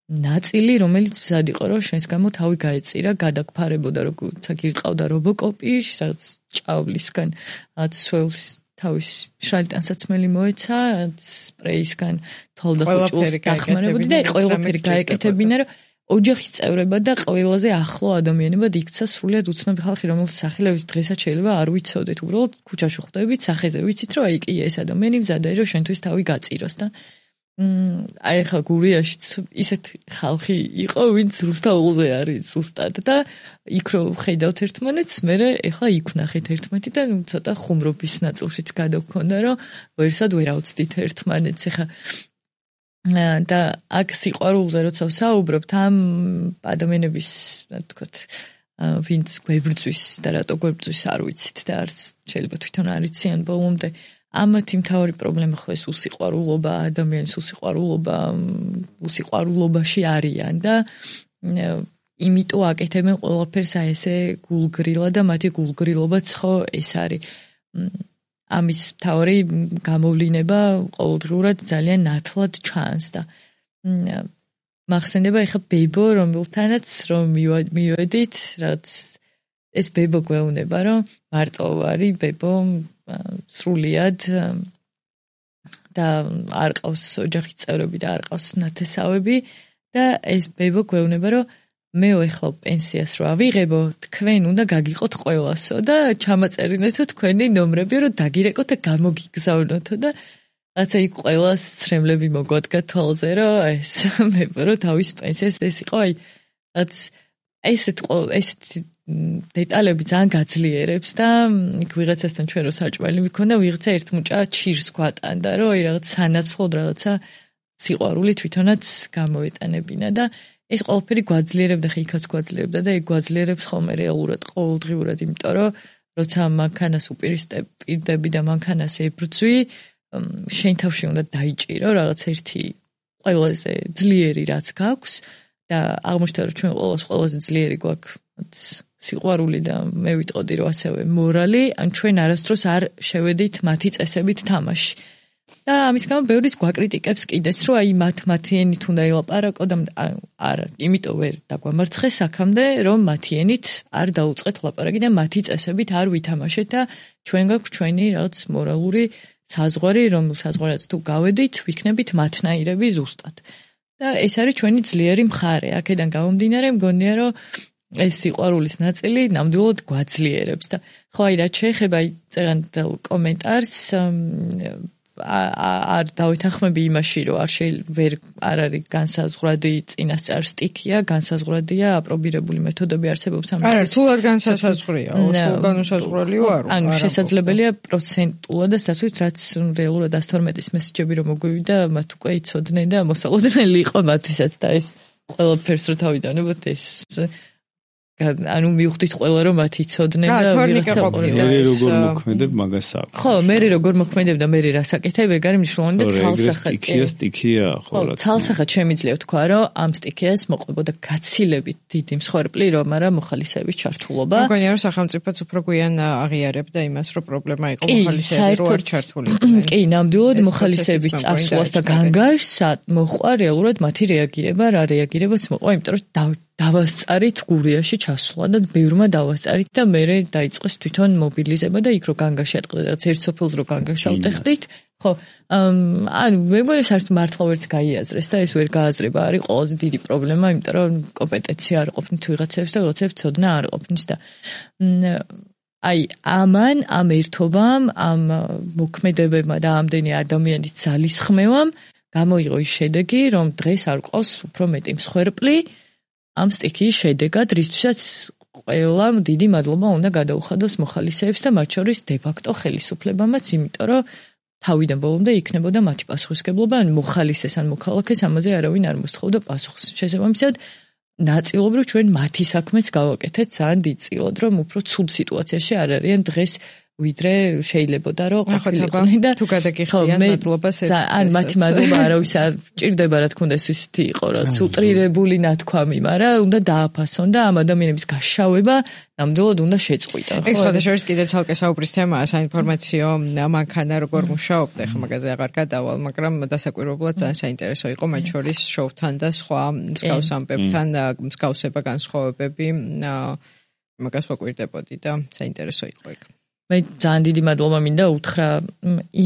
ნაწილი, რომელიც მზად იყო, რომ შენს გამო თავი გაეწირა, გადაგფარებოდა, როგორც გირწყავდა რობოკოპი, რაღაც ჭავლისგან, რაც სველს თავის შალი ტანსაცმელი მოეცა, სპრეისგან თვალ და ხუჭულს დახმარებოდი და ყველაფერი გაეკეთებინა, რომ ოჯახის წევრებად და ყველაზე ახლო ადამიანებად იქცა სრულიად უცნობი ხალხი, რომელსაც სახელების დღესაც შეიძლება არ ვიცოდეთ, უბრალოდ ქუჩაში ხვდებით, სახეზე ვიცით, რომ აი კი ეს ადამიანი მზადაა, რომ შენთვის თავი გაწიროს და აი ხა გურიაშიც ისეთ ხალხი იყო, ვინც რუსთაველზე არის ზუსტად და იქ რო ხედავთ ერთმანეთს, მე ეხლა იქ ვნახეთ ერთმანეთი და ცოტა ხუმრობის ნაწილშიც გადაგქონდა, რომ ვერსად ვერ ავწდით ერთმანეთს. ეხლა და აქ სიყვარულზე როცა ვსაუბრობთ, ამ ადამიანების, რა ვთქვათ, ვინც გვებრძვის და რატო გვებრძვის არ ვიცით და არც შეიძლება თვითონ არ იციან ბოლომდე. ამათი მთავარი პრობლემა ხო ეს უსიყვარულობა, ადამიანის უსიყვარულობაში არიან და იმიტომ აკეთებენ ყველაფერს აი ესე გულგრილად და მათი გულგრილობაც ხო ეს არის. ამის მთავარი გამოვლინება ყოველდღიურად ძალიან ნათლად ჩანს და მახსენდება ეხა ბებო, რომელთანაც რომ მივედით, რაც ეს ბებო გვეუბნება, რომ მარტო არის ბებო სრულიად და არ ყავს ოჯახის წევრები და არ ყავს ნათესავები და ეს ბებო გვეუბნება, რომ მე ვეხლა პენსიას რო ავიღებო, თქვენ უნდა გაგიყოთ ყველასო და ჩამაწერინეთო თქვენი ნომრები, რომ დაგირეკოთ და გამოგიგზავნოთო და რაცა იქ ყველას ცრემლები მოგვადგა თვალზე, რომ ეს მე რო თავის პენსიას ეს იყო, რაც ესეთი დეტალები ძალიან გაძლიერებს და იქ ვიღაცასთან ჩვენ რო საჭმელი მქონდა, ვიღაცა ერთ მუჭა ჩირს გვატანდა, რომ რაღაც სანაცვლოდ რაღაცა სიყვარული თვითონაც გამოეტანებინა და ეს ყველაფერი გვაძლიერებდა, ხა იქაც გვაძლიერებდა და ეგ გვაძლიერებს ხოლმე რეალურად ყოველდღიურად, იმიტომ რომ როცა მანქანას უპირისპირდები და მანქანას ებრძვი, შენ თავში უნდა დაიჭირო რაღაც ერთი ყველაზე ძლიერი რაც გაქვს და აღმოჩნდა რომ ჩვენ ყველაზე ძლიერი გვაქვს სიყვარული და მე ვიტყოდი რომ ასევე მორალი, ან ჩვენ არასდროს არ შევედით მათი წესებით თამაში. და ამის გამო ბევრიც გვაკრიტიკებს კიდეც, რომ აი მათი ენით უნდა ელაპარაკო და არა, იმიტომ ვერ დაგვამარცხეს აქამდე, რომ მათი ენით არ დაუწყეთ ლაპარაკი და მათი წესებით არ ვითამაშეთ და ჩვენ გაქვს ჩვენი რაღაც მორალური საზღვარი, რომ საზღვარაც თუ გავედით, ვიქნებით მათნაირები ზუსტად. და ეს არის ჩვენი ძლიერი მხარე. აქედან გამომდინარე, მგონია, რომ ეს სიყვარულის ნაწილი ნამდვილად გვაძლიერებს და ხო აი რაც შეეხება წერანდელ კომენტარს არ დავეთანხმები იმაში, რომ არ არის განსაზღვრადი წინასწარ სტიქია, განსაზღვრადია აპრობირებული მეთოდები არსებობს ამ. არა, სულად განსაზღვრია, სულ განსაზღვრალიო არ. ანუ შესაძლებელია პროცენტულად და სასვით, რაც რეალურად 112-ის მესეჯები რომ მოგვივიდა, მათ უკვე იცოდნენ და მოსალოდნელი იყო მათთვისაც და ეს ყველაფერს რო თავიდანებოთ ეს ანუ მივხვდით ყველა რომ მათ იცოდნენ და ვიღაცა მე როგორ მოქმედებ მაგას აქვს. ხო, მე როგორ მოქმედებ და მე რას აკეთებ, ეგ არის მნიშვნელოვანი და ცალსახად. სტიქია, ხო. ცალსახად შემიძლია თქვა, რომ ამ სტიქიას მოყვებოდა გაცილებით დიდი მსხვერპლი, რომ არა მოხალისეების ჩართულობა. მგონია რომ სახელმწიფოც უფრო გვიან აღიარებდა იმას, რომ პრობლემა იყო მოხალისეები რო არ ჩართული. კი, ნამდვილად მოხალისეების წასვლას და განგაშს მოყვა რეალურად მათი რეაგირება, რა რეაგირებაც მოყვა, იმიტომ რომ დავასწარით გურიაში ჩასვლა და ბევრმა დავასწარით და მე დაიწყეს თვითონ მობილიზება და იქ რო განგაში ატყდა რაც ერთ სოფელს რო განგაშავტეხდით ხო ანუ მე მგონი საერთოდ მართლა ვერც გაიაზრეს და ეს ვერ გააზრება არის ყველაზე დიდი პრობლემა იმიტომ რომ კომპეტენცია არ ყოფნით ვიღაცებს და ვიღაცებს ცოდნა არ ყოფნით და აი ამან ამ ერთობამ ამ მოქმედებებმა და ამდენი ადამიანის ძალისხმევამ გამოიღო ის შედეგი რომ დღეს არ ყავს უფრო მეტი მსხვერპლი ამ სტიქიის შედეგად, რისთვისაც ყველამ დიდი მადლობა უნდა გადაუხადოს მოხალისეებს და მათ შორის დე-ფაქტო ხელისუფლებამაც, იმიტომ რომ თავიდან ბოლომდე იქნებოდა მათი პასუხისმგებლობა, ან მოხალისეს, ან მოქალაქეს ამაზე არავინ არ მოსთხოვდა პასუხს. შესაბამისად, ნაწილობრივ ჩვენ მათი საქმეც გავაკეთეთ ძალიან დიდწილად, რომ უფრო ცუდ სიტუაციაში არ არიან დღეს ვიდრე შეიძლებოდა რომ ყოფილიყვნენ და თუ გადაგიხდიან მადლობას ერთ ან მათი მადლობა არავის არ ჭირდება რა თქმა უნდა ეს ისეთი იყო რაც უტრირებული ნათქვამი, მაგრამ უნდა დააფასონ და ამ ადამიანების გაშავება ნამდვილად უნდა შეწყვიტა. ეს სხვადასხვა კიდე ცალკე საუბრის თემაა საინფორმაციო მანქანა როგორ მუშაობდა, ხა მაგაზე აღარ გადავალ, მაგრამ დასაკვირვებლად ძალიან საინტერესო იყო მათ შორის შოუთან და სხვა მსგავს ამბებთან მსგავსება განსხვავებები მაგას ვაკვირდებოდი და საინტერესო იყო ეგ. მე ძალიან დიდი მადლობა მინდა უთხრა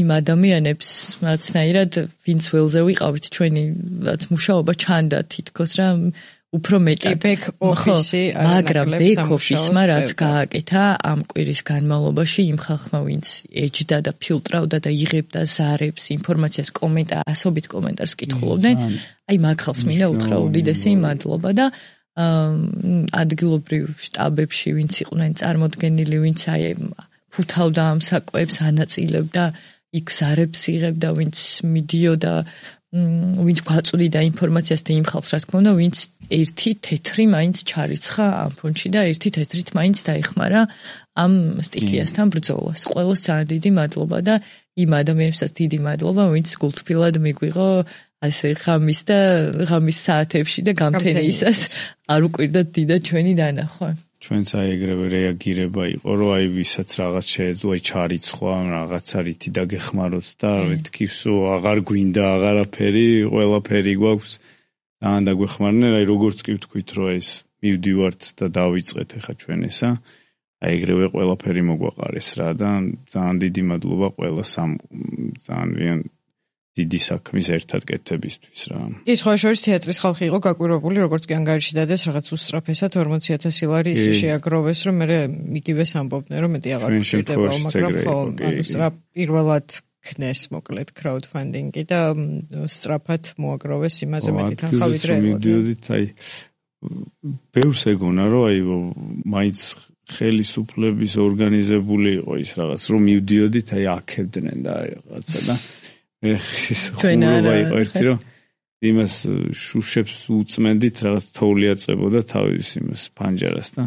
იმ ადამიანებს, რაცნაირად ვინც ველზე ვიყავით ჩვენი რაც მუშაობა ჩანდა თითქოს რა უფრო მეტად ბექ ოფისი მაგრამ ბექ ოფისმა რაც გააკეთა ამ კვირის განმავლობაში იმ ხალხმა ვინც ეჯდა და ფილტრავდა და იღებდა ზარებს ინფორმაციას ასობით კომენტარს კითხულობდნენ აი მაგ ხალხს მინდა უთხრა უდიდესი მადლობა და ადგილობრივ შტაბებში ვინც იყვნენ წარმოდგენილი ვინც აი ფუთავდა ამ საკვებს ანაწილებდა იქ ზარებს იღებდა ვინც მიდიოდა ვინც გვაწვდიდა ინფორმაციას და იმ ხალხს რა თქმა უნდა ვინც ერთი თეთრი მაინც ჩარიცხა ამ ფონდში და ერთი თეთრით მაინც დაიხმარა ამ სტიქიასთან ბრძოლას. ყველას ძალიან დიდი მადლობა და იმ ადამიანებსაც დიდი მადლობა ვინც გულთბილად მიგვიღო ასე ღამის საათებში და გამთენიისას არ უკვირდა დიდად ჩვენი დანახვა. ჩვენც აი ეგრევე რეაგირება იყო, რომ აი ვისაც რაღაც შეეძლო, აი ჩარიცხვა, რაღაცა რითი დაგეხმაროთ და მეთქივსო, აღარ გვინდა აღარაფერი, ყველაფერი გვაქვს. ძალიან დაგვეხმარნენ, აი როგორც კი ვთქვით, რომ ეს მივდივართ და დავიწყეთ ახლა ჩვენ ესა. აი ეგრევე ყველაფერი მოგვაყარეს რა და ძალიან დიდი მადლობა ყველას ამ ძალიან დიდი საქმის ერთად კეთებისთვის რა. ის სხვა შორის თეატრის ხალხი იყო გაკვირვებული, როგორც კი ანგარიში დადეს რაღაც უსწრაფესად 40,000 ლარი ისე შეაგროვეს, რომ მე მიგივეს ამბობდნენ, რომ მეტი აღარ გვჭირდება, მაგრამ ხო, ანუ პირველად ქნეს მოკლედ crowdfunding-ი და სწრაფად მოაგროვეს იმაზე მეტი თანხა ვიდრე მივდიოდით, აი ბევრს ეგონა, რომ აი მაინც ხელისუფლების ორგანიზებული იყო ის რაღაც, რომ მივდიოდით, აი აქებდნენ და რაღაცა და ეს ხულობა იყო ერთი, რომ იმას შუშებს უწმენდით, რაღაც თოვლი აწებოდა თავის იმას ფანჯარას და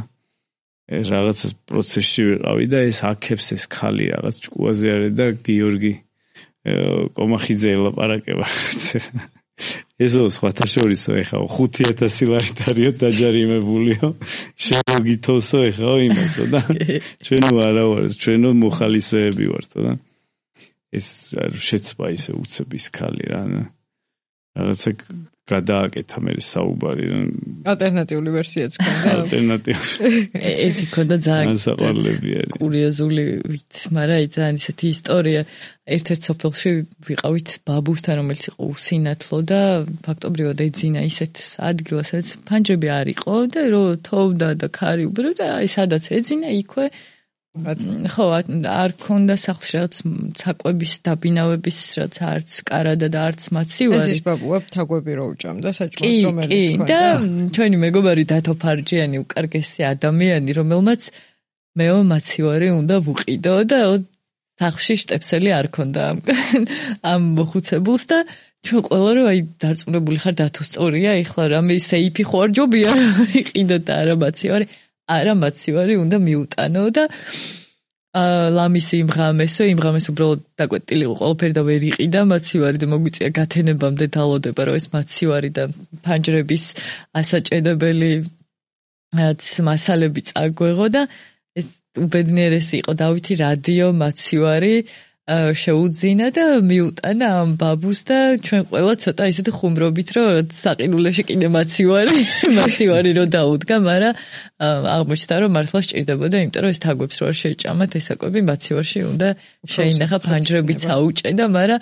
რაღაცა პროცესში ვიყავი და ეს აქებს ეს ხალი რაღაც ჭკუაზე არის და გიორგი კომახიძე ელაპარაკება. ესო სხვათა შორისო ეხა 5,000 ლარი დარიო დაჯარიმებულიო შემოგითოსო ეხა იმასო და ჩვენო არა ვარ ჩვენო მოხალისეები ვართო და ეს შეცვა ისე უცების ხალი რა რაღაცა გადააკეთა მე საუბარი ალტერნატიული ვერსიაც ქონდა ალტერნატიული ეს იქონდა ძალიან კურიოზული მაგრამ აი ძალიან ისეთი ისტორია ერთ-ერთ სოფელში ვიყავით ბაბუსთან რომელიც იყო უსინათლო და ფაქტობრივად ეძინა ისეთ ადგილას სადაც ფანჯრები არ იყო და რო თოვდა და ქარი უბრო და აი სადაც ეძინა იქვე ხო არ ქონდა სახლში რაღაც საკვების დაბინავების რაც არც კარადა და არც მაცივარი ეს ბაბუა თაგვები რო უჭამდა საჭმელს რომელიც ქონდა და ჩვენი მეგობარი დათო ფარჯიანი უკარგესი ადამიანი რომელმაც მეო მაცივარი უნდა ვუყიდო და სახლში შტეფსელი არ ქონდა ამ მოხუცებულს და ჩვენ ყველა რომ აი დარწმუნებული ხარ დათო სწორია ეხლა რამე სეიფი ხო არ ჯობია იყიდო და არა მაცივარი არა მაცივარი უნდა მიუტანო და ლამისი იმღამესო უბრალოდ დაკვეტილი იყო ყველაფერი და ვერ იყიდა მაცივარი და მოგვიწია გათენებამდე დალოდება რომ ეს მაცივარი და ფანჯრების ასაჭედებელი მასალები წაგვეღო და ეს უბედნიერესი იყო დავითი რადიო მაცივარი შეუძინა და მიუტანა ამ ბაბუს და ჩვენ ყველა ცოტა ისეთი ხუმრობით რომ საყინულეში კიდე მაცივარი რო დაუდგა, მაგრამ აღმოჩნდა რომ მართლა სჭირდებოდა, იმიტომ რომ ეს თაგვებს რო არ შეჭამათ ეს საკვები მაცივარში უნდა შეინახა ფანჯრებიც აუჭედა, მაგრამ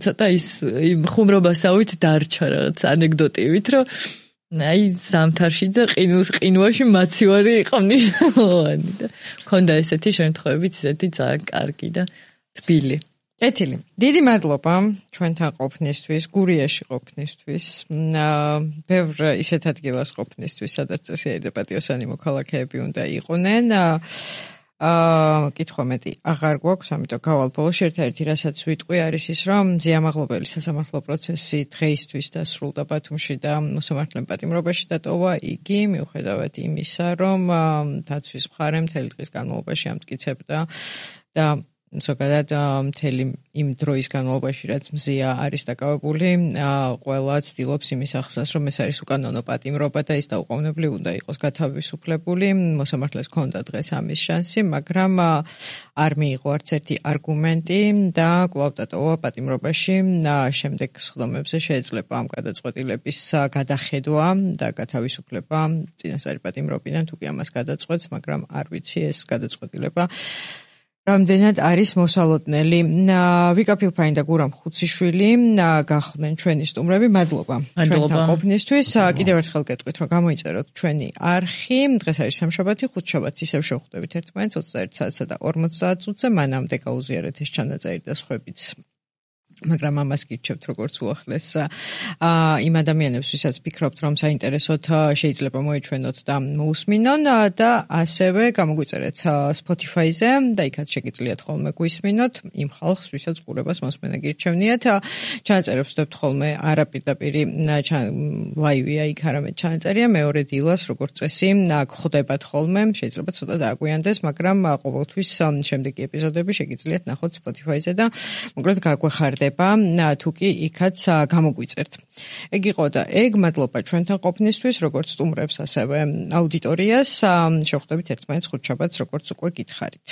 ცოტა ის იმ ხუმრობასავით დარჩა რაღაც ანეკდოტივით რომ აი ზამთარში და ყინუაში მაცივარი იყო მნიშვნელოვანი და ქონდა ესეთი შემთხვევებიც ისეთი ძალიან კარგი და თბილი. კეთილი. დიდი მადლობა ჩვენთან ყოფნისთვის, გურიაში ყოფნისთვის. ბევრ ისეთ ადგილას ყოფნისთვის, სადაც წესიერი და პატიოსანი მოქალაქეები უნდა იყვნენ. კითხვა მეტი აღარ გვაქვს, ამიტომ გავალ ბოლოში ერთ-ერთი რასაც ვიტყვი არის ის, რომ ზიამაღლობელი სასამართლო პროცესი დღეისთვის დასრულდა ბათუმში და მოსამართლემ პატიმრობაში დატოვა იგი, მიუხედავად იმისა, რომ დაცვის მხარე მთელი დღის განმავლობაში ამტკიცებდა და ზოგადად მთელი იმ დროის განმავლობაში რაც მზია არის დაკავებული, ყველა ცდილობს იმის ახსნას, რომ ეს არის უკანონო პატიმრობა და ის დაუყოვნებლივ უნდა იყოს გათავისუფლებული. მოსამართლეს ჰქონდა დღეს ამის შანსი, მაგრამ არ მიიღო არც ერთი არგუმენტი და კვლავ დატოვა პატიმრობაში. შემდეგ სხდომებზე შეეძლება ამ გადაწყვეტილების გადახედვა და გათავისუფლება წინასწარი პატიმრობიდან, თუ კი ამას გადაწყვეტს, მაგრამ არ ვიცი ეს გადაწყვეტილება რამდენად არის მოსალოდნელი. ვიკა ფილფანი და გურამ ხუციშვილი გახლდნენ ჩვენი სტუმრები. მადლობა ჩვენთან ყოფნისთვის. კიდევ ერთხელ გეტყვით, რომ გამოიწეროთ ჩვენი არხი. დღეს არის სამშაბათი, ხუთშაბათს ისევ შევხვდებით ერთმანეთს 21 საათსა და 50 წუთზე. მანამდე გაუზიარეთ ეს ჩანაწერი და სხვებიც. მაგრამ ამას გირჩევთ როგორც უახლეს იმ ადამიანებს, ვისაც ფიქრობთ, რომ საინტერესოდ შეიძლება მოეჩვენოთ და მოусმინონ და ასევე გამოგვიწერეთ Spotify-ზე და იქაც შეგიძლიათ ხოლმე გვისმინოთ იმ ხალხს, ვისაც ყურებას მოსმენა გირჩევნიათ. ჩანაწერებს ვსდებთ ხოლმე არა პირდაპირი ლაივია იქ, არამედ ჩანაწერია მეორე დილას, როგორც წესი, გვხვდებათ ხოლმე, შეიძლება ცოტა დააგვიანდეს, მაგრამ ყოველთვის შემდეგი ეპიზოდები შეგიძლიათ ნახოთ Spotify-ზე და მოკლედ გაგვეხარდება თუ კი იქაც გამოგვიწერთ. ეგ იყო და ეგ მადლობა ჩვენთან ყოფნისთვის, როგორც სტუმრებს, ასევე აუდიტორიას. შევხვდებით ერთმანეთს ხუთშაბათს, როგორც უკვე გითხარით.